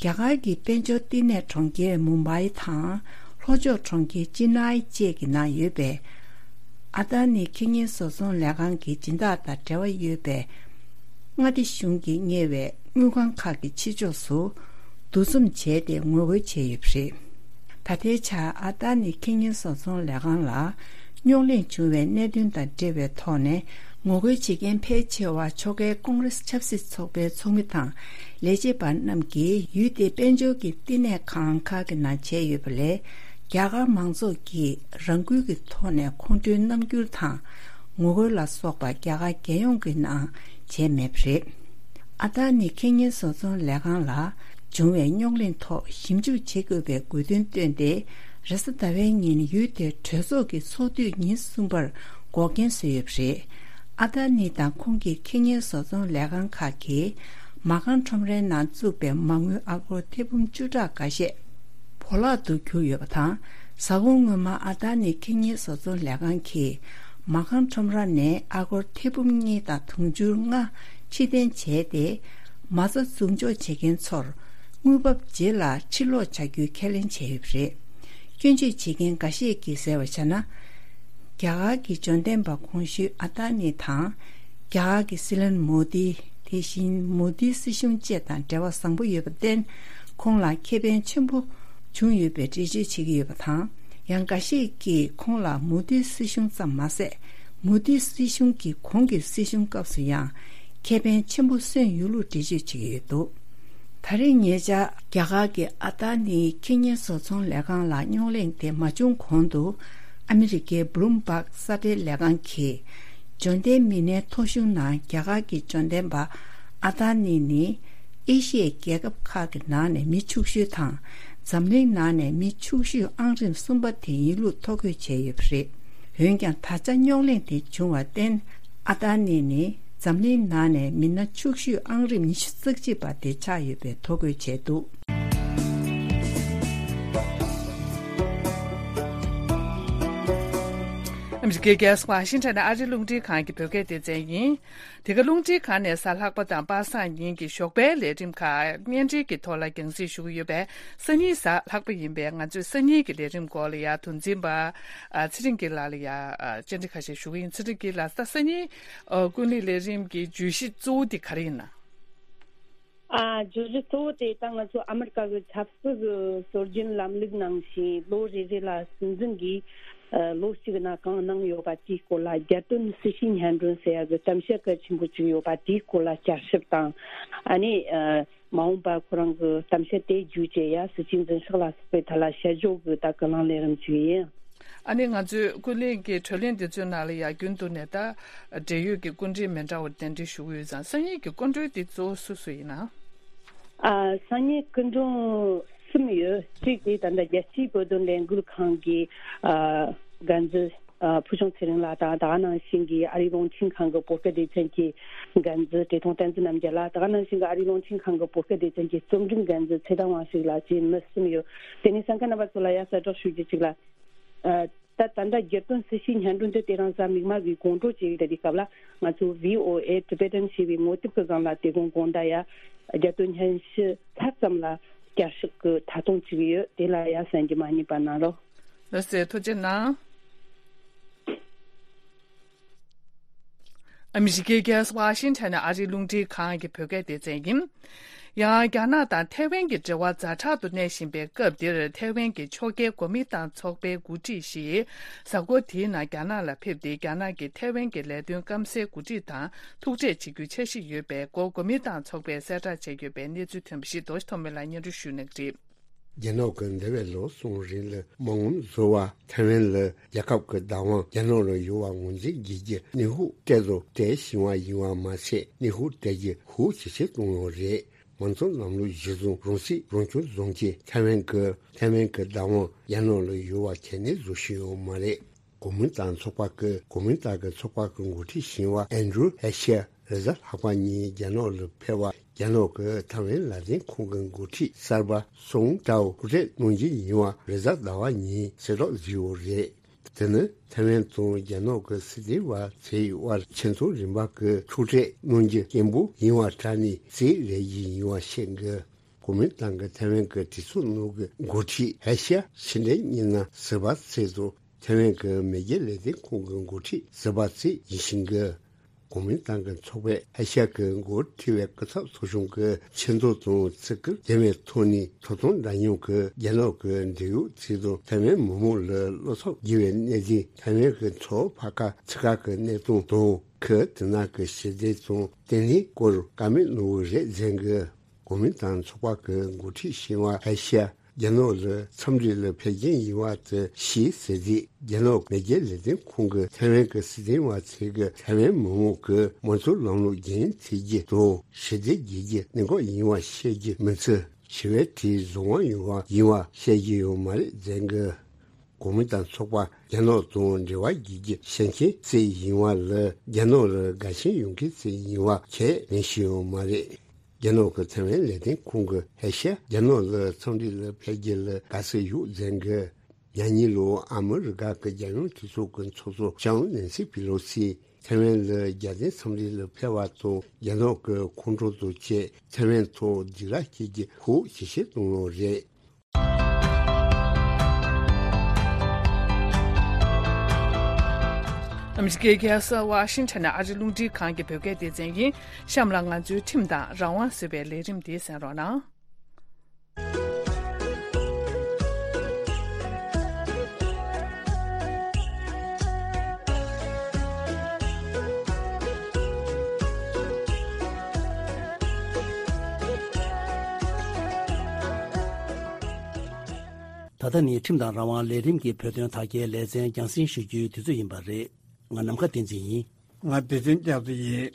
རྒྱ་གར་གྱི་དཔལ་འབྱོར་བསྟི་གནས་གྲོང་ཁྱེར་མུམ་བྷའི་དང་ལྷོ་ཕྱོགས་གྲོང་ཁྱེར་ཅི་ནའི་བཅས་ཀྱི་ནང་ཡོད་པའི་ཨ་ཏཱ་ནི་ཁེ་ཉེན་བཟོ་ཚོང་ལས་ཁང་གི་སྦྱིན་བདག་དང་འབྲེལ་བ་ཡོད་པའི་མངའ་སྡེ་གཞུང་གིས་གཉེར་བའི་དངུལ་ཁང་ཁག་གི་ཕྱི་ཕྱོགས་སུ་འདུ་འཛོམས་བྱས་ཏེ་ངོ་རྒོལ་བྱས་ཡོད་པ་རེད། ད་ལྟའི་ཆར་ཨ་ཏཱ་ནི་ཁེ་ཉེན་བཟོ་ཚོང་ལས་ཁང་ལ་རྙོག་གླེང་བྱུང་བའི་གནད་དོན་དང་འབྲེལ་བའི་ཐོག་ནས་ངོ་རྒོལ་བྱེད་མཁན་ཕལ་ཆེ་བ་ཕྱོགས་འགལ་ཀོང་རེས་ཆབ་སྲིད་ཚོགས་པའི་ཚོགས་མི་དང་ལས་བྱེད་པ་རྣམས་ཀྱིས་ཡུལ་དེའི་དཔལ་འབྱོར་གྱི་བསྟི་གནས་ཁང་ཁག་གི་ནང་བྱས་ཡོད་པ་ལས། རྒྱ་གར་མང་ཚོགས་ཀྱིས་རང་འགུལ་གྱི་ཐོག་ནས་ཁོང་ཁྲོའི་རྣམ་འགྱུར་དང་ངོ་རྒོལ་ལ་སོགས་པ་རྒྱ་གར་རྒྱལ་ཡོངས་ཀྱི་ནང་བྱས་མེད་པ་རེད། ཨ་ཏཱ་ནི་ཁེ་ཉེན་བཟོ་ཚོང་ལས་ཁང་ལ་བྱུང་བའི་རྙོག་གླེང་ཐོག་ཞིབ་འཇུག་བྱེད་དགོས་པའི་དགོས་འདུན་བཏོན་ཏེ། རེས་གཟའ་ཟླ་བའི་ཉིན་ཡུལ་དེའི་གྲོས་ཚོགས་ཀྱི་ཚོགས་དུས་ཉིན་གསུམ་པར་འགོག་རྐྱེན་བཟོས་ཡོད་པ་རེད། ཨ་ཏཱ་ནི་དང་ཁོང་གི་ཁེ་ཉེན་བཟོ་ཚོང་ལས་ཁང་ཁག་གིས་མ་རྐང་ཁྲོམ་རའི་ནང་བཙུགས་པའི་མ་དངུལ་ཨ་སྒོར་ཐེར་འབུམ་བཅུ་ཕྲག་འགའ་ཤས་བོར་བརླག་ཏུ་གྱུར་ཡོད་པ་དང་། གཟའ་འཁོར་སྔོན་མ་ཨ་ཏཱ་ནི་ཁེ་ཉེན་བཟོ་ཚོང་ལས་ཁང་གིས་མ་རྐང་ཁྲོམ་ར་ནས་ཨ་སྒོར་ཐེར་འབུམ་གཉིས་དང་དུང་ཕྱུར་ལྔ་ཕྱིར་འཐེན་བྱས་ཏེ། མ་རྩ་འཛུགས་འཇོག་བྱེད་མཁན་ཚོར་དངུལ་འབབ་རྗེས་ལ་ཕྱིར་སློག་བྱ་རྒྱུའི་ཁས་ལེན་བྱས་ཡོད་པ་རེད། སྐྱོན་བརྗོད་བྱེད་མཁན་འགའ་ཤས་ཀྱིས་ཟེར་བ་བྱས་ན། རྒྱ་གར་གྱི་འབྱོར་ལྡན་པ་གོང་ཞུས་ཨ་ཏཱ་ནི་དང་། རྒྱ་གར་གྱི་སྲིད་བློན་མོ་དི། དེ་བཞིན་མོ་དིའི་སྲིད་གཞུང་བཅས་དང་འབྲེལ་བ་བཟང་པོ་ཡོད་པར་བརྟེན། ཁོང་ལ་ཁེ་ཕན་ཆེན་པོ་བྱུང་ཡོད་པའི་འགྲེལ་བརྗོད་བྱེད་ཀྱི་ཡོད་པ་དང་། ཡང་འགའ་ཤས་ཀྱིས་ཁོང་ལ་མོ་དིའི་སྲིད་གཞུང་ཙམ་མ་ཟད། མོ་དིའི་སྲིད་གཞུང་གི་གོང་གི་སྲིད་གཞུང་སྐབས་སུ་ཡང་ཁེ་ཕན་ཆེན་པོ་སོན་ཡོད་ལུགས་འགྲེལ་བརྗོད་བྱེད་ཀྱི་ཡོད་འདུག་ད་རེས་ཉེ་ཆར་རྒྱ་གར་གྱི་ཨ་ཏཱ་ནིའི་ཁེ་ཉེན་བཟོ་ཚོང་ལས་ཁང་ལ་རྙོག་གླེང་དེ་མ་བྱུང་གོང་དུ། ཨ་མི་རི་ཀའི་བྷུ་ལུམ་བྷག་གསར་སྤེལ་ལས་ཁང་གིས། འབྱོར་ལྡན་མི་སྣའི་ཐོ་གཞུང་ནང་རྒྱ་གར་གྱི་འབྱོར་ལྡན་པ་ཨ་ཏཱ་ནི་ནི། ཨེ་ཤི་ཡའི་རྒྱལ་ཁབ་ཁག་གི་ནང་ནས་མི་ཕྱུག་ཤོས་དང་། འཛམ་གླིང་ནང་ནས་མི་ཕྱུག་ཤོས་ཨང་རིམ་གསུམ་པ་དེ་ཡིན་ལུགས་ཐོ་འགོད་བྱས་ཡོད་པ་རེད། འོན་ཀྱང་། ད་ཆ་རྙོག་གླེང་དེ་བྱུང་བར་བརྟེན། ཨ་ཏཱ་ནི་ནི། འཛམ་གླིང་ནང་ནས་མི་སྣ་ཕྱུག་ཤོས་ཨང་རིམ་ཉི་ཤུ་རྩ་གཅིག་པ་དེ་ཆགས་ཡོད་པའི་ཐོ་འགོད་བྱས་འདུག། ཨ་མི་རི་ཀའི་རྒྱལ་ས་ཝ་ཤིང་ཊོན་ནས་ཨ་རིའི་རླུང་འཕྲིན་ཁང་གི་བོད་སྐད་སྡེ་ཚན་ཡིན། དེ་ག་རླུང་འཕྲིན་ཁང་ནས་གཟའ་ལྷག་པ་དང་པ་སངས་ཉིན་གྱི་ཞོགས་པའི་ལས་རིམ་ཁག་བརྙན་འཕྲིན་གྱི་ཐོག་ལ་རྒྱང་སྲིང་ཞུ་གི་ཡོད་པས། སང་ཉིན་གཟའ་ལྷག་པ་ཡིན་པས། ང་ཚོས་སང་ཉིན་གྱི་ལས་རིམ་སྐོར་ལ་ཡ་དུམ་འཛིན་པ་ཨ་ཚེ་རིང་སྐྱིད་ལགས་ལ་ཡ་ཨ་བཅར་འདྲི་ཁ་ཤས་ཞུ་གི་ཡིན། ཚེ་རིང་སྐྱིད་ལགས། ད་སང་ཉིན་ཨ་ཀུན་གླེང་ལས་རིམ་གྱི་བརྗོད་གཞི་གཙོ་བོ་དེ་ག་རེ་ཡིན་ན། ཨ་བརྗོད་གཞི་གཙོ་བོ་དེ་ད་ང་ཚོ་ཨ་མི་རི་ཀ་གི་ཆབ་སྲིད་ཀྱི་སྲོལ་རྒྱུན་ལམ་ལུགས་ནང་བཞིན་ལོ་རེ་རེ་ལ་སྲིད་འཛིན་གྱིས་ཨ་ལོ་གཅིག་ནང་གང་གནང་ཡོད་པ་དེའི་སྐོར་ལ། རྒྱལ་དོན་སྲི་ཞུའི་སྙན་སྒྲོན་ཟེར་ཡ་གི་གཏམ་བཤད་གལ་ཆེན་པོ་ཅིག་ཡོད་པ་དེའི་སྐོར་ལ་བསྐྱར་ཞིབ་དང་། ཨ་ནི་ཨ་མ་འོངས་པ་ཁོ་རང་གི་གཏམ་བཤད་དེ་བརྒྱུད་བྱས་ཡ་སྲིད་བྱུས་འཛིན་ཕྱོགས་ལ་སོགས་པའི་ཐད་ལ་དཔྱད་འཇོག་གི་ད་ཀུན་གླེང་ལས་རིམ་ཅིག་ཡིན། ཨ་ནི་ང་ཚོའི་ཀུན་གླེང་གི་བགྲོ་གླེང་འདི་ཚོའི་ནང་ལ་ཡ་རྒྱུན་དུ་ནས་ད་འབྲེལ་ཡོད་ཀྱི་སྐུ་མགྲོན་མི་འདྲ་བ་གདན་འདྲེན་ཞུ་གི་ཡོད་ཙང་། སང་ཉིན་གྱི་སྐུ་མགྲོན་འདི་གཙོ་བོ་སུ་སུ་ཡིན་ན། ཨ་སང་ཉིན་སྐུ་མགྲོན་གསུམ་ཡོད། གཅིག་དེ་ད་ལྟ་རྒྱལ་སྤྱིའི་བོད་དོན་ལས་འགུལ་ཁང་གི་ཨ་འགན་འཛིན་ཨ་ཕུལ་བྱུང་ཚེ་རིང་ལགས་དང་། ད་ག་ནང་བཞིན་གྱི་ཨ་རིའི་རླུང་འཕྲིན་ཁང་གི་བོད་སྐད་སྡེ་ཚན་གྱི་འགན་འཛིན་བཀྲས་མཐོང་བསྟན་འཛིན་རྣམ་རྒྱལ་ལགས། ད་ག་ནང་བཞིན་གྱི་ཨ་རིའི་རླུང་འཕྲིན་ཁང་གི་བོད་སྐད་སྡེ་ཚན་གྱི་རྩོམ་སྒྲིག་འགན་འཛིན་ཚེ་བརྟན་དབང་ཕྱུག་ལགས་བཅས་མི་གསུམ་ཡོད། དེ་ནས་གསན་མཁན་རྣམ་པ་ཚོ་ལ་ཡ་གསལ་བསྒྲགས་ཞུ་རྒྱུ་གཅིག་ལ། ཨ་ད་ད་ལྟ་རྒྱལ་དོན་སྲི་ཞུའི་སྙན་སྒྲོན་དེ་དེ་རིང་གཟའ་མིག་དམར་གྱི་དགོང་དྲོ་བྱས་ཡོད། དེ་དུས་སྐབས་ལ་ང་ཚོ་བྷི་ཨོ་ཨེ་ཊི་བེ་ཊན་ཞེས་པའི་ངོ་དེབ་ཀྱི་སྒང་ལ་དེ་དགོང་དགོང་དག་ཡ་རྒྱལ་དོན་སྙན་ཞུ་མཐའ་ཙམ་ལ་བསྐྱར་ཞིབ་ཀྱི་ཐད་གཏོང་བྱེད་ཀྱི་ཡོད། དེ་ལ་ཡ་གསན་རྒྱུ་མ་བསྙེལ་བ་གནང་རོགས། ལགས་སེ། ཐུགས་རྗེ་གནང་། ཨ་མི་རི་ཀའི་རྒྱལ་ས་ཝ་ཤིང་ཊོན་ནས་ཨ་རིའི་རླུང་འཕྲིན་ཁང་གི་བོད་སྐད་སྡེ་ཚན་ཡིན། ཡང་རྒྱ་ནག་དང་ཐའེ་ཝན་གྱི་འབྲེལ་བ་ཛ་དྲག་ཏུ་གནས་བཞིན་པའི་སྐབས་འདིར། ཐའེ་ཝན་གྱི་ཕྱོགས་འགལ་གོ་མིན་ཏང་ཚོགས་པའི་འགོ་ཁྲིད་ཞིག་གཟའ་འཁོར་འདིའི་ནང་རྒྱ་ནག་ལ་ཕེབས་ཏེ། རྒྱ་ནག་གིས་ཐའེ་ཝན་གྱི་ལས་དོན་སྐམ་སའི་འགོ་ཁྲིད་དང་ཐུག་འཕྲད་བྱེད་རྒྱུའི་འཆར་གཞི་ཡོད་པའི་སྐོར་གོ་མིན་ཏང་ཚོགས་པས་གསལ་བསྒྲགས་བྱས་ཡོད་པའི་གནས་ཚུལ་ཐོན་པ་ཞིག་རྡོ་རྗེ་ཐོགས་མེད་ལགས་སྙན་སྒྲོན་ཞུ་གནང་གི་རེད། རྒྱ་ནག་གིས་འདས་པའི་ལོ་གསུམ་རིང་ལ་མ་དངུལ་བཟོ་བར་ཐའེ་ཝན་ལ་རྒྱལ་ཁབ་ཀྱི་བདག་དབང་རྒྱ་ནག་ལ་ཡོད་པ་ངོས་འཛིན་བྱེད་རྒྱུ་ནན་ཧུ་ཏེ་ལོ་སྤྲད་བཞིན་པ་ཡིན་པ་མ་ཟད། ནན་ཧུ་སྤྲད་རྒྱུ་ཤུགས་ཇེ་ཆེར་གཏོང་ཡོད་རེད། མང་གཙོ་ལམ་ལུགས་གཞིར་བཟུང་རང་སྲིད་རང་སྐྱོང་བཟུང་རྒྱུ། ཐའེ་ཝན་གྱི་ཐའེ་ཝན་གྱི་བདག་དབང་རྒྱ་ནག་ལ་ཡོད་པ་ཁས་ལེན་བཟོ་བཞིན་ཡོད་མ་རེད། གོ་མིན་ཏང་ཚོགས་པ་གི་གོ་མིན་ཏང་གི་ཚོགས་པ་གི་འགོ་ཁྲིད་ཞིག་ཡིན་པ་ཨན་ཌྲུ་ཧེ་ཤ་རེས་གཟའ་ལྷག་པ་ཉིན་རྒྱ་ནག་ལ་ཕེབས་པ། རྒྱ་ནག་གི་ཐའེ་ཝན་ལག་ལེན་ཁང་གི་འགོ་ཁྲིད་གསར་པ་སུང་ཀྲའོ་ཐུག་འཕྲད་གནང་རྒྱུ་ཡིན་པ་རེས་གཟའ་ཟླ་བ་ཉིན་གསལ་བསྒྲགས་བཟོས་ཡོད་རེད། དེ་ནི་ཐའེ་ཝན་དང་རྒྱ་ནག་གི་སྲིད་དོན་པ་ཚོའི་དབར་ཆེད་དོན་རིམ་པ་གི་ཐུག་འཕྲད་གནང་རྒྱུ་སྐད་འབོད་ཡིན་པ་དྲ་ནས་རྩིས་རེ་ཡིན་ཡིན་པ་བཤད་འདུག། གོ་མིན་ཏང་གི་ཐའེ་ཝན་གྱི་གྲོས་ཚོགས་ནང་གི་འགོ་ཁྲིད་ཧེ་ཤ་ཕྱི་འབྲེལ་གཉིས་ན་ཟུར་པ་ཚོ་དང་། ཐའེ་ཝན་གྱི་མེས་རྒྱལ་ལས་དོན་ཁང་གི་འགོ་ཁྲིད་ཟུར་པ་ཚོ་ཡིན་ཞིང་གི། གོ་མིན་ཏང་གི་ཚོགས་པས་ཨེ་ཤ་ཡ་གི་འགོ་ཁྲིད་པའི་སྐུ་ཚབ་ཚོགས་ཆུང་གི་ཆེ་མཐོ་དང་བརྩི་བཀུར་ལྡན་པའི་ཐོག་ནས་ཐོབ་ཐང་འདྲ་མཉམ་གྱི་རྒྱ་ནག་གི་འབྲེལ་ཡོད་ཚོ་དང་ཐའེ་ཝན་མི་མང་ལ་བློ་འཚབ་སྐྱེ་བའི་གནད་དོན། ཐའེ་ཝན་གྱི་མཚོ་ཕར་ཁ་ཚུར་ཁ་གི་གནས་སྟངས་དང་། ཁུལ་དེ་ནང་གི་ཞི་བདེ་དང་བརྟན་ལྷིང་སྐོར་བཀའ་མོལ་གནང་གི་རེད་ཟེར་གི། གོ་མིན་ཏང་ཚོགས་པ་གི་འགོ་ཁྲིད་ཞིག་ཡིན་པ་ཧེ་ཤ་རྒྱ་ནག་ལ་འཚམས་འདྲི་ལ་ཕེབས་མཁན་ཡིན་པ་དེ་ཤེས་ཟེར་དུས། རྒྱ་ནག་མེས་རྒྱལ་ལས་དོན་ཁང་གི་ཐའེ་ཝན་གྱི་སྲིད་དོན་པ་ཚོས་ཀྱི་ཐའེ་ཝན་མི་མང་གི་དམངས་གཙོ་ལམ་ལུགས་རྒྱུན་འཛིན་བྱེད་རྒྱུ་དང་ཞི་བདེ་རྒྱས་རྒྱུ་གནད་འགག་ཡིན་པ་བཤད་རྒྱུ་མི་ཚད། ཞི་བའི་གྲས་བཟོ་དབང་ཡོད་པ་ཡིན་པ་བཤད་རྒྱུ་ཡོད་མ་རེད་ཟེར་གི། གོ་མིན་ཏང་ཚོགས་པ་རྒྱ་ནག་དང་འབྲེལ་བ་རྒྱས་རྒྱུ་བཤད་མཁན་ཚོ་ཡིན་པ་ལ་རྒྱ་ནག་ལ་དགའ་ཞེན་ཡོད་མཁན་ཚོ་ཡིན་པ་ཁས་ལེན་བཞིན་ཡོད་མ་རེད། རྒྱ་ནག་གི་ཐའེ་ཝན་ལས་དོན་ཁང་གི་ཧེ་ཤ་རྒྱ་ནག་ལ་འཚམས་འདྲི་ལ་ཕེབས་རྒྱུ་ལ་དགའ་བསུ་ཡོད་ཟེར་གི། ཉེ་ལོ་ཨ་མི་རི་ཀ་གི་རྒྱལ་ཡོངས་གྲོས་ཚོགས་ཀྱི་ཚོགས་གཙོ་ལྕམ་ནན་སི་པི་ལོ་སི་ཐའེ་ཝན་ལ་རྒྱལ་དོན་འཚམས་འདྲི་ལ་ཕེབས་པ་དང་རྒྱ་ནག་གི་ཁོང་ཁྲོ་དང་བཅས་ཐའེ་ཝན་ཐོག་སྡིགས་ར་སྐྱེ་རྒྱུ་ཤུགས་ཇེ་ཆེར་གཏོང་ཡོད་རེད། ཨ་མི་རི་ཀའི་རྒྱལ་ས་ཝ་ཤིང་ཊོན་ནས་ཨ་རི་རླུང་འཕྲིན་ཁང་གི་བོད་སྐད་སྡེ་ཚན་ཡིན། གཤམ་ལ་ང་ཚོའི་ཁྲིམས་དང་རང་དབང་ཟེར་བའི་ལས་རིམ་འདི་གསན་རོགས་གནང་། ད་ལྟ་ནི་ཁྲིམས་དང་རང་དབང་ལས་རིམ་གྱི་བོད་དོན་དར་རྒྱས་ལེ་ཚན་རྒྱང་སྲིང་ཞུ་རྒྱུའི་དུས་ཚོད་ཡིན་པ་རེད། ང་ནམ་མཁའ་བསྟན་འཛིན་ཡིན། ང་བདེ་ཆེན་སྐྱབས་མགོན་ཡིན།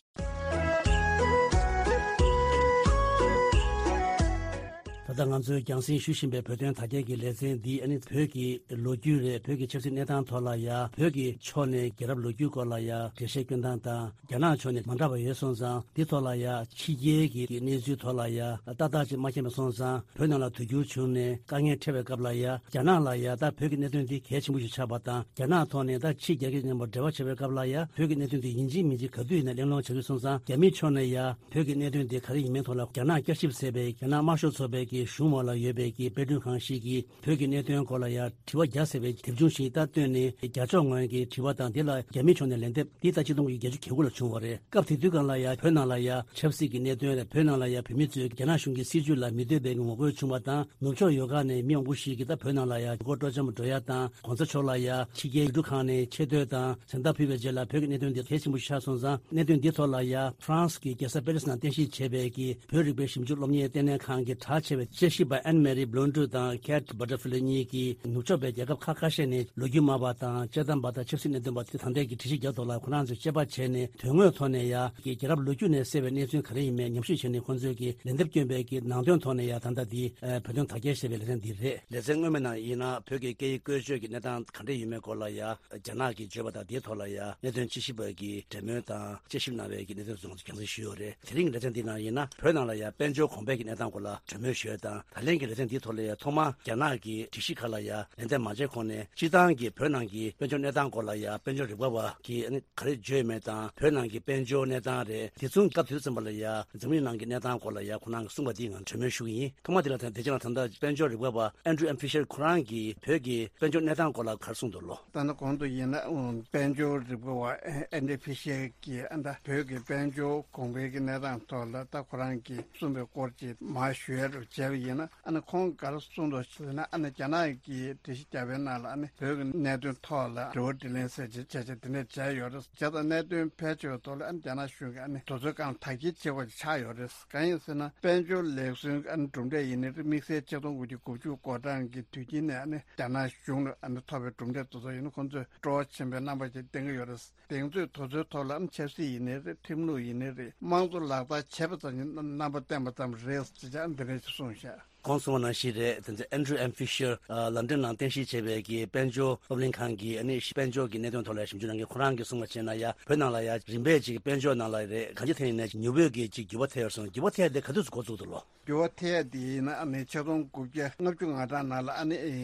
ད་ ད་ལྟ་ང་ཚོས་རྒྱང་སྲིང་ཞུ་བཞིན་པའི་བོད་དོན་དར་རྒྱས་ཀྱི་ལེ་ཚན་འདི་ཨ་ནི་བོད་ཀྱི་ལོ་རྒྱུས་རེད། བོད་ཀྱི་ཆབ་སྲིད་གནས་སྟངས་ཐོག་ལ་ཡ། བོད་ཀྱི་ཕྱོགས་ནས་རྒྱལ་རབས་ལོ་རྒྱུས་སྐོར་ལ་ཡ་འགྲེལ་བཤད་སྐྱོན་སྟངས་དང་། རྒྱ་ནག་ཕྱོགས་ནས་མ་འདྲ་བ་ཡོད་སོང་ཙང་། འདི་ཐོག་ལ་ཡ་ཕྱི་རྒྱལ་གྱི་གནས་ཚུལ་ཐོག་ལ་ཡ་ཏག་ཏག་ཅིག་མ་མཁྱེན་པ་སོང་ཙང་། བོད་ནང་ལ་དུས་འགྱུར་བྱུང་ནས་དཀའ་ངལ་འཕྲད་པའི་སྐབས་ལ་ཡ། རྒྱ་ནག་ལ་ཡ་ད་བོད་ཀྱི་གནད་དོན་འདི་གལ་ཆེན་པོ་ཞིག་ཆགས་པ་དང་། རྒྱ་ནག་ཐོག་ནས་ད་ཕྱི་རྒྱལ་ཁབ་མཉམ་པོ་འབྲེལ་བ་བྱེད་པའི་སྐབས་ལ་ཡ། བོད་ཀྱི་གནད་དོན་འདི་ཡིན་གཅིག་མིན་གཅིག་ག་དུས་ཡིན་ན་གླེང་སློང་བྱ་རྒྱུ་སོང་ཙང་། རྒྱ་མིའི་ཕྱོགས་ནས་ཡ་བོད་ཀྱི་གནད་དོན་འདི་ག་རེ་ཡིན་མིན་ཐོག་ལ། རྒྱ་ནག་བསྐྱར་ཞིབ་ཟེར་བའི་རྒྱ་ནག་དམར་ཤོག་ཚོགས་པའི་གི་གཞུང་འོག་ལ་ཡོད་པའི་གི་དཔེ་སྐྲུན་ཁང་ཞིག་གིས་བོད་ཀྱི་གནད་དོན་སྐོར་ལ་ཡ་དྲི་བ་བརྒྱ་ཟེར་བའི་དེབ་ཆུང་ཞིག་ད་བཏོན་ནས། རྒྱ་ཕྱོགས་ངོས་ཀྱི་དྲི་བ་དང་། དེ་ལ་རྒྱ་མིའི་ཕྱོགས་ནས་ལན་འདེབས་འདི་ད་ཆིག་སྟོང་དགུ་བརྒྱ་བརྒྱད་ཅུ་གྱ་དགུ་ལ་བྱུང་བ་རེད། སྐབས་དེ་དུས་སྒང་ལ་ཡ་བོད་ནང་ལ་ཡ་ཆབ་སྲིད་ཀྱི་གནད་དོན་རེད། བོད་ནང་ལ་ཡ་བོད་མི་ཚོས་རྒྱ་ནག་གཞུང་གི་སྲིད་བྱུས་ལ་མི་འདོད་པའི་ངོ་རྒོལ་བྱུང་བ་དང་། ནུབ་ཕྱོགས་ཡོལ་ཁ་ནས་མི་མང་པོ་ཞིག་གིས་ད་བོད་ནང་ལ་ཡ་ཡུལ་སྐོར་སྤྲོ་འཆམ་འགྲོ་ཡ་དང་། གོང་ས་མཆོག་ལ་ཡ་ཕྱི་རྒྱལ་ཡུལ་གྲུ་ཁག་ནས་ཆེ་བསྟོད་དང་མཚན་རྟགས་ཕུལ་བའི་རྗེས་ལ། བོད་ཀྱི་གནད་དོན་འདི་གལ་ཆེན་པོ་ཞིག་ཆགས་སོང་ཙང་། གནད་དོན་འདི་ཐོག་ལ་ཡ་ཧྥ་རན་སི་གི་རྒྱལ་ས་པེ་རི་སི་ནང་རྟེན་གཞི་བྱས་པའི་གི་བོད་རིག་པའི་ཞིབ་འཇུག་སློབ་གཉེར་ལྟེ་གནས་ཁང་གི་གྲགས་ཆེ་བའི་དཔྱད་ཞིབ་པ་ཨན་མེ་རི་བྷི་ལོན་ཌུ་དང་ཁེ་ཊི་བྷ་ཊར་ཕི་ལེ་གཉིས་ཀྱིས་ནུབ་ཕྱོགས་པའི་རྒྱལ་ཁབ་ཁག་ཁ་ཤས་ནས་ལོ་རྒྱུས་སྨྲ་བ་དང་དཔྱད་གཏམ་པ་དང་ཆབ་སྲིད་གནད་དོན་པ་དེ་ད་ལྟའི་གི་དྲི་གཞི་རྒྱག་ཐོག་ལ་ཁོ་རང་ཚོས་དཔྱད་པ་བྱས་ནས། དོན་དངོས་ཐོག་ནས་ཡ་གི་རྒྱལ་རབས་ལོ་རྒྱུས་ནས་གསལ་བའི་གནས་ཚུལ་ག་རེ་ཡིན་མིན་ཉམས་ཞིབ་བྱས་ནས། ཁོང་ཚོས་ཀྱི་ལན་འདེབས་བསྐྱོན་པའི་གི་ནང་དོན་ཐོག་ནས་ཡ་ད་ལྟ་འདི་ཨ་བོད་དོན་དར་རྒྱས་ཞེས་པའི་ལེ་ཚན་འདི་རེད། ལེ་ཚན་སྔོན་མའི་ནང་ཡིན་ན་བོད་ཀྱི་སྐད་ཡིག་བཀོལ་སྤྱོད་ཀྱི་གནས་སྟངས་ག་འདྲ་ཡིན་མིན་སྐོར་ལ་ཡ། རྒྱ་ནག་གིས་བརྗོད་པ་དང་དེའི་ཐོག་ལ་ཡ་གནད་དོན་དཔྱད་ཞིབ་པ་གིས་འབྲེལ་མོལ་དང་དཔྱད་ཞིབ་གནང་བའི་གི་གནད་དོན་ཚོ་ང་ཚོ་རྒྱང་སྲིང་ཞུས་ཡོད་རེད། དེ་རིང་གི་ལེ་ཚན་འདིའི་ནང་ཡིན་ན་བོད་ནང་ལ་ཡ་དཔལ་འབྱོར་གོང་འཕེལ་གྱི་གནས་སྟངས་སྐོར་ལ་གྲོས་མོལ་ཞུས་དང་། ད་ལན་གྱི་ལེ་ཚན་འདིའི་ཐོག་ལ་ཡ་ཐོག་མར་རྒྱ་ནག་གི་སྒྲིག་གཞི་ཁག་ལ་ཡ་ལན་འདེབས་མ་བྱས་གོང་ནས། སྤྱིར་བཏང་གི་བོད་ནང་གི་དཔལ་འབྱོར་གནས་སྟངས་སྐོར་ལ་ཡ་དཔལ་འབྱོར་རིག་པ་བ་གིས་ཨ་ནི་ག་རེ་བརྗོད་མེད་དང་། བོད་ནང་གི་དཔལ་འབྱོར་གནས་སྟངས་རེད། དེ་མཚུངས་སྐབས་དེ་ཙམ་པ་ལ་ཡ་འཛམ་གླིང་ནང་གི་གནས་སྟངས་སྐོར་ལ་ཡ་ཁོ་རང་གིས་གསུངས་པ་འདི་ང་གྲོས་མོལ་ཞུ་གི་ཡིན། ཐོག་མ་དེ་ལ་ད་དེ་རྗེས་ལ་ད་ལྟ་དཔལ་འབྱོར་རིག་པ་བ་ཨན་ཌྲུ་ཨེམ་ཕི་ཤར་ཁོ་རང་གིས་བོད་ཀྱི་དཔལ་འབྱོར་གནས་སྟངས་སྐོར་ལ་ག་རེ་གསུངས་འདུག་ལོ། ད་ནི་གོང་དུ་ཡིན་ན་དཔལ་འབྱོར་རིག་པ་བ་ཨན་ཌྲུ་ཨེམ་ཕི་ཤར་གྱིས་ཨ་ད་བོད་ཀྱི་དཔལ་འབྱོར་གོང་འཕེལ་གྱི་གནས་སྟངས་ཐོག་ལ་ད་ཁོ་རང་གིས་གསུངས་པའི་སྐོར་གྱི་མར་ཞུ་ཡ་རུ་བྱས་པ་ཡིན་ན། ཨ་ནི་ཁོང་གིས་ག་རེ་གསུངས་འདུག་ཟེར་ན། ཨ་ནི་རྒྱ་ནག་གིས་སྒྲིག་གཞི་བརྒྱབ་པའི་ནང་ལ་ཨ་ནི་བོད་ཀྱི་གནད་དོན་ཐོག་ལ་དྲི་བ་དྲིས་ལན་ཟེར་བྱས་བྱས་བྱས་དེ་འདྲས་བྱས་ཡོད་རེད། བྱས་ཙང་གནད་དོན་ཕལ་ཆེ་བའི་ཐོག་ལ་ཨ་ནི་རྒྱ་ནག་གཞུང་གིས་ཨ་ནི་དུས་ཚོད་གང་ཐག་གཅོད་བྱེད་དགོས་ཀྱི་ཆགས་ཡོད་རེད། གང་ཡིན་ཟེར་ན་དཔལ་འབྱོར་ལེགས་གསོའི་ཨ་ནི་གྲུབ་འབྲས་ཡིན་ནའི་རེད། དམིགས་བསལ་ཆིག་སྟོང་དགུ་བརྒྱ་དགུ་བཅུ་གོ་གྲངས་ཀྱི་དུས་དཀྱིལ་ནས་ཨ་ནི་རྒྱ་ནག་གཞུང་ལ་ཨ་ནི་ཐོབ་པའི་གྲུབ་འབྲས་དེ་ཚོ་ཡིན་ན་ཁོང་ཚོས་སྤྲོ་བ་ཆེན་པོའི་རྣམ་པ་ཞིག་བསྟན་གྱི་ཡོད་རེད། དེང་དུས་དུས་ཚོད་ཐོག་ལ་ཨ་ནི་ཆབ་སྲིད་ཡིན་ནའི་རེད། ཁྲིམས་ལུགས་ཡིན་ནའི་རེད། དམངས་གཙོ་ལག་བསྟར་བྱས་པ་ཙམ་གྱིས་རྣམ་པ་བསྟན་པ་ཙམ་རེད་ཅེས་བྱས་འདི་འདྲ་ཞིག་གསུངས་ཤག་ཁོང་གསུངས་པ་ནང་བཞིན་རེད། དེ་ཚོ་ཨན་ཌྲུ་ཨེམ་ཕི་ཤར་ཨ་ལན་ཌན་ནང་རྟེན་གཞི་བྱས་པའི་གི་དཔལ་འབྱོར་སློབ་གླིང་ཁང་གི་ཨ་ནི་དཔལ་འབྱོར་གྱི་གནད་དོན་ཐོག་ལ་ཞིབ་འཇུག་གནང་མཁན་ཁོ་རང་གིས་གསུངས་པ་བྱས་ན་ཡ། བོད་ནང་ལ་ཡ་རིམ་པས་ཅིག་དཔལ་འབྱོར་ནང་ལ་རེད། གང་ཅི་ཐད་ཡིན་ནའི་མྱུར་པོའི་གི་ཅིག་འགྱུར་བ་ཐེབས་སོང་། འགྱུར་བ་ཐེབས་དེ་ག་དུས་སུ་འགོ་བཙུགས་འདུག་ལོ། འགྱུར་བ་ཐེབས་དེ་ཡིན་ན་ཨ་ནི་ཆིག་སྟོང་དགུ་བརྒྱ་ལྔ་བཅུ་ང་གྲངས་ནང་ལ་ཨ་ནི་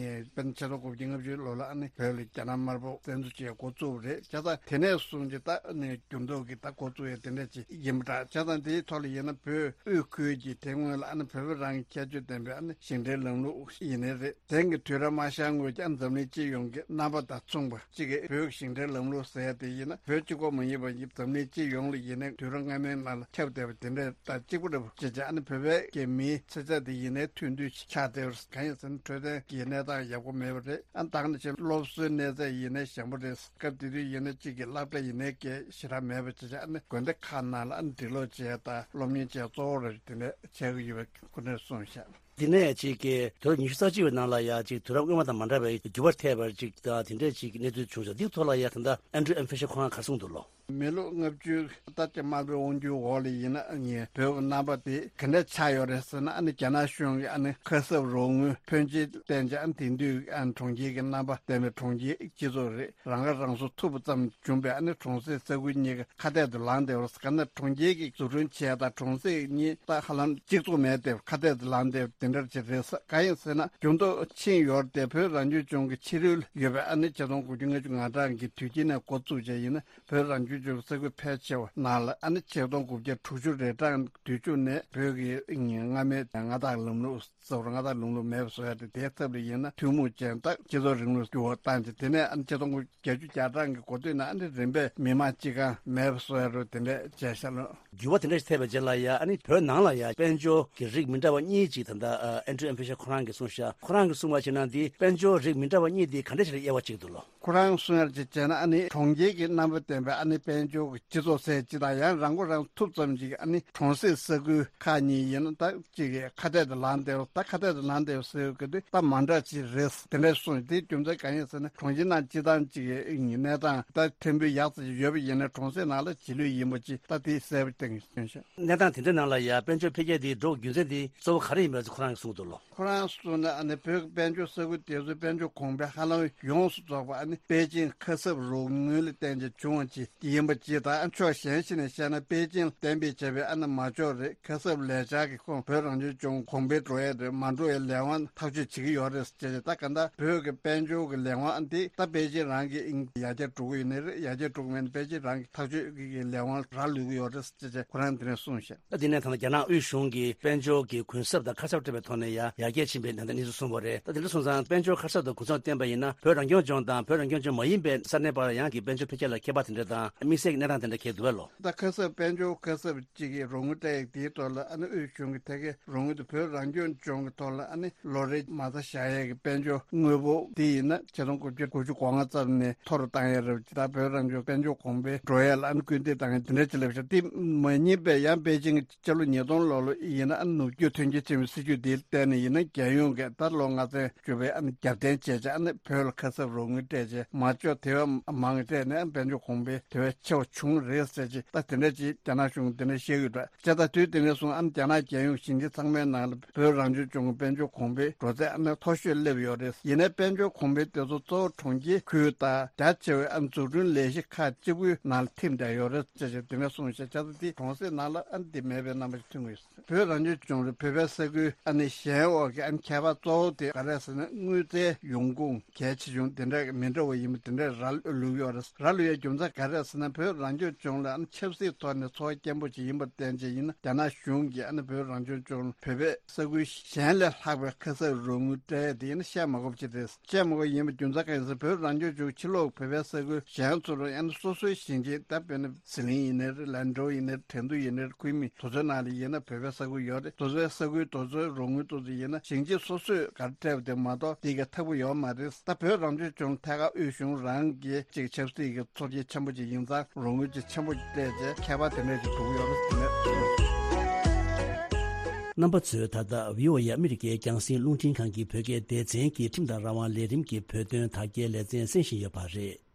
དཔེར་ན་ཆིག་སྟོང་དགུ་བརྒྱ་ལྔ་བཅུ་ལོ་ལ་ཨ་ནི་བོད་ལ་རྒྱ་ནག་དམར་པོ་བཙན་འཛུལ་བྱས་འགོ་བཙུགས་པ་རེད། བྱས་ཙང་དེ་ནས་བཟུང་སྟེ་ད་ཨ་ནི་འགྱུར་ལྡོག་གི་ད་འགོ་བཙུགས་ཡས་དེ་འདྲ་ཅིག་ཡིན་པ་འདྲ། བྱས་ཙང་དེའི་ཐོག་ལ་ཡིན་ན་བོད་དབུས་ཁུལ་གྱི་དེ་སྔོན་ལ་ཨ་ནི་བོད་པ་རང་གི་ཁྱད་ཆོས་ལྡན་པའི་ཨ་ནི་ཞིང་བྲན་ལམ་ལུགས་ཡིན་ནའི་རེད། དེང་གི་དུས་རབས་མ་ཤར་སྔོན་གྱི་ཨ་ནི་འཛམ་གླིང་སྤྱི་ཡོངས་ཀྱི་རྣམ་པ་དང་མཚུངས་པ་གཅིག་གི་བོད་ཀྱི་ཞིང་བྲན་ལམ་ལུགས་ཟེར་ཡ་དེ་ཡིན་ན་བོད་གཅིག་པོ་མ་ཡིན་པ་ཡིན། འཛམ་གླིང་སྤྱི་ཡོངས་ལ་ཡིན་ནའི་དུས་རབས་སྔ་མའི་ནང་ལ་ཁྱབ་བསྡད་པ་དེ་འདྲ་དང་གཅིག་པ་རེད། ཅེས་བྱས་ཨ་ནི་བོད་པའི་གི་མིའི་ཚེ་ཚད་དེ་ཡིན་ནའི་ཐོན་དུས་ཆགས་བསྡད་པ་གང་ཡིན་ཟེར་ན་འཕྲོད་བསྟེན་གྱི་གནས་སྟངས་ཡག་པོ་མེད་པ་རེད། ཨ་ནི་ད་ག་ནང་བཞིན་སློབ་གསོའི་གནས་ཚད་ཡིན་ནའི་ཞན་པོ་རེད། སྐབས་དེ་དུས་ཡིན་ན་གཅིག་གི་སློབ་གྲྭ་ཡིན་ནའི་གི་ཞེ་དྲག་མེད་པ་བྱས་བྱས་ཨ་ནི་དགོན་སྡེ་ཁག་ནང་ལ་ཨ་ནི་འབྲི་ཀློག་བྱས་དང་སློབ་གཉེར་བྱས་གཙོ་བོ་རེད། དེ་འདྲ་བྱས་ཀྱི་ཡོད་པའི་སྐུ་མགྲོན་གསུངས་ཤག་དེ་ནས་ཅིག་གི་དུས་རབས་ཉི་ཤུ་རྩ་གཅིག་པའི་ནང་ལ་ཡ་ཅིག་དུས་རབས་སྔོན་མ་དང་མ་འདྲ་བའི་འགྱུར་བ་ཐེབས་པར་ཅིག་དང་དེ་འདྲས་ཅིག་གི་གནས་ཚུལ་བྱུང་ཤག་འདིའི་ཐོག་ལ་ཡ་ད་ལྟ་ཨན་ཌྲུ་ཨེམ་ཕི་ཤར་ཁོ་རང་ག་རེ་གསུངས་འདུག་ལོ། མི་ལོ་ལྔ་བཅུ་ལྟར་གྱི་དམར་པོའི་དབང་སྒྱུར་འོག་ལ་ཡིན་ན་ངས་བོད་ཀྱི་རྣམ་པ་དེ་ག་འདྲས་ཆགས་ཡོད་རེད་ཟེར་ན། ཨ་ནི་རྒྱ་ནག་གཞུང་གིས་ཨ་ནི་ཁ་གསབ་རོགས་དངུལ་ཕོན་ཆེ་བཏོན་བྱས་ཨ་ནི་དེང་དུས་ཨ་ནི་གྲོང་ཁྱེར་གྱི་རྣམ་པ་ལྡན་པའི་གྲོང་ཁྱེར་སྤྱི་ཚོགས་རེད། རང་ཁ་རང་གསོ་ཐུབ་པ་ཙམ་བྱུང་བས་ཨ་ནི་གྲོང་གསེབ་ས་ཁུལ་གཉིས་ཀ་ཁ་གཏད་དུ་ལངས་བསྡད་པ་རེད། ག་ནས་གྲོང་ཁྱེར་གྱི་འཛུགས་སྐྲུན་བྱས་དང་གྲོང་གསེབ་གཉིས་ད་ཧ་ལམ་གཅིག་མཚུངས་མེད་དེ་ཁ་གཏད་དུ་ལངས་བསྡད་པ་དེ་འདྲ་ཅིག་རེད། གང་ཡིན་ཟེར་ན་འགྱུར་ལྡོག་ཕྱིན་ཡོད་རེད་དེ། བོད་རང་སྐྱོང་ལྗོངས་ཀྱི་ཕྱི་རོལ་ཡོད་པའི་ཨ་ནི་ཆིག་སྟོང་དགུ་བརྒྱ་ལྔ་བཅུ་ང་གྲངས་ཀྱི་དུས་དཀྱིལ་ནས་འགོ་བཙུགས་བྱས་ཡིན་ན། བོད་རང་སྐྱོང་ལྗོངས་ས་ཁུལ་ཕལ་ཆེ་བ་ནང་ལ་ཨ་ནི་ཆིག་སྟོང་དགུ་བརྒྱ་དྲུག་ཅུ་རེ་གྲངས་དུས་མཇུག་ནས་བོད་ཀྱི་སྔ་མའི་མངའ་བདག་ལམ་ལུགས་གཙོ་བོར་མངའ་བདག་ལམ་ལུགས་མེད་པ་བཟོ་ཡ་དེ། དེའི་ཐབས་ལ་ཡིན་ན་ཐུན་མོང་ཅན་དང་སྤྱི་ཚོགས་རིང་ལུགས་འགྱུར་བ་བཏང་རྗེས་དེ་ནས་ཨ་ནི་ཆིག་སྟོང་དགུ་བརྒྱད་ཅུ་གྱ་གྲངས་ཀྱི་འགོ་སྟོད་ནས་ཨ་ནི་རིམ་པས་མི་མང་སྤྱི་ཁང་མེད་པ་བཟོ་ཡ་རུ་དེ་འདྲས་བྱས་ཤག་ལོ། འགྱུར་བ་དེ་འདྲ་ཞིག་ཐེབས་པའི་རྗེས་ལ་ཡ་ཨ་ནི་བོད་ནང་ལ་ཡ་དཔལ་འབྱོར་གྱི་རིགས་མི་འདྲ་བ་གཉིས་ཅིག་ད་ལྟ་ཨན་ཌྲུ་ཨེམ་ཕི་ཤར་ཁོ་རང་གིས་གསུངས་ཤག་ཁོ་རང་གིས་གསུངས་པ་བྱས་ན་འདི་དཔལ་འབྱོར་རིགས་མི་འདྲ་བ་གཉིས་འདི་ག་འདྲ་ཞིག་ལ་དབྱེ་བ་གཅིག་འདུག་ལོ། ཁོ་རང་གསུང་ཡར་ཅིག་བྱས་ན་ཨ་ནི་གྲོང་ཁྱེར་གྱི་རྣམ་པ་ལྡན་པའི་ཨ་ནི་དཔལ་འབྱོར་གྱི་སྤྱི་ཚོགས་ཟེར་ཅིག་དང་ཡང་རང་མགོ་རང་ཐུབ་ཙམ་ཅིག་ཨ་ནི་གྲོང་གསེབ་ས་ཁུལ་ཁག་གཉིས་ཡིན་ན་ད་ཅིག་གི་ཁ་གཏད་དུ་ལངས་བསྡད་པ། ད་ཁ་གཏད་དུ་ལངས་བསྡད་པ་ཟེར་གི་དུས་ད་མ་འདྲ་ཅིག་རེད་དེ་འདྲ་གསུངས། དེའི་རྒྱུ་མཚན་གང་ཡིན་ཟེར་ན་གྲོང་ཁྱེར་ནང་སྤྱི་བཏང་ཅིག་གི་གནས་སྟངས་ད་ཕན་པོ་ཡག་ཙམ་ཡོད་པ་ཡིན་ན་གྲོང་གསེབ་ནང་ལ་རྗེས་ལུས་ཡིན་པ་ཅིག་ད་དེ་གསལ་པོ་བསྟན་གྱི་ཡོད་ཤག་གནས་སྟངས་དེ་འདྲ་ནང་ལ་ཡ་དཔལ་འབྱོར་འཕེལ་རྒྱས་དེ་འགྲོ་རྒྱུ་མཚན་དེ་གཙོ་བོ་ག་རེ་ཡིན་པ་ཁོ་རང་ གསུངས་འདུག་ལོ། ཁོ་རང་གསུངས་ན་ཨ་ནི་བོད་ཀྱི་དཔལ་འབྱོར་ས་ཁུལ་དེ་ཚོའི་དཔལ་འབྱོར་གོང་འཕེལ་ཧ་ལམ་ཡོངས་སུ་རྫོགས་པ་ཨ་ནི་པེ་ཅིང་ཁ་གསབ་རོགས་དངུལ་ལ་བརྟེན་བྱས་བྱུང་བ་ཅིག་ཡིན་པ་ཅིག་དང་། ཕྱོགས་གཞན་ཞིག་ནས་བཤད་ན་པེ་ཅིང་ལ་གཏན་འབེབས་བྱས་པའི་ཨ་ནི་མ་འཇོག་རེད། ཁ་གསབ་ལས་འཆར་གྱི་ཁོངས་བོད་རང་སྐྱོང་ལྗོངས་གོང་འཕེལ་འགྲོ་ཡས་རེད། མ་འགྲོ་བའི་ལས་དབང་ཐག་གཅོད་བྱེད་ཀྱི་ཡོད་རེད་ཅེས། ད་ག་འདྲ་བོད་ཀྱི་དཔལ་འབྱོར་གྱི་ལས་དབང་ཨ་འདི་ད་པེ་ཅིང་རང་གི་ཡར་རྒྱས་འགྲོ་གི་ཡོད་ནི་རེད། ཡར་རྒྱས་འགྲོ་གི་མེད་ན་པེ་ཅིང་རང་གི་ཐག་གཅོད་ཀྱི་ལས་དབང་རག་ལུས་ཀྱི་ཡོད་རེད་ཅེས་ཁོ་རང་དེ་ནས་གསུངས་ཤག་ད་དེ་ནས་ད་ལྟ་རྒྱ་ནག་དབུས་གཞུང་གིས་དཔལ་འབྱོར་གྱི་གུན་གསབ་དང་ཁ་གསབ་སྤྲད་པའི་ཐོག་ནས་ཡང་ཡར་རྒྱས་ཕྱིན་པའི་ནང་དོན་གནས་ཚུལ་གསུངས་པ་རེད། ད་དེ་འདྲ་སོང་ཙང་དཔལ་འབྱོར་ཁ་གསབ་དང་གུན་གསབ་བཏོན་པ་ཡིན་ན་བོད་རང་སྐྱོང་ལྗོངས་དང་བོད་རང་སྐྱོང་ལྗོངས་མ་ཡིན་པའི་ས་གནས་བར་ཡང་གི་དཔལ་འབྱོར་འཕེལ་རྒྱས་ལ་ཁྱད་པར་དེ་འདྲ་དང་དམིགས་བསལ་གྱི་གནས་སྟངས་དེ་འདྲ་འཁེལ་འདུག་བས་ལོ། ད་ཁ་གསབ་དཔལ་འབྱོར་ཁ་གསབ་གཅིག་གི་རོགས་དངུལ་སྤྲད་ཡག་དེའི་ཐོག་ལ་ཨ་ནི་དབུས་གཞུང་གི་ཐད་ཀའི་རོགས་དངུལ་དེ་བོད་རང་སྐྱོང་ལྗོངས་ཀྱི་ཐོག་ལ་ཨ་ནི་ལོ་རེ་མ་རྩ་བཞག་ཡས་ཀྱི་དཔལ་འབྱོར་དངོས་པོ་དེ་ཡིན་ན་ཆིག་སྟོང་དགུ་བརྒྱ་དགུ་བཅུ་གོ་ལྔ་ཙམ་ནས་མཐོ་རུ་བཏང་ཡས་རེད། ད་བོད་རང་སྐྱོང་དཔལ་འབྱོར་གོང་འཕེལ་འགྲོ་ཡས་ལ་ཨ་ནི་སྐུལ་འདེད་བཏང་ཡས་དེ་འདྲ་ཅིག་ལབ་ཤག་དེ་མ་ཡིན་པའི་ཡང་པེ་ཅིང་གི་སྤྱི་ལོ་ཉིས་སྟོང་ལོ་ལོ་ཡིན་ན་ཨ་ནི་ནུབ་རྒྱུད་ཐོན་སྐྱེད་ཆེན་མོའི་སྲིད་ཇུས་དེ་བརྟེན་ནས་ཡིན་ན་རྒྱལ་ཡོངས་ཀྱི་ད་ལོ་ལྔ་ཚན་བཅུ་པའི་ཨ་ནི་རྒྱབ་རྟེན་བྱས་བྱས་ཨ་ནི་བོད་ལ་ཁ་གསབ་རོགས་དངུལ་སྤྲད་བྱས་མ་འཇོག་དེ་བས་མང་སྤྲད་ནས་ཨ་ནི་དཔལ་འབྱོར་གོང་འཕེལ་དེ་བས་ཆེ་བ་བྱུང་རེད་ཟེར་ཅིག་ད་དེ་འདྲ་ཅིག་རྒྱ་ནག་གཞུང་དེ་འདྲ་བཤད་ཀྱི་འདུག་བྱས་ཙང་དུས་དེ་ནས་བཟུང་ཨ་ནི་རྒྱ་ནག་རྒྱལ་ཡོངས་ཞིང་ཆེན་ཚང་མའི་ནང་ལ་བོད་རང་སྐྱོང་ལྗོངས་ཀྱི་དཔལ་འབྱོར་གོང་འཕེལ་འགྲོ་ཚད་ཨ་ནི་མཐོ་ཤོས་སླེབས་ཡོད་རེད། ཡིན་ནའི་དཔལ་འབྱོར་གོང་འཕེལ་དེ་ཚོ་གཙོ་བོ་གྲོང་ཁྱེར་ཁུལ་དང་རྒྱ་ཆེ་བའི་ཨ་ནི་འཛུགས་སྐྲུན་ལས་གཞི་ཁག་གཅིག་པུའི་ནང་ལ་ཐིམ་བསྡད་ཡོད་རེད་ཅེས་བྱས་དེ་འདྲ་གསུངས་བྱས། བྱས་ཙང་དེ་གྲོང་གསེབ་ནང་ལ་ཨ་ནི་དེ་མེད་པའི་རྣམ་པ་ཞིག་ཐོན་གྱི་ཡོད། བོད་རང་སྐྱོང་ལྗོངས་རེད། བོད་པའི་ས་ཁུལ་ཨ་ནི་གཞན་འོག་གི་ཨ་ནི་ཁྱད་པར་གཙོ་བོ་དེ་ག་རེ་ཟེར་ན་དངུལ་རྩའི་ཡོང་ཁུངས་གལ་ཆེ་ཆུང་དེ་འདྲ་མི་འདྲ་བ་ཡིན་པ་དེ་འདྲ་རག་ལུས་ཡོད་རེད། རག་ལུས་ཡའི་རྒྱུ་མཚན་ག་རེ་ཟེར་ན་བོད་རང་སྐྱོང་ལྗོངས་ལ་ཨ་ནི་ཆབ་སྲིད་ཐོག་ནས་ཚོར་བ་སྐྱེན་པོ་ཅིག་ཡིན་པར་བརྟེན་བྱས་ཡིན་ན་རྒྱ་ནག་གཞུང་གིས་ཨ་ནི་བོད་རང་སྐྱོང་ལྗོངས་བོད་པའི་ས་ཁུལ་གཞན་ལས་ལྷག་པའི་ཁ་གསབ་རོགས་དངུལ་སྤྲད་ཡ་དེ་ཡིན་ན་བཤད་མ་དགོས་པ་ཅིག་རེད། བཤད་མ་དགོས་ཡིན་པའི་རྒྱུ་མཚན་ག་རེ་ཟེར་བོད་རང་སྐྱོང་ལྗོངས་ཕྱི་ལོགས་བོད་པའི་ས་ཁུལ་གཞན་ཚོ་རུ་ཨ་ནི་སོ་སོའི་ཞིང་ཆེན་ད་དཔེར་ན་ཟི་ལིང་ཡིན་ནའི་རེད། ལན་ཀྲོའུ་ཡིན་ནའི་རེད། ཁྲེང་ཏུའུ་ཡིན་ནའི་རེད། ཁུན་མིང་དེ་ཚོའི་ནང་ལ་ཡིན་ན་བོད་པའི་ས་ཁུལ་ཡོད་རེད། དེ་ཚོའི་ས་ཁུལ་དེ་ཚོའི་རོགས་དངུལ་དེ་ཚོ་ཡིན་ན་ཞིང་ཆེན་སོ་སོས་ག་རེ་སྤྲད་པ་དེ་མ་གཏོགས་དེ་ག་ཐབས་ཀྱི་ཡོད་མ་རེད། ད་བོད་རང་སྐྱོང་ལྗོངས་ཐད་ཀར་དབུས་གཞུང་རང་གི་ཅིག་ཆབ་སྲིད་ཀྱི་ཚོར་སྐྱེན་ཆེན་པོ་ཅིག་ཡིན་ཙང་རོགས་དངུལ་ཅིག་ཆེན་པོ་ཅིག་སྤྲད་བྱས་ཁྱད་པར་དེ་འདྲ་ཅིག་འགྲོ་གི་ཡོད་རེད། དེ་ནས། རྣམ་པ་ཚོས་ད་ལྟ་བི་ཨོ་ཨེ་ཨ་མི་རི་ཀའི་རྒྱང་སྲིང་རླུང་འཕྲིན་ཁང་གི་བོད་སྐད་སྡེ་ཚན་གྱི་ཁྲིམས་དང་རང་དབང་ལས་རིམ་གྱི་བོད་དོན་དར་རྒྱས་ལེ་ཚན་གསན་བཞིན་ཡོད་པ་རེད།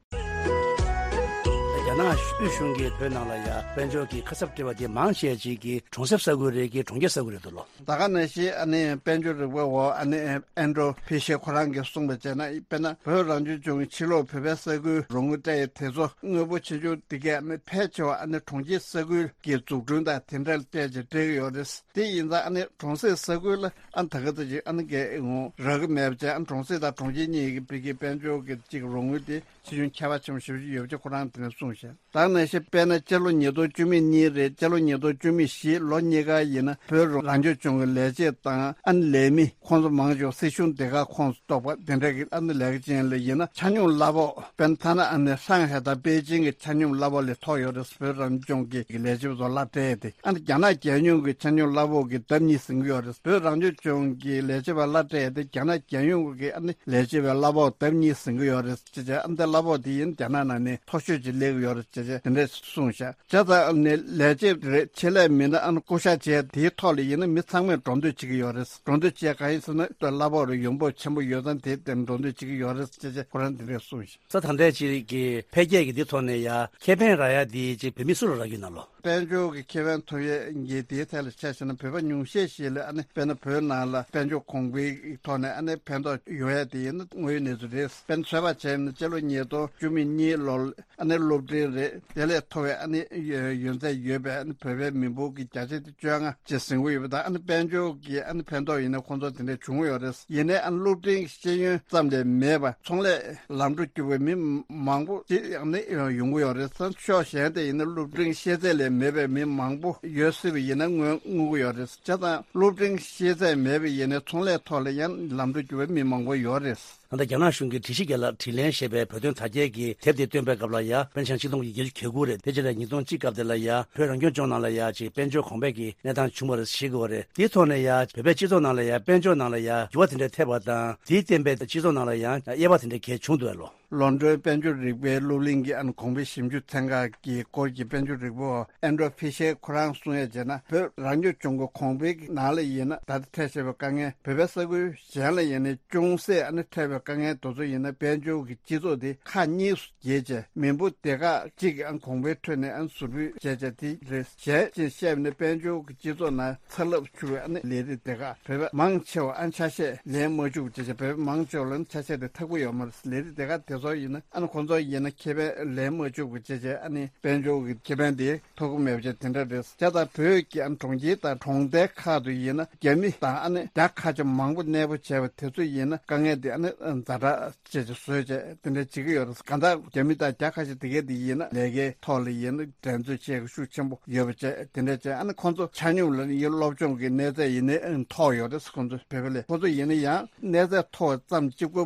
རྒྱ་ནག་དབུས་གཞུང་གིས་བོད་ནང་ལ་ཡ་དཔལ་འབྱོར་གྱི་ཁ་གསབ་སྤྲད་པ་དེ་མང་ཆེ་ཅིག་གིས་གྲོང་གསེབ་ས་ཁུལ་རེད་ཀྱི་གྲོང་ཁྱེར་ས་ཁུལ་རེད་འདུག་ལོ། ད་ག་ནང་བཞིན་ཨ་ནི་དཔལ་འབྱོར་རིག་པ་བ་ཨ་ནི་ཨན་ཌྲོ་ཕི་ཤེ་ཁོ་རང་གིས་གསུངས་པ་བྱས་ན་དཔེར་ན་བོད་རང་སྐྱོང་ལྗོངས་ཀྱི་ཕྱི་ལོགས་བོད་པའི་ས་ཁུལ་རོགས་དངུལ་སྤྲད་ཡས་དེ་ཚོ་དངོས་པོ་ཆེ་ཆུང་དེ་གས་ཨ་ནི་ཕལ་ཆེ་བ་ཨ་ནི་གྲོང་ཁྱེར་ས་ཁུལ་གྱི་འཛུགས་སྐྲུན་དང་དེ་འདྲ་ལ་སྤྲད་ཅིག་སྤྲད་ཀྱི་ཡོད་རེད། དེ་ཡིན་ཙང་ཨ་ནི་གྲོང་གསེབ་ས་ཁུལ་ལ་ཨ་ནི་ད་ག་ཙམ་ཅིག་ཨ་ནི་གས་ངོ་རག་གི་མེད་པ་བྱས། ཨ་ནི་གྲོང་གསེབ་དང་གྲོང་ཁྱེར་གཉིས་ཀྱི་བོད་ཀྱི་དཔལ་འབྱོར་གྱི་ཅིག་རོགས་དངུལ་དེ་ཆེ་ཆུང་ཁྱད་པར་ཆེན་པོ་ཞེ་པོ་ཅིག་ཡོད་པ་ཅིག་ཁོ་རང་དེ་ནས་གསུངས་ཤག་ད་ག་ནང་བཞིན་དཔེར་ན་སྤྱི་ལོ་ཉིས་སྟོང་བཅུ་མེད་གཉིས་རེད། སྤྱི་ལོ་ཉིས་སྟོང་བཅུ་མེད་བཞི་ལོ་གཉིས་ཀ་ཡིན་ན་བོད་རང་སྐྱོང་ལྗོངས་ཀྱི་ལས་བྱེད་དང་ཨ་ནི་ལས་མི་ཁོང་ཚོ་མང་ཆེ་བ་སྲིད་གཞུང་སྡེ་ཁག་ཁོངས་སུ་གཏོགས་པ་དེ་འདྲ་གི་ཨ་ནི་ལས་ཀ་ཅན་ལ་ཡིན་ན་ཆ་སྙོམས་གླ་ཕོགས་དཔེར་ན་ཐ་ན་ཨ་ནི་ཧྲང་ཧའེ་དང་པེ་ཅིང་གི་ཆ་སྙོམས་གླ་ཕོགས་ལས་མཐོ་ཡོད་རེད། བོད་རང་སྐྱོང་གི་ལས་བྱེད་པ་ཚོ་གླ་སྤྲད་དེ་ཨ་ནི་རྒྱ་ནག་རྒྱལ་ཡོངས་ཀྱི་ཆ་སྙོམས་གླ་ཕོགས་ཀྱི་ལྡབ་གཉིས་ཟིན་གྱི་ཡོད་རེད། བོད་རང་སྐྱོང་ལྗོངས་ཀྱི་ལས་བྱེད་པ་གླ་སྤྲད་དེ་རྒྱ་ནག་རྒྱལ་ཡོངས་ཀྱི་ཨ་ནི་ལས་བྱེད་པའི་གླ་ཕོགས་ལྡབ་གཉིས་ཟིན་གྱི་ཡོད་རེད། ཅེས་བྱས་ཨ་ནི་གླ་ཕོགས་དེ་ཡིན་རྒྱ་ནག་ནང་ནས་མཐོ་ཤོས་ཅིག་སླེབས་ཀྱི་ཡོད་རེད་ཅེས་བྱས་དེ་འདྲས་གསུངས་ཤག་བྱས་ཙང་ནས་ལས་བྱེད་རེད། ཆེད་ལས་མི་སྣ་ཨ་ནི་བསྐོ་བཞག་བྱས་དེའི་ཐོག་ལ་ཡིན་ན་མི་ཚང་མས་འགྲོ་འདོད་བྱེད་ཀྱི་ཡོད་རེད། འགྲོ་འདོད་བྱས་གང་ཡིན་ཟེར་ན་ལྟོས་གླ་ཕོགས་རེད་ཡོང་འབབ་ཆེན་པོ་ཡོད་ཙང་དེ་དེ་འགྲོ་འདོད་བྱེད་ཀྱི་ཡོད་རེད་ཅེས་བྱས་ཁོ་རང་དེ་འདྲས་གསུངས་ཤག་ས་ད་ལྟའི་ཅིག་གི་འཕེལ་རྒྱས་ཀྱི་འདི་ཐོག་ནས་ཡ་ཁེ་ཕན་རག་ཡ་དེ་ཅིག་བོད་མི་སུ་ལ་རག་གི་ན་ལོ། དཔལ་འབྱོར་གྱི་ཁེ་ཕན་ཐོབ་ཡས་ཀྱི་དེའི་ཐད་ལ་ཆ་བཞག་ན་བོད་པ་ཉུང་ཤས་ཤིག་ལ་ཨ་ནི་དཔེར་ན་བོད་ནང་ལ་དཔལ་འབྱོར་གོང་འཕེལ་གྱི་ཐོག་ནས་ཨ་ནི་ཕན་ཐོགས་ཡོང་ཡས་དེ་ཡིན་ན་དངོས་ཡོད་གནས་ཚུལ་རེད། དཔེར་ན་ཚོད་དཔག་བྱས་ན་སྤྱི་ལོ་ཉིས་སྟོང་བཅུ་མེད་གཉིས་ལོར། ཨ་ནི་སློབ་འབྲིང་རེད། དེ་ལས་མཐོ་བའི་ཨ་ནི་ཡོན་ཡོན་ཚད་ཡོད་པའི་ཨ་ནི་བོད་པའི་མི་འབོར་གྱི་བརྒྱ་ཆ་དེ་བཅོ་ལྔ་ཅེས་ཟིན་གྱི་ཡོད་པ་དང་། ཨ་ནི་དཔལ་འབྱོར་གྱི་ཨ་ནི་ཕན་ཐོགས་ཡིན་ན་ཁོང་ཚོ་དེ་འདྲས་བྱུང་གི་ཡོད་རེད། ཡིན་ནའི་ཨ་ནི་སློབ་འབྲིང་གི་ཤེས་ཡོན་ཙམ་ལས་མེད་པ་ཚོང་ལས་ལམ་འགྲོ་རྒྱུག་པའི་མི་མང་པོ་ཅིག་ཨ་ནི་ཡོང་གི་ཡོད་རེད། ས་ཕྱོགས་གཞན་དེ་ཡིན་ན་སློབ་འབྲིང་ཤེས་ཚད་ལས་མེད་པའི་མི་མང་པོ་ཡོད་སྲིད་པ་ཡིན་ན་དངོས་དངོས་ཀྱི་ཡོད་རེད། བྱས་ཙང་སློབ་འབྲིང་ཤེས་ཚད་མེད་པ་ཡིན་ནའི་ཚོང་ལས་ཐོག་ལ་ཡང་ལམ་འགྲོ་རྒྱུག་པའི་མི་མང་པོ་ཡོད་རེད། ད་ལྟ་རྒྱ་ནག་གཞུང་གིས་སྒྲིག་གཞི་བརྒྱད་ལ་དྲིན་ལན་ཞེས་པའི་བོད་དོན་དར་རྒྱས་ཀྱི་དེབ་དེ་བཏོན་པའི་སྐབས་ལ་ཡ་དཔེར་ན་ཆིག་སྟོང་དགུ་བརྒྱ་བརྒྱད་ཅུ་གྱ་དགུ་རེད། དེ་རྗེས་ལ་ཉིས་སྟོང་གཅིག་སྐབས་དེ་ལ་ཡ་བོད་རང་སྐྱོང་ལྗོངས་ནང་ལ་ཡ་ཅིག་དཔལ་འབྱོར་གོང་འཕེལ་གྱི་གནས་སྟངས་བྱུང་བ་རེད་ཞེས་གོ་བ་རེད། དེའི་ཐོག་ནས་ཡ་བོད་པའི་སྤྱི་ཚོགས་ནང་ལ་ཡ་དཔལ་འབྱོར་ནང་ལ་ཡ་འགྱུར་བ་དེ་འདྲ་ཐེབས་པ་དང་། དེའི་བརྟེན་པའི་སྤྱི་ཚོགས་ནང་ལ་ཡང་དབྱེ་བ་དེ་འདྲ་གལ་བྱུང་འདུག་ལོ། ལོན་ཌོན་དཔལ་འབྱོར་རིག་པའི་སློབ་གླིང་གི་ཨ་ནི་གོང་འཕེལ་ཞིབ་འཇུག་ཚན་ཁག་གི་སྐོར་གྱི་དཔལ་འབྱོར་རིག་པ་བ་ཨན་ཌྲོ་ཕི་ཤེར་ཁོ་རང་གསུང་ཡས་བྱས་ན། བོད་རང་སྐྱོང་ལྗོངས་ཀྱི་གོང་འཕེལ་གྱི་ནང་ལ་ཡིན་ན། ད་ལྟ་འཕྲད་བཞིན་པའི་དཀའ་ངལ། བོད་པའི་ས་ཁུལ་གཞན་ལ་ཡིན་ནའི་ཅུང་ཟད་ཨ་ནི་འཕྲད་པའི་དཀའ་ངལ་དེ་ཚོ་ཡིན་ན། དཔལ་འབྱོར་གྱི་སྤྱི་ཚོགས་དེ་ཁག་གཉིས་སུ་གྱེས་བྱས། མི་འབོར་སྡེ་ཁག་གཅིག་གི་ཨ་གོང་འཕེལ་ཁྲོད་ནས་ཨ་ཟུར་ཕུད་བྱས་བྱས་དེ་རེད། གཞན་ཅིག་བཤད་པ་ནི་དཔལ་འབྱོར་གྱི་སྤྱི་ཚོགས་ནང་ཚ་རླབས་འཕྱུར་བའི་ཨ་ནི་ལས་རིགས་སྡེ་ཁག་བོད་པ་མང་ཆེ་བ་ཨ་ནི་ཆ་ཤས་ལེན་མ་བཅུག་བྱས་བྱས། བོད་པ་མང་ཆེ་བ་ལ་ཨ་ནི་ཆ་ཤས་དེ་ཐག་པ་ཡོད་མ་རེད། ལས་རིགས་སྡེ་ཁག་དེ་ཚོ་ཡིན་ན་ཨ་ནི་ཁོང་ཚོ་ཡིན་ན་ཁེ་ཕན་ལེན་མ་བཅུག་པ་བྱས་བྱས། ཨ་ནི་དཔལ་འབྱོར་གྱི་ཁེ་ཕན་དེ་ཐོབ་ཀྱི་མེད་པ་བྱས་དེ་འདྲ་རེད། བྱས་ཙང་བོད་ཀྱི་ཨ་ནི་གྲོང་ཁྱེར་དང་གྲོང་རྡལ་ཁག་ཏུ་ཡིན་ན་རྒྱ་མི་དང་ཨ་ནི་རྒྱ་ཁ་ཆེ་མང་པོ་གནས་སྤོ་བྱས་པ་དེ་ཚོ་ཡིན་ན་དཀའ་ངལ་དེ་ཨ་ནི་ཛ་དྲག་བྱས་བྱས་བཟོས་བྱས་དེ་འདྲ་བྱེད་ཀྱི་ཡོད་རེད། གང་ལྟར་རྒྱ་མི་དང་རྒྱ་ཁ་ཤས་དེ་གས་དེ་ཡིན་ན་ལས་ཀའི་ཐོག་ལ་ཡིན་ན་འགྲན་རྩོད་བྱེད་དགོས་ཤུགས་ཆེན་པོ་ཡོད་པ་བྱས་དེ་འདྲ་བྱས། ཨ་ནི་ཁོང་ཚོ་ཆ་སྙོམས་ལ་ཡིན་སློབ་སྦྱོང་གི་གནས་ཚད་ཡིན་ནའི་མཐོ་ཡོད་རེད། ཁོང་ཚོ་བོད་པ་ལས་ཁོང་ཚོ་ཡིན་ན་ཡང་གནས་ཚད་མཐོ་ཙམ་གཅིག་པོ་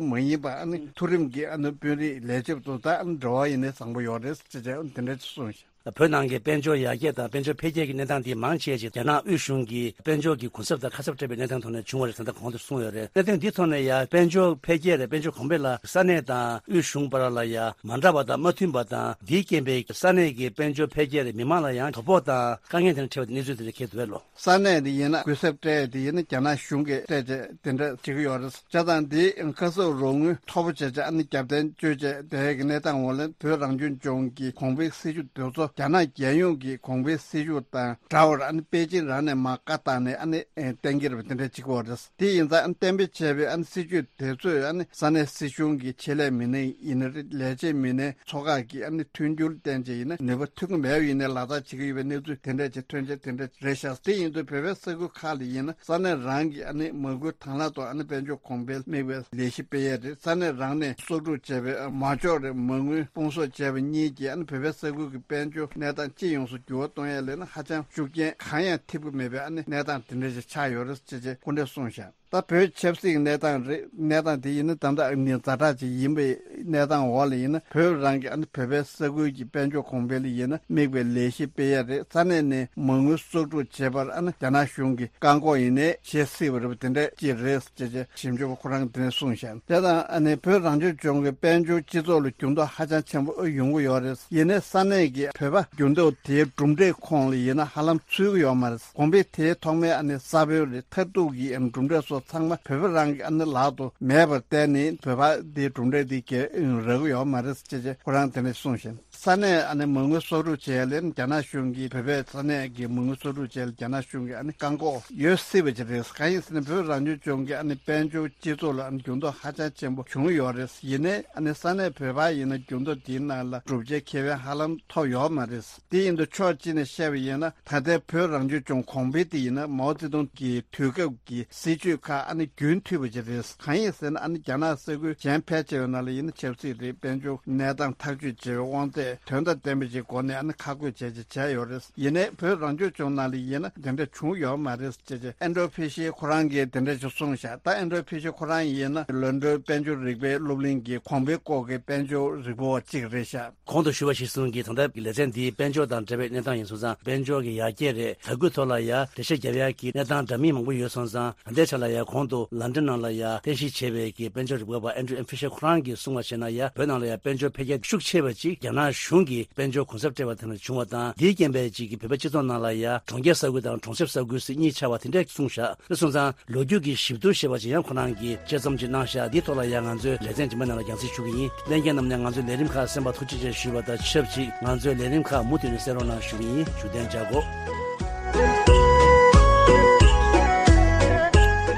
མ་ཡིན་པ། ཨ་ནི་མཐོ་རིམ་གྱི་ཨ་ནི་དཔོན་རིགས་ལས་བྱེད་པ་ཚོ་དང་ཨ་ནི་འབྲེལ་བ་ཡིན་ནའི་བཟང་པོ་ཡོད་རེད་ཟེར་བྱས་དེ་འདྲ་ཅིག་གསུངས་ཤག་བོད་ནང་གི་དཔལ་འབྱོར་ཡར་རྒྱས་དང་དཔལ་འབྱོར་འཕེལ་རྒྱས་ཀྱི་གནས་སྟངས་འདི་མང་ཆེ་ཞིག་རྒྱ་ནག་དབུས་གཞུང་གིས་དཔལ་འབྱོར་གྱི་གུན་གསབ་དང་ཁ་གསབ་སྤྲད་པའི་གནས་སྟངས་ཐོག་ནས་བྱུང་བ་རེད་ཟེར་ད་གོང་དུ་གསུངས་ཡོད་རེད། གནད་དོན་འདིའི་ཐོག་ནས་ཡང་དཔལ་འབྱོར་འཕེལ་རྒྱས་རེད། དཔལ་འབྱོར་གོང་འཕེལ་ལ་ས་གནས་དང་དབུས་གཞུང་བར་ལ་ཡང་མ་འདྲ་བ་དང་མ་མཐུན་པ་དང་། འདིའི་རྐྱེན་པས་ས་གནས་ཀྱི་དཔལ་འབྱོར་འཕེལ་རྒྱས་རེད། མི་མང་ལ་ཡང་དོ་ཕོག་དང་དཀའ་ངལ་དེ་འདྲ་འཕྲད་པའི་གནས་ཚུལ་དེ་འདྲ་འཁེལ་འདུག་པས་ལོ། ས་གནས་དེ་ཡིན་ན་གུན་གསབ་སྤྲད་དེ་ཡིན་ན་རྒྱ་ནག་གཞུང་གིས་སྤྲད་བྱས་དེ་འདྲ་བྱེད་ཀྱི་ཡོད་རེད། བྱས་ཙང་འདི་ཁ་གསབ་རོགས་དངུལ་མཐོ་པོ་བྱས་བྱས་ཨ་ནི་རྒྱབ་རྟེན་བཅོལ་བྱས་དེ་གི་གནས་སྟངས་འོག་ལ་བོད་རང་སྐྱོང་ལྗོངས་ཀྱི་གོང་འཕེལ་སྲིད་ཇུས་དེ་ཚོ་རྒྱ་ནག་རྒྱལ་ཡོངས་ཀྱི་གོང་འཕེལ་སྲིད་ཇུས་དང་འདྲ་བར་ཨ་ནི་པེ་ཅིན་རང་ནས་མར་བཀའ་བཏང་ནས་ཨ་ནི་གཏན་འཁེལ་བ་དེ་འདྲ་བྱེད་ཀྱི་ཡོད་རེད། དེ་ཡིན་ཙང་ཨ་ནི་གཏན་འབེབས་བྱས་པའི་ཨ་ནི་སྲིད་ཇུས་དེ་ཚོས་ཨ་ནི་ས་གནས་སྲིད་གཞུང་གི་ཆེད་ལས་མི་སྣ་ཡིན་ན་རེད། ལས་བྱེད་མི་སྣའི་ཚོགས་ཁག་གི་ཨ་ནི་མཐུན་འགྱུར་བསྟན་བྱས་ཡིན་ན་ནུས་པ་ཐོན་གྱི་མེད་པ་ཡིན་ནའི་ལག་བསྟར་བྱེད་ཀྱི་ཡོད་པའི་གནས་ཚུལ་དེ་འདྲ་ཅིག་ཐོན་བྱས་དེ་འདྲ་རེད་ཤག་དེ་ཡིན་དུས་བོད་པའི་ས་ཁུལ་ཁག་ལ་ཡིན་ན་ས་གནས་རང་གི་ཨ་ནི་མ་དངུལ་དང་བླངས་ཐོག་ཨ་ནི་དཔལ་འབྱོར་གོང་འཕེལ་དམིགས་པའི་ལས་གཞི་སྤེལ་ཡས་རེད། ས་གནས་རང་ནས་གསོག་སྒྲུབ་བྱས་པའི་མ་འཇོག་རེད། མ་དངུལ་སྤུང་གསོག་བྱས་པ་གཉིས་ཀྱིས་ཨ་ནི་བོད་པའི་ས་ཁུལ་གྱི་དཔལ་འབྱོར་གནས་སྟངས་སྤྱི་ཡོངས་སུ་འགྱུར་བ་གཏོང་ཡས་ལས་ན་ཧ་ཅང་ཤུགས་རྐྱེན་གང་ཡང་ཐེབས་ཀྱི་མེད་པའི་ཨ་ནི་གནས་སྟངས་དེ་འདྲ་ཞིག་ཆགས་ཡོད་རེད་ཅེས་ཅེས་སྐུ་འདྲ་གསུངས་ཤག་ད་བོད་ཆབ་སྲིད་ཀྱི་གནས་སྟངས་རེད། གནས་སྟངས་དེ་ཡིན་ན་ད་ལྟ་ནི་ཛ་དྲག་ཅིག་ཡིན་པའི་གནས་སྟངས་འོག་ལ་ཡིན་ན་བོད་རང་གི་ཨ་ནི་བོད་པའི་ས་ཁུལ་གྱི་དཔལ་འབྱོར་གོང་འཕེལ་ལ་ཡིན་ན་དམིགས་པའི་ལས་གཞི་སྤེལ་ཡས་རེད། ས་གནས་ནས་མ་དངུལ་གསོག་སྒྲུབ་བྱེད་པར་ཨ་ནི་རྒྱ་ནག་གཞུང་གིས་བཀག་འགོག་ཡིན་ནའི་བྱེད་སྲིད་པ་རེད་པ། དེ་འདྲ་ཅིག་རེད་ཅེས་ཅེས་ཞིབ་འཇུག་པ་ཁོ་རང་གིས་དེ་ནས་གསུངས་ཤག་དེ་དང་ཨ་ནི་བོད་རང་སྐྱོང་ལྗོངས་ཀྱི་དཔལ་འབྱོར་སྤྱི་ཚོགས་ལ་འགྱུར་ལྡོག་ཧ་ཅང་ཆེན་པོ་ཡོང་གི་ཡོད་རེད། ཡིན་ནའི་ས་གནས་ཀྱི་བོད་པ་འགྱུར་ལྡོག་དེའི་གྲུབ་འབྲས་ཁོངས་ལ་ཡིན་ན་ཧ་ལམ་ཚུད་ཀྱི་ཡོད་མ་རེད། གོང་འཕེལ་དེའི་ཐོག་མའི་ཨ་ནི་ས་བོན་རེད། མཐར་ཐུག་གི་ཨ་ནི་གྲུབ་འབྲས་སོགས་ཚང་མ་བོད་པ་རང་གི་ཨ་ནི་ལག་ཏུ་མེད་པར་བརྟེན་ནས་བོད་པ་འདིའི་གྲུབ་འབྲས་འདི་གས་རག་གི་ཡོད་མ་རེད་ཅེས་ཅེས་ཁོ་རང་དེ་འདྲ་གསུངས་ཤིང་། ས་གནས་ཨ་ནི་མ་དངུལ་གསོག་སྒྲུབ་བྱས་ལས་རྒྱ་ནག་གཞུང་གིས་བོད་པའི་ས་གནས་ཀྱི་མ་དངུལ་གསོག་སྒྲུབ་བྱས་ལ་རྒྱ་ནག་གཞུང་གིས་ཨ་ནི་བཀག་འགོག་ཡོད་སྲིད་པ་ཅིག་རེད། གང་ཡིན་ཟེར་ན་བོད་རང་སྐྱོང་ལྗོངས་ཀྱི་ཨ་ནི་དཔལ་འབྱོར་སྤྱི་ཚོགས་ལ་ཨ་ནི་འགྱུར་ལྡོག་ཧ་ཅང་ཆེན་པོ་བྱུང་ཡོད་རེད། ཡིན་ནའི་ཨ་ནི་ས་གནས་བོད་པ་ཡིན་ན་འགྱུར་ལྡོག་དེའི་ནང་ལ་བསྒྲུབ་བྱའི་ཁེ་ཕན་ཧ་ལམ་ཐོབ་ཡོད་མ་རེད། དེ་ཡིན་དུས་ཕྱོགས་གཅིག་ནས་བཤད་པ་ཡིན་ན་ད་ལྟའི་བོད་རང་སྐྱོང་ལྗོངས་གོང་འཕེལ་དེ་ཡིན་ན་མའོ་ཙེ་ཏུང་གི་དུས་སྐབས་ཀྱི་སྲིད་ཇུས་ཁག་ཨ་ནི་རྒྱུན་མཐུད་པ་ཅིག་རེད། གང་ཡིན་ཟེར་ན་ཨ་ནི་རྒྱ་ནག་ས་ཁུལ་གཞན་ཕལ་ཆེ་བའི་ནང་ལ་ཡིན་ན་ཆབ་སྲིད་རེད། དཔལ་འབྱོར་གནས་སྟངས་ཐག་གཅོད་བྱེད་པའི་དབང་ཚད་དོན་དང་ལྡན་པ་ཅིག་སྒོ་ནས་ཨ་ནི་ཁག་བགོས་བྱས་བྱས་བྱས་ཡོད་རེད། ཡིན་ནའི་བོད་རང་སྐྱོང་ལྗོངས་ནང་ལ་ཡིན་ན་དེ་འདྲ་བྱུང་ཡོད་མ་རེད་ཅེས་ཅེས་ཨན་ཌྲོ་ཕི་ཤི་ཁོ་རང་གིས་དེ་འདྲ་ཞིག་གསུངས་ཤག་ད་ཨན་ཌྲོ་ཕི་ཤི་ཁོ་རང་ཡིན་ན་ལོན་ཌོན་དཔལ་འབྱོར་རིག་པའི་སློབ་གླིང་གི་གོང་འཕེལ་སྐོར་གྱི་དཔལ་འབྱོར་རིག་པ་བ་གཅིག་རེད་ཤག་གོང་དུ་ཞུས་པ་གཞིར་བཟུང་གིས་ད་ལྟ་ལེ་ཚན་འདིའི་དཔལ་འབྱོར་དང་འབྲེལ་བའི་གནས་སྟངས་ཡིན་སོང་ཙང་དཔལ་འབྱོར་གྱི་ཡར་རྒྱས་རེད། དར་རྒུད་ཐོག་ལ་ཡ་འགྲེལ་བཤད་རྒྱབ་ཡག་གི་གནས་སྟངས་འདྲ་མིན་མང་པོ་ཡོད་སོང་ཙང་ད་ལྟའི་ཆ་ལ་ཡ་གོང་དུ་ལན་ཌན་ནང་ལ་ཡ་རྟེན་གཞི་བྱས་པའི་གི་དཔལ་འབྱོར་རིག་པ་བ་ཨན་ཌྲུ་ཨེམ་ཕི་ཤར་ཁོ་རང་གིས་གསུངས་པ་བྱས་ན་ཡ་བོད་ནང་ལ་ཡ་དཔལ་འབྱོར་འཕེལ་རྒྱས་ཤུགས་ཆེ་བ་ཅིག་རྒྱ་ནག་གཞུང་གིས་དཔལ་འབྱོར་གུན་གསབ་སྤྲད་པ་དེ་ནས་བྱུང་བ་དང་དེའི་རྐྱེན་པས་ཅིག་གི་བོད་པའི་སྤྱི་ཚོགས་ནང་ལ་ཡ་གྲོང་ཁྱེར་ས་ཁུལ་དང་གྲོང་གསེབ་ས་ཁུལ་ཟེར་གཉིས་ཆགས་པ་དེ་འདྲ་གསུངས་ཤག་དེ་སོང་ཙང་། ལོ་རྒྱུས་ཀྱི་ཞིབ་བསྡུར་ཞེས་པ་ཅིག་ཡང་ཁོ་རང་གིས་དཔྱད་རྩོམ་ཅིག་གནང་ཤག་འདིའི་ཐོག་ལ་ཡང་ང་ཚོས་ལེ་ཚན་རྗེས་མའི་ནང་ལ་རྒྱང་སྲིང་ཞུ་གི་ཡིན། ལྷན་རྒྱས་རྣམས་ནས་ང་ཚོའི་ལས་རིམ་ཁག་གསན་པར་ཐུགས་རྗེ་ཆེ་ཞུས་པ་དང་ཆབས་ཅིག་ང་ཚོའི་ལས་རིམ་ཁག་མུ་མཐུད་ནས་གསན་རོགས་གནང་ཞུ་གི་ཡིན། བཞུགས་གདན་འཇགས་དགོས།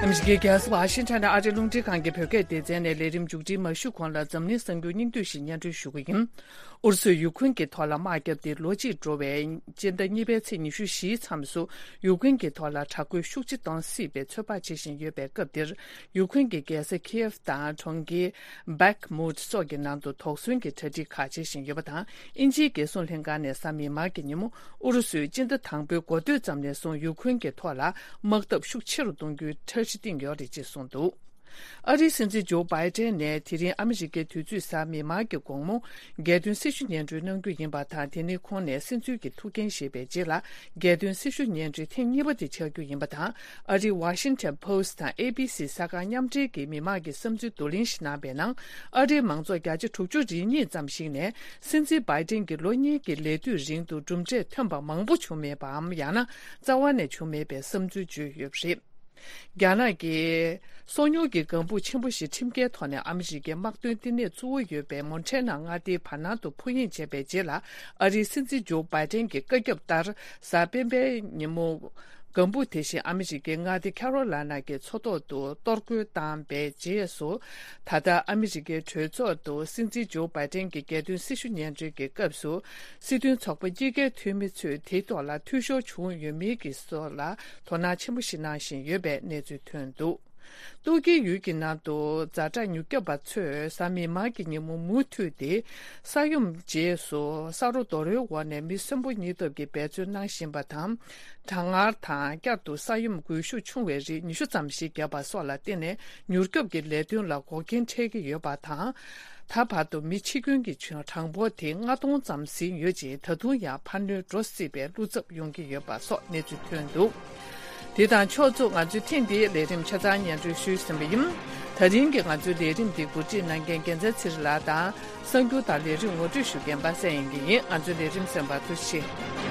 ཨ་མི་རི་ཀའི་རྒྱལ་ས་ཝ་ཤིང་ཊོན་ནས་ཨ་རིའི་རླུང་འཕྲིན་ཁང་གི་བོད་སྐད་སྡེ་ཚན་ནས་ལས་རིམ་མཇུག་སྒྲིལ་མ་ཞུས་གོང་ལ་འཛམ་གླིང་གསར་འགྱུར་སྙིང་བསྡུས་ཤིག་སྙན་སྒྲོན་ཞུ་གི་ཡིན། ཨུ་རུ་སུས་ཡུ་ཁུན་གྱི་ཐོག་ལ་དམག་བརྒྱབ་སྟེ་ལོ་གཅིག་འགྲོ་བའི་སྤྱི་ཟླ་གཉིས་པའི་ཚེས་ཉི་ཤུ་བཞིའི་མཚམས་སུ་ཡུ་ཁུན་གྱི་ཐོག་ལ་དྲག་རྒོལ་ཤུགས་ཆེ་གཏོང་སྲིད་པའི་ཚོད་དཔག་བྱེད་བཞིན་ཡོད་པའི་སྐབས་འདིར། ཡུ་ཁུན་གྱི་རྒྱལ་ས་ཁིའེབ་དང་གྲོང་ཁྱེར་བྷེག་མུད་སོགས་ཀྱི་ནང་དུ་དོགས་ཟོན་གྱི་གྲ་སྒྲིག་ཁག་བྱེད་བཞིན་ཡོད་པ་དང་། དབྱིན་ཇིའི་རྒྱལ་སྲུང་ལྷན་ཁང་ནས་གཟའ་མིག་དམར་གྱི་ཉིན་མོ་ཨུ་རུ་སུས་སྤྱི་ཟླ་དང་པོའི་འགོ་སྟོད་ཙམ་ནས་བཟུང་ཡུ་ཁུན་གྱི་ཐོག་ལ་དམག་འཐབ་ཤུགས་ཆེ་རུ་གཏོང་རྒྱུའི་འཆར་གཞི་བཏིང་ཡོད་རེད་ཅེས་གསུངས་འདུག་ཨ་རིའི་སྲིད་འཛིན་ཇོ་བྷའི་ཏན་ནས་དེ་རིང་ཨ་མི་རི་ཀའི་དུས་ཚོད་གཟའ་མིག་དམར་གྱི་དགོང་མོ་རྒྱལ་དོན་སྲི་ཞུ་སྙན་སྒྲོན་གནང་རྒྱུ་ཡིན་པ་དང་། དེ་ནི་ཁོང་ནས་སྲིད་འཛིན་གྱི་ཐུགས་འགན་བཞེས་པའི་རྗེས་ལ་རྒྱལ་དོན་སྲི་ཞུ་སྙན་སྒྲོན་ཐེངས་གཉིས་པ་དེ་ཆགས་རྒྱུ་ཡིན་པ་དང་། ཨ་རིའི་Washington Post་དང་A B C་གསར་ཁང་མཉམ་འབྲེལ་གྱིས་མི་མང་གི་བསམ་ཚུལ་བསྡུ་ལེན་ཞིག་གནང་པའི་ནང་། ཨ་རིའི་མང་ཚོགས་བརྒྱ་ཆ་དྲུག་ཅུ་རེ་གཉིས་ཙམ་ཞིག་ནས་སྲིད་འཛིན་བྷའི་ཏན་གྱི་ལོ་གཉིས་ཀྱི་ལས་དུས་རིང་དུ་གྲུབ་འབྲས་ཐོན་པ་མང་པོ་བྱུང་མེད་པའམ། ཡང་ན་རྩ་བ་ནས་བྱུང་མེད་པའི་བསམ་ཚུལ་བརྗོད་ཡོད་པ་རེད། རྒྱ་ནག་གི་སོ་ཉུལ་གྱི་ལྒང་བུ་ཆེན་པོ་ཞིག་ཁྲིམས་འགལ་ཐོག་ནས་ཨ་མི་རི་ཀའི་དམག་དོན་ལྟེ་གནས་གཙོ་བོ་ཡོད་པའི་མོན་ཊེ་ན་མངའ་སྡེའི་བར་སྣང་དུ་འཕུར་གཡེང་བྱས་པའི་རྗེས་ལ། ཨ་རིའི་སྲིད་འཛིན་ཇོ་བྷའི་ཏན་གྱི་བཀའ་ཁྱབ་ལྟར། གཟའ་སྤེན་པའི་ཉིན་མོ། ལྒང་བུ་དེ་བཞིན་ཨ་མི་རི་ཀའི་མངའ་སྡེ་ཁ་རོ་ལ་ན་གྱི་མཚོ་ཐོག་ཏུ་གཏོར་རྒོལ་བཏང་པའི་རྗེས་སུ། ད་ལྟ་ཨ་མི་རི་ཀའི་གྲོས་ཚོགས་དུ་སྲིད་འཛིན་ཇོ་བྷའི་ཏན་གྱི་རྒྱལ་དོན་སྲི་ཞུ་སྙན་སྒྲོན་གྱི་སྐབས་སུ། སྲིད་དོན་ཚོགས་པ་གཉིས་ཀའི་འཐུས་མི་ཚོས་དེའི་ཐོག་ལ་འཐུས་ཤོར་བྱུང་ཡོད་མེད་ཀྱི་སྐོར་ལ་དོ་སྣང་ཆེན་པོ་ཞིག་གནང་བཞིན་ཡོད་པའི་གནས་ཚུལ་ཐོན་འདུག། ཏུར་ཀིའི་ཡུལ་གྱི་ནང་དུ་ཛ་དྲག་མྱུར་སྐྱོབ་པ་ཚོས་གཟའ་མིག་དམར་གྱི་ཉིན་མོ་མུ་མཐུད་དེ། ས་ཡོམ་རྗེས་སུ་ས་རོ་རྡོ་རོའི་འོག་ནས་མི་གསོན་པོ་རྙེད་ཐབས་ཀྱི་འབད་བརྩོན་གནང་བཞིན་པ་དང་། གྲང་ངར་དང་། བསྐྱར་དུ་ས་ཡོམ་འགུལ་ཤུགས་ཆུང་བའི་རིགས་ཉི་ཤུ་ཙམ་ཞིག་བརྒྱབ་པ་སོགས་ལ་བརྟེན་ནས། མྱུར་སྐྱོབ་ཀྱི་ལས་དོན་ལ་འགོག་རྐྱེན་འཕྲད་ཀྱི་ཡོད་པ་དང་། ད་བར་དུ་མི་འཆི་སྐྱོན་གྱི་གྲངས་འབོར་དེ་ལྔ་སྟོང་ཙམ་ཟིན་ཡོད་ཅིང་། ད་དུང་ཡང་འཕར་སྣོན་འགྲོ་སྲིད་པའི་བློ་འཚབ་ཡོང་གི་ཡོད་པ་སོགས་གནས་ཚུལ་ཐོན་འདུག། དེ་དང་ཕྱོགས་མཚུངས། ང་ཚོས་ཐེངས་འདིའི་ལས་རིམ་ཆ་ཚང་སྙན་སྒྲོན་ཞུས་ཟིན་པ་ཡིན། ད་རིང་གི་ང་ཚོའི་ལས་རིམ་འདི་གོ་སྒྲིག་གནང་མཁན་རྒྱལ་མཚན་ཚེ་རིང་ལགས་དང་། གསར་འགྱུར་དང་ལས་རིམ་ངོ་སྤྲོད་ཞུ་མཁན་པ་སངས་དབྱངས་སྐྱིད་ཡིན། ང་ཚོའི་ལས་རིམ་གསན་པར་ཐུགས་རྗེ་ཆེ།